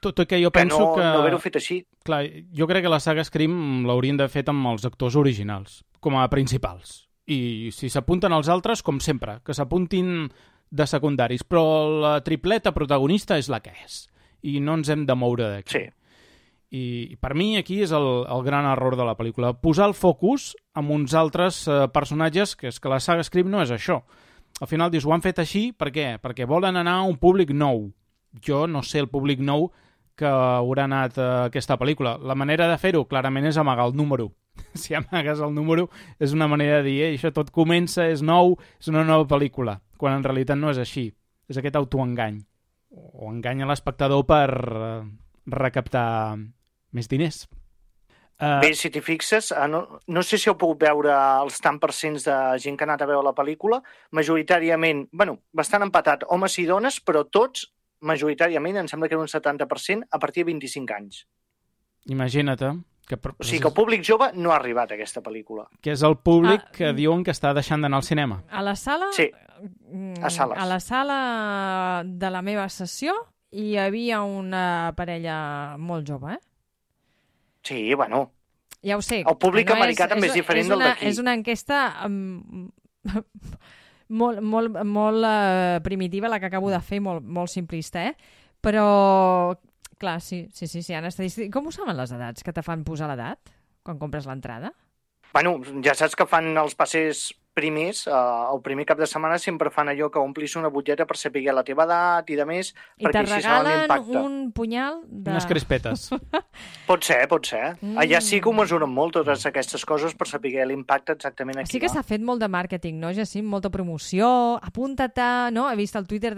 Tot i que jo penso que... no haver-ho fet així. Clar, jo crec que la saga Scream l'haurien de fet amb els actors originals, com a principals. I si s'apunten els altres, com sempre, que s'apuntin de secundaris. Però la tripleta protagonista és la que és. I no ens hem de moure d'aquí. Sí. I per mi aquí és el gran error de la pel·lícula. Posar el focus en uns altres personatges, que és que la saga Scream no és això. Al final dius, ho han fet així, per què? Perquè volen anar a un públic nou. Jo no sé el públic nou que haurà anat a aquesta pel·lícula. La manera de fer-ho, clarament, és amagar el número. Si amagues el número, és una manera de dir, això tot comença, és nou, és una nova pel·lícula, quan en realitat no és així. És aquest autoengany. O enganya l'espectador per recaptar més diners. Bé, si t'hi fixes, no sé si heu pogut veure els tant percents de gent que ha anat a veure la pel·lícula, majoritàriament, bastant empatat, homes i dones, però tots, majoritàriament, em sembla que era un 70%, a partir de 25 anys. Imagina't, O sigui que el públic jove no ha arribat a aquesta pel·lícula. Que és el públic que diuen que està deixant d'anar al cinema. A la sala? Sí, a sales. A la sala de la meva sessió hi havia una parella molt jove, Sí, bueno. Ja ho sé. El públic americà també és diferent del d'aquí. És una enquesta molt primitiva, la que acabo de fer, molt simplista, Però, clar, sí, hi ha estadístiques. Com ho saben les edats, que te fan posar l'edat quan compres l'entrada? Bueno, ja saps que fan els passes primers, el primer cap de setmana sempre fan allò que omplis una butlleta per saber la teva edat i de més, perquè així saben l'impacte. I te regalen un punyal de... Unes crispetes. Pot ser. Allà sí que ho mesuren molt, totes aquestes coses, per saber l'impacte exactament aquí. Sí que s'ha fet molt de màrqueting, no, Jacint? Molta promoció, apunta-te, no? He vist el Twitter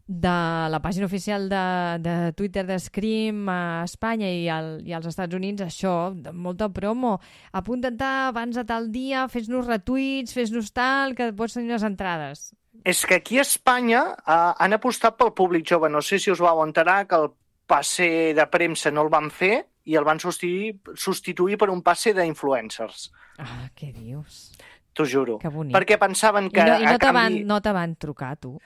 de la pàgina oficial de Twitter de Scream a Espanya i als Estats Units, això, molta promo. Apunta't abans de tal dia, fes-nos retuits, fes-nos tal, que pots tenir les entrades. És que aquí a Espanya han apostat pel públic jove. No sé si us vau enterar que el passe de premsa no el van fer i el van substituir per un passe d'influencers. Ah, què dius? T'ho juro. Que bonic. Perquè pensaven que... I no te van trucar, tu?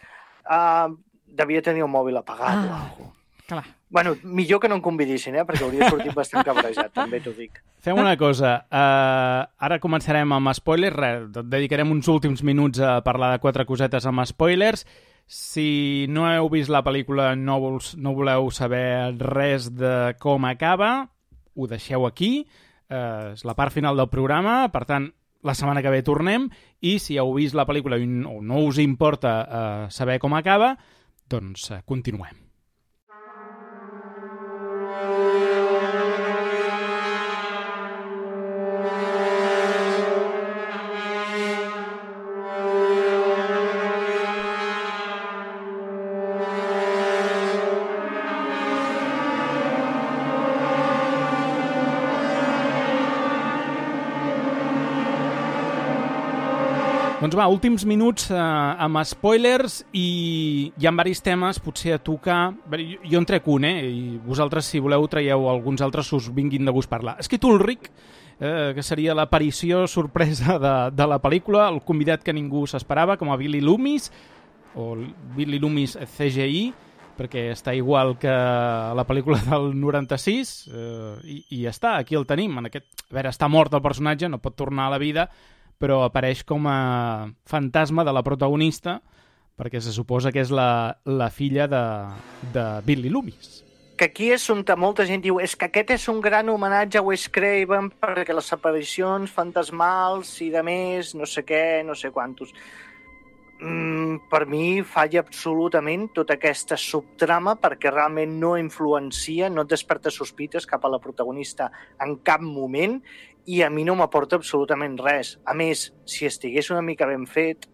Devia tenir el mòbil apagat o alguna cosa. Clar. Bueno, millor que no em convidissin, perquè hauria sortit bastant cabrejat, també t'ho dic. Fem una cosa. Ara començarem amb spoilers. Dedicarem uns últims minuts a parlar de 4 cosetes amb spoilers. Si no heu vist la pel·lícula, no voleu saber res de com acaba, ho deixeu aquí. És la part final del programa, per tant, la setmana que ve tornem, i si heu vist la pel·lícula o no us importa saber com acaba, doncs continuem. Doncs va, últims minuts amb spoilers i hi ha diversos temes, potser a tocar... Jo en trec un, i vosaltres, si voleu, traieu alguns altres que us vinguin de gust parlar. Skid Ulrich, que seria l'aparició sorpresa de la pel·lícula, el convidat que ningú s'esperava, com a Billy Loomis, o Billy Loomis CGI, perquè està igual que la pel·lícula del 96, i ja està, aquí el tenim. A veure, està mort el personatge, no pot tornar a la vida, però apareix com a fantasma de la protagonista, perquè se suposa que és la filla de Billy Loomis. Que aquí és on molta gent diu és que aquest és un gran homenatge a Wes Craven perquè les aparicions fantasmals i de més, no sé què, no sé quantos. Per mi falla absolutament tota aquesta subtrama perquè realment no influencia, no et desperta sospites cap a la protagonista en cap moment i a mi no m'aporta absolutament res. A més, si estigués una mica ben fet,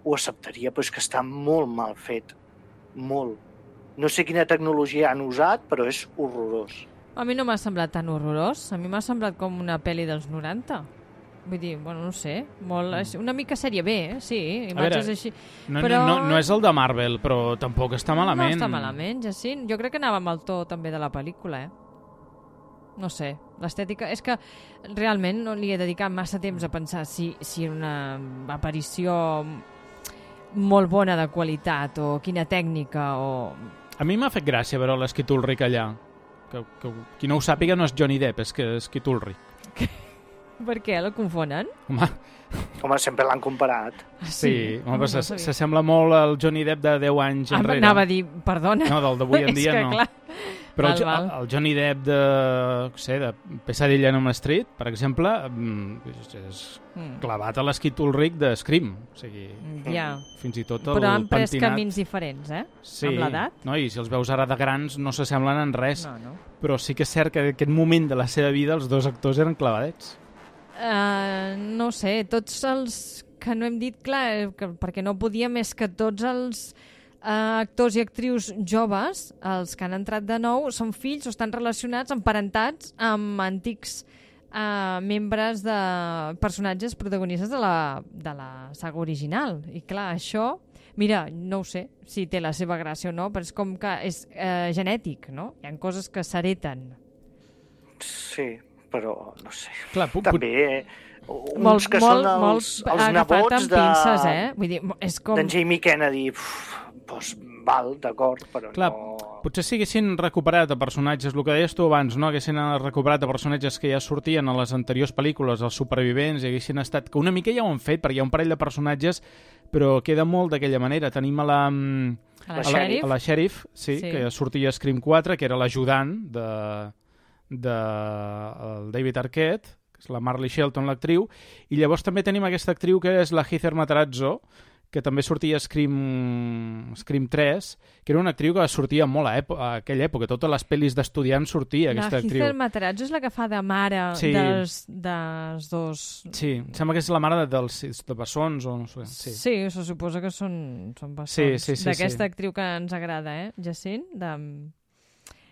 ho acceptaria, però és que està molt mal fet. Molt. No sé quina tecnologia han usat, però és horrorós. A mi no m'ha semblat tan horrorós. A mi m'ha semblat com una pel·li dels 90. Vull dir, bueno, no sé, una mica sèrie B, sí, imatges així. No és el de Marvel, però tampoc està malament. No està malament, Jacint. Jo crec que anava amb el to també de la pel·lícula, No sé, l'estètica... És que realment no li he dedicat massa temps a pensar si una aparició molt bona de qualitat o quina tècnica o... A mi m'ha fet gràcia veure l'Skeet Ulrich allà. Que qui no ho sàpiga no és Johnny Depp, és que és Skeet Ulrich. Per què? El confonen? Home, sempre l'han comparat. Sí, home, s'assembla molt al Johnny Depp de 10 anys enrere. Anava a dir, perdona. No, del d'avui en dia no. Clar. Però el Johnny Depp de Pesadilla en Elm Street, per exemple, és clavat a l'Skeet Ulrich de Scream. O sigui, fins i tot el pentinat... Però han pres camins diferents, Sí, amb l'edat. No? I si els veus ara de grans no s'assemblen en res. No. Però sí que és cert que en aquest moment de la seva vida els dos actors eren clavadets. No sé, tots els que no hem dit, clar, perquè no podia més que tots els actors i actrius joves, els que han entrat de nou, són fills o estan relacionats, emparentats amb antics membres de personatges protagonistes de la saga original. I clar, això, mira, no ho sé si té la seva gràcia o no, però és com que és genètic, no? Hi ha coses que s'hereten. Sí, però no sé. Clar, també uns que són els nebots pinces, Vull dir, és com... d'en Jamie Kennedy. Doncs val, d'acord, però clar, no... Potser si haguessin recuperat a personatges, el que deies tu abans, no? Haguessin recuperat a personatges que ja sortien a les anteriors pel·lícules, els supervivents, i haguessin estat... Que una mica ja ho han fet, perquè hi ha un parell de personatges, però queda molt d'aquella manera. Tenim a la Sheriff, sí, que sortia a Scream 4, que era l'ajudant de David Arquette, que és la Marley Shelton, l'actriu, i llavors també tenim aquesta actriu que és la Heather Matarazzo, que també sortia a Scream 3, que era una actriu que sortia molt a aquella època. Totes les pel·lis d'estudiants sortia aquesta actriu. La Heather Matarazzo és la que fa de mare dels dos... Sí, em sembla que és la mare dels bessons o no sé. Sí, se suposa que són bessons. Sí. D'aquesta actriu que ens agrada, Jacint?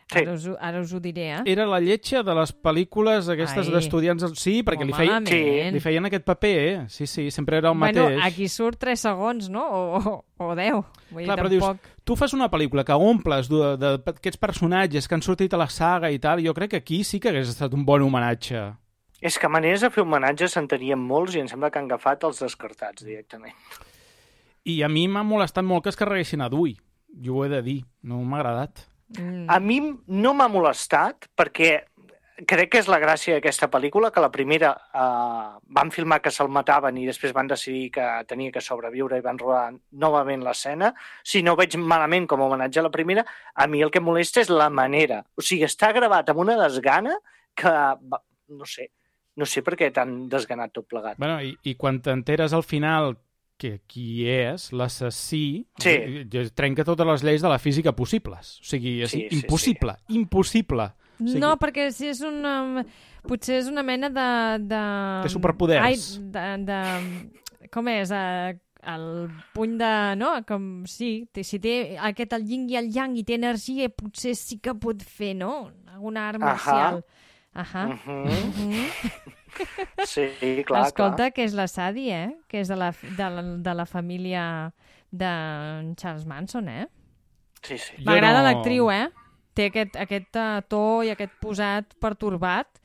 Sí. Ara us ho diré, Era la lletja de les pel·lícules aquestes d'estudiants... Sí, perquè li feien aquest paper, Sí, sempre era el mateix. Bueno, aquí surt 3 segons, no? O 10. Vull dir, però dius, tu fas una pel·lícula que omples d'aquests personatges que han sortit a la saga i tal, jo crec que aquí sí que hagués estat un bon homenatge. És que maneres de fer homenatges en tenien molts i em sembla que han agafat els descartats directament. I a mi m'ha molestat molt que es carreguessin a Dewey. Jo ho he de dir, no m'ha agradat. A mi no m'ha molestat perquè crec que és la gràcia d'aquesta pel·lícula, que la primera van filmar que se'l mataven i després van decidir que tenia que sobreviure i van rodar novament l'escena. Si no ho veig malament com a homenatge a la primera, a mi el que molesta és la manera. O sigui, està gravat amb una desgana que, no sé per què t'han desganat tot plegat. Bueno, i quan t'enteres al final que qui és l'assassí, trenca totes les lleis de la física possibles. O sigui, és impossible. O sigui, no, perquè si és potser és una mena de... Té superpoders. Com és? El puny de... No? Com, sí, si té el yin i el yang i té energia, potser sí que pot fer, no? Alguna art marcial. Sí, clar. Escolta, que és la Sadie, que és de la família de Charles Manson, Sí. M'agrada l'actriu, Té aquest to i aquest posat pertorbat,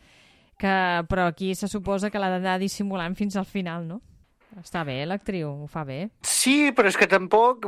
però aquí se suposa que l'ha d'anar dissimulant fins al final, no? Està bé, l'actriu, ho fa bé. Sí, però és que tampoc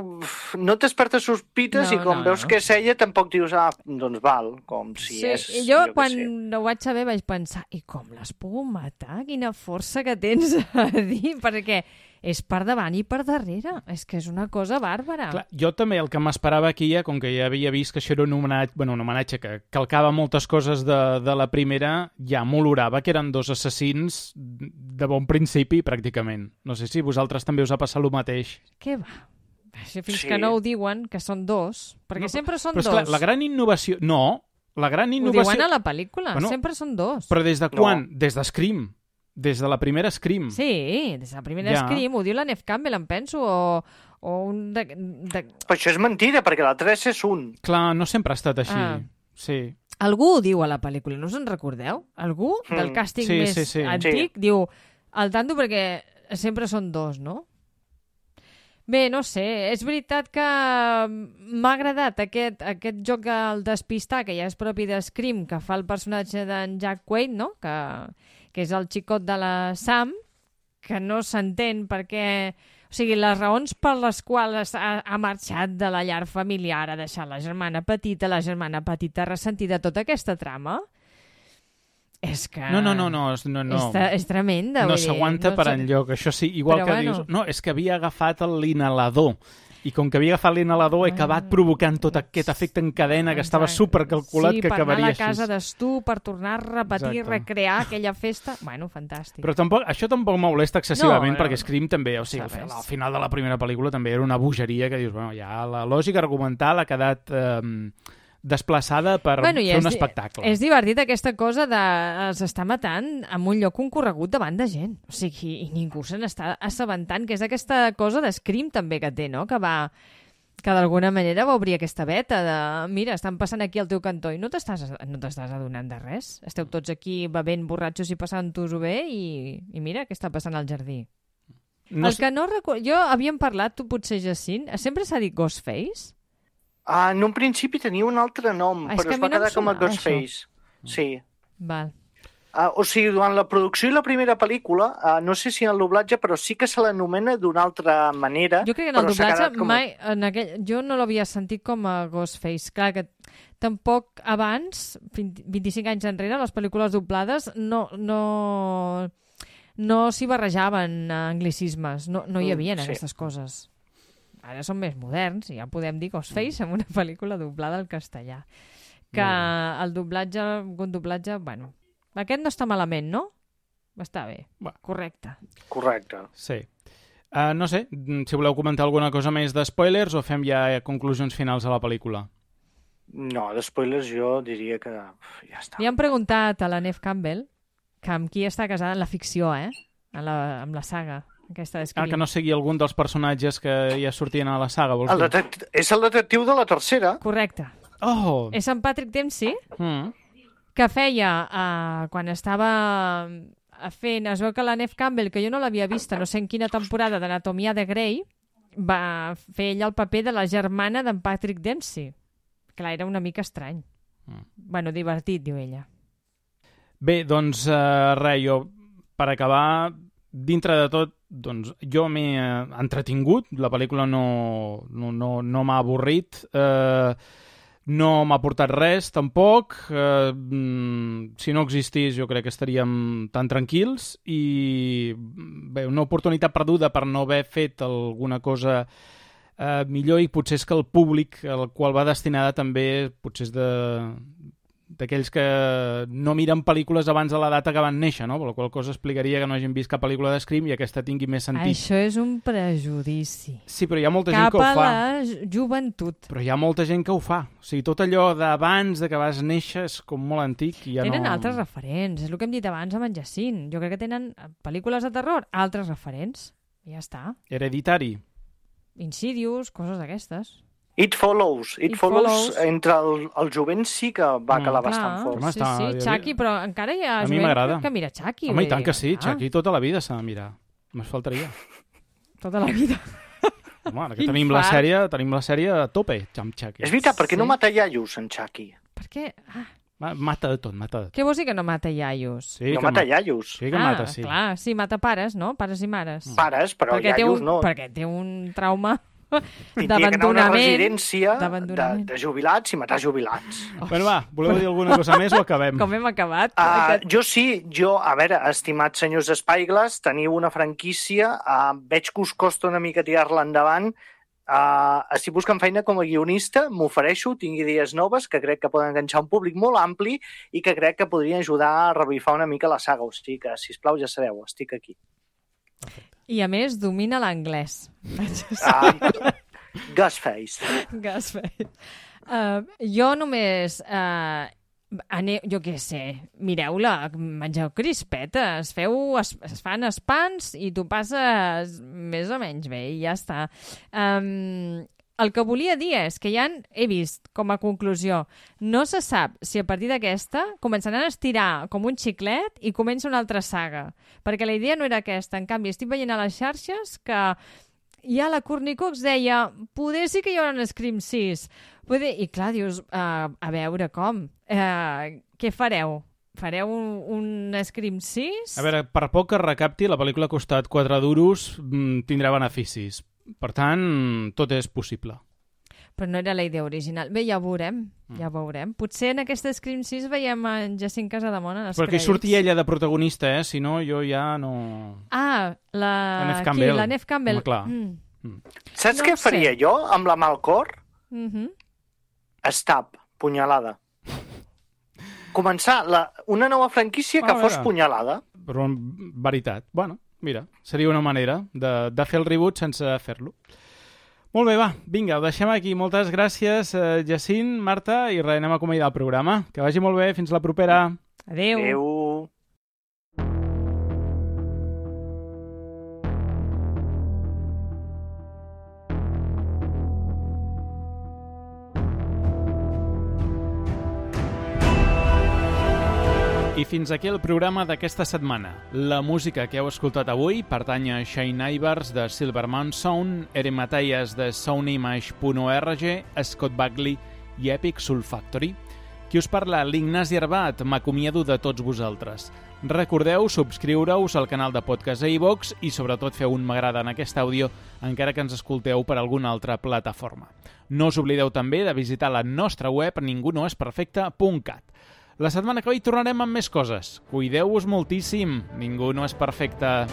no t'espertes sospites i com veus que és ella tampoc dius, doncs val, com si és... Jo quan ho vaig saber vaig pensar, i com l'has pogut matar? Quina força que tens a dir, perquè és per davant i per darrere. És que és una cosa bàrbara. Clar, jo també el que m'esperava aquí, com que ja havia vist que això era un homenatge que calcava moltes coses de la primera, ja m'olorava que eren 2 assassins de bon principi, pràcticament. No sé si vosaltres també us ha passat el mateix. Què va? Fins que no ho diuen, que són 2, perquè sempre són 2. Però és clar, la gran innovació... No, la gran innovació... Ho diuen a la pel·lícula, sempre són 2. Però des de quan? Des de Scream. Des de la primera Scream. Sí, des de la primera Scream, ho diu la Neve Campbell, em penso, o un... Però això és mentida, perquè la 3 és un. Clar, no sempre ha estat així. Sí. Algú ho diu a la pel·lícula, no us en recordeu? Algú del càsting més antic diu al tanto perquè sempre són dos, no? Bé, no sé, és veritat que m'ha agradat aquest joc del despistar, que ja és propi de Scream, que fa el personatge d'en Jack Quaid, no? Que és el xicot de la Sam, que no s'entén perquè... O sigui, les raons per les quals ha marxat de la llar familiar, ha deixat la germana petita ressentida, tota aquesta trama... És que... No. És tremenda. No s'aguanta per enlloc. Això sí, igual que dius... No, és que havia agafat l'inhalador. I com que havia agafat l'inhalador he acabat provocant tot aquest efecte en cadena que estava supercalculat que acabaria així. Sí, per anar a la casa d'Estu, per tornar a repetir, recrear aquella festa... Bueno, fantàstic. Però això tampoc m'ha molesta excessivament perquè Scream també, o sigui, al final de la primera pel·lícula també era una bogeria que dius, bueno, ja la lògica argumental ha quedat... desplaçada per fer un espectacle. És divertit aquesta cosa de s'està matant en un lloc concorregut davant de gent. O sigui, i ningú se n'està assabentant, que és aquesta cosa d'Scream també que té, no? Que d'alguna manera va obrir aquesta veta de mira, estan passant aquí al teu cantó i no t'estàs adonant de res. Esteu tots aquí bevent borratxos i passant-ho-ho bé i mira què està passant al jardí. Jo havíem parlat, tu potser, Jacint, sempre s'ha dit Ghostface? En un principi tenia un altre nom, però es va quedar com a Ghostface. Sí. Val. O sigui, durant la producció i la primera pel·lícula, no sé si en el doblatge, però sí que se l'anomena d'una altra manera. Jo crec que en el doblatge jo no l'havia sentit com a Ghostface. Clar que tampoc abans, 25 anys enrere, les pel·lícules doblades no s'hi barrejaven anglicismes. No hi havia aquestes coses. Ara som més moderns i ja podem dir Ghostface en una pel·lícula doblada al castellà. Que el doblatge, bueno, aquest no està malament, no? Està bé, correcte. Sí. No sé, si voleu comentar alguna cosa més de spoilers o fem ja conclusions finals a la pel·lícula? No, de spoilers jo diria que ja està. Li han preguntat a la Neve Campbell que amb qui està casada en la ficció, amb la saga. Que no sigui algun dels personatges que ja sortien a la saga, vols dir? És el detectiu de la tercera. Correcte. Oh! És en Patrick Dempsey, que feia, quan estava fent... Es veu que la Neve Campbell, que jo no l'havia vista, no sé en quina temporada d'Anatomia de Grey, va fer ella el paper de la germana d'en Patrick Dempsey. Clar, era una mica estrany. Bueno, divertit, diu ella. Bé, doncs, jo, per acabar... Dintre de tot, doncs, jo m'he entretingut, la pel·lícula no m'ha avorrit, no m'ha portat res, tampoc. Si no existís, jo crec que estaríem tan tranquils i bé, una oportunitat perduda per no haver fet alguna cosa millor i potser és que el públic al qual va destinada també potser és d'aquells que no miren pel·lícules abans de la data que van néixer, no? Per la qual cosa explicaria que no hagin vist cap pel·lícula de Scream i aquesta tingui més sentit. Això és un prejudici. Sí, però hi ha molta gent que ho fa. Cap a la joventut. Però hi ha molta gent que ho fa. O sigui, tot allò d'abans de que vas néixer és com molt antic i ja tenen altres referents. És el que hem dit abans amb en Jacint. Jo crec que tenen pel·lícules de terror, altres referents. I ja està. Hereditari. Insidious, coses d'aquestes. It Follows. Entre el jovent sí que va calar bastant fort. Sí, Chucky, però encara hi ha jovent que mira Chucky. Home, i tant que sí, Chucky tota la vida s'ha de mirar. Me'n faltaria. Tota la vida. Home, ara que tenim la sèrie a tope, amb Chucky. És veritat, per què no mata iaios en Chucky? Per què? Mata de tot, Què vols dir que no mata iaios? Sí, no mata iaios. Sí que mata, sí. Clar, sí, mata pares, no? Pares i mares. Pares, però iaios no. Perquè té un trauma... Tindria que anar a una residència de jubilats i matar jubilats. Bueno, va, voleu dir alguna cosa més o acabem? Com hem acabat? Jo, a veure, estimats senyors Spyglass, teniu una franquícia, veig que us costa una mica tirar-la endavant. Estic buscant feina com a guionista, m'ofereixo, tinc idees noves que crec que poden enganxar un públic molt ampli i que crec que podrien ajudar a revifar una mica la saga. O sigui que, sisplau, ja sabeu, estic aquí. I a més domina l'anglès. Ghostface. Jo només... jo què sé, mireu-la, mengeu crispetes, es fan espans i tu passes més o menys bé i ja està. el que volia dir és que he vist, com a conclusió, no se sap si a partir d'aquesta començaran a estirar com un xiclet i comença una altra saga, perquè la idea no era aquesta. En canvi, estic veient a les xarxes que ja la Courtney Cox deia poder sí que hi haurà un Scream 6. I clar, dius, a veure com, què fareu? Fareu un Scream 6? A veure, per poc que recapti, la pel·lícula ha costat 4 duros, tindrà beneficis. Per tant, tot és possible. Però no era la idea original. Bé, ja ho veurem, ja ho veurem. Potser en aquesta Scream 6 veiem en Jacint Casademont en els crèdits. Perquè surti ella de protagonista, si no, jo ja no... Ah, la Neve Campbell. La Neve Campbell. Home, clar. Saps què faria jo amb la mà al cor? Stab, punyalada. Començar una nova franquícia que fos punyalada. Però en veritat, bueno, mira, seria una manera de fer el reboot sense fer-lo. Molt bé, va, vinga, ho deixem aquí. Moltes gràcies, Jacint, Marta, i res, anem a acomiadar el programa. Que vagi molt bé, fins la propera. Adéu. Adéu. I fins aquí el programa d'aquesta setmana. La música que heu escoltat avui pertany a Shane Ivers de Silvermount Sound, Erin Matthias de soundimage.org, Scott Bagley i Epic Soul Factory. Qui us parla, l'Ignasi Arbat, m'acomiado de tots vosaltres. Recordeu subscriure-us al canal de podcast a iVox i sobretot feu un m'agrada en aquest àudio, encara que ens escolteu per alguna altra plataforma. No us oblideu també de visitar la nostra web ningunoesperfecte.cat. La setmana que ve hi tornarem amb més coses. Cuideu-vos moltíssim. Ningú no és perfecte.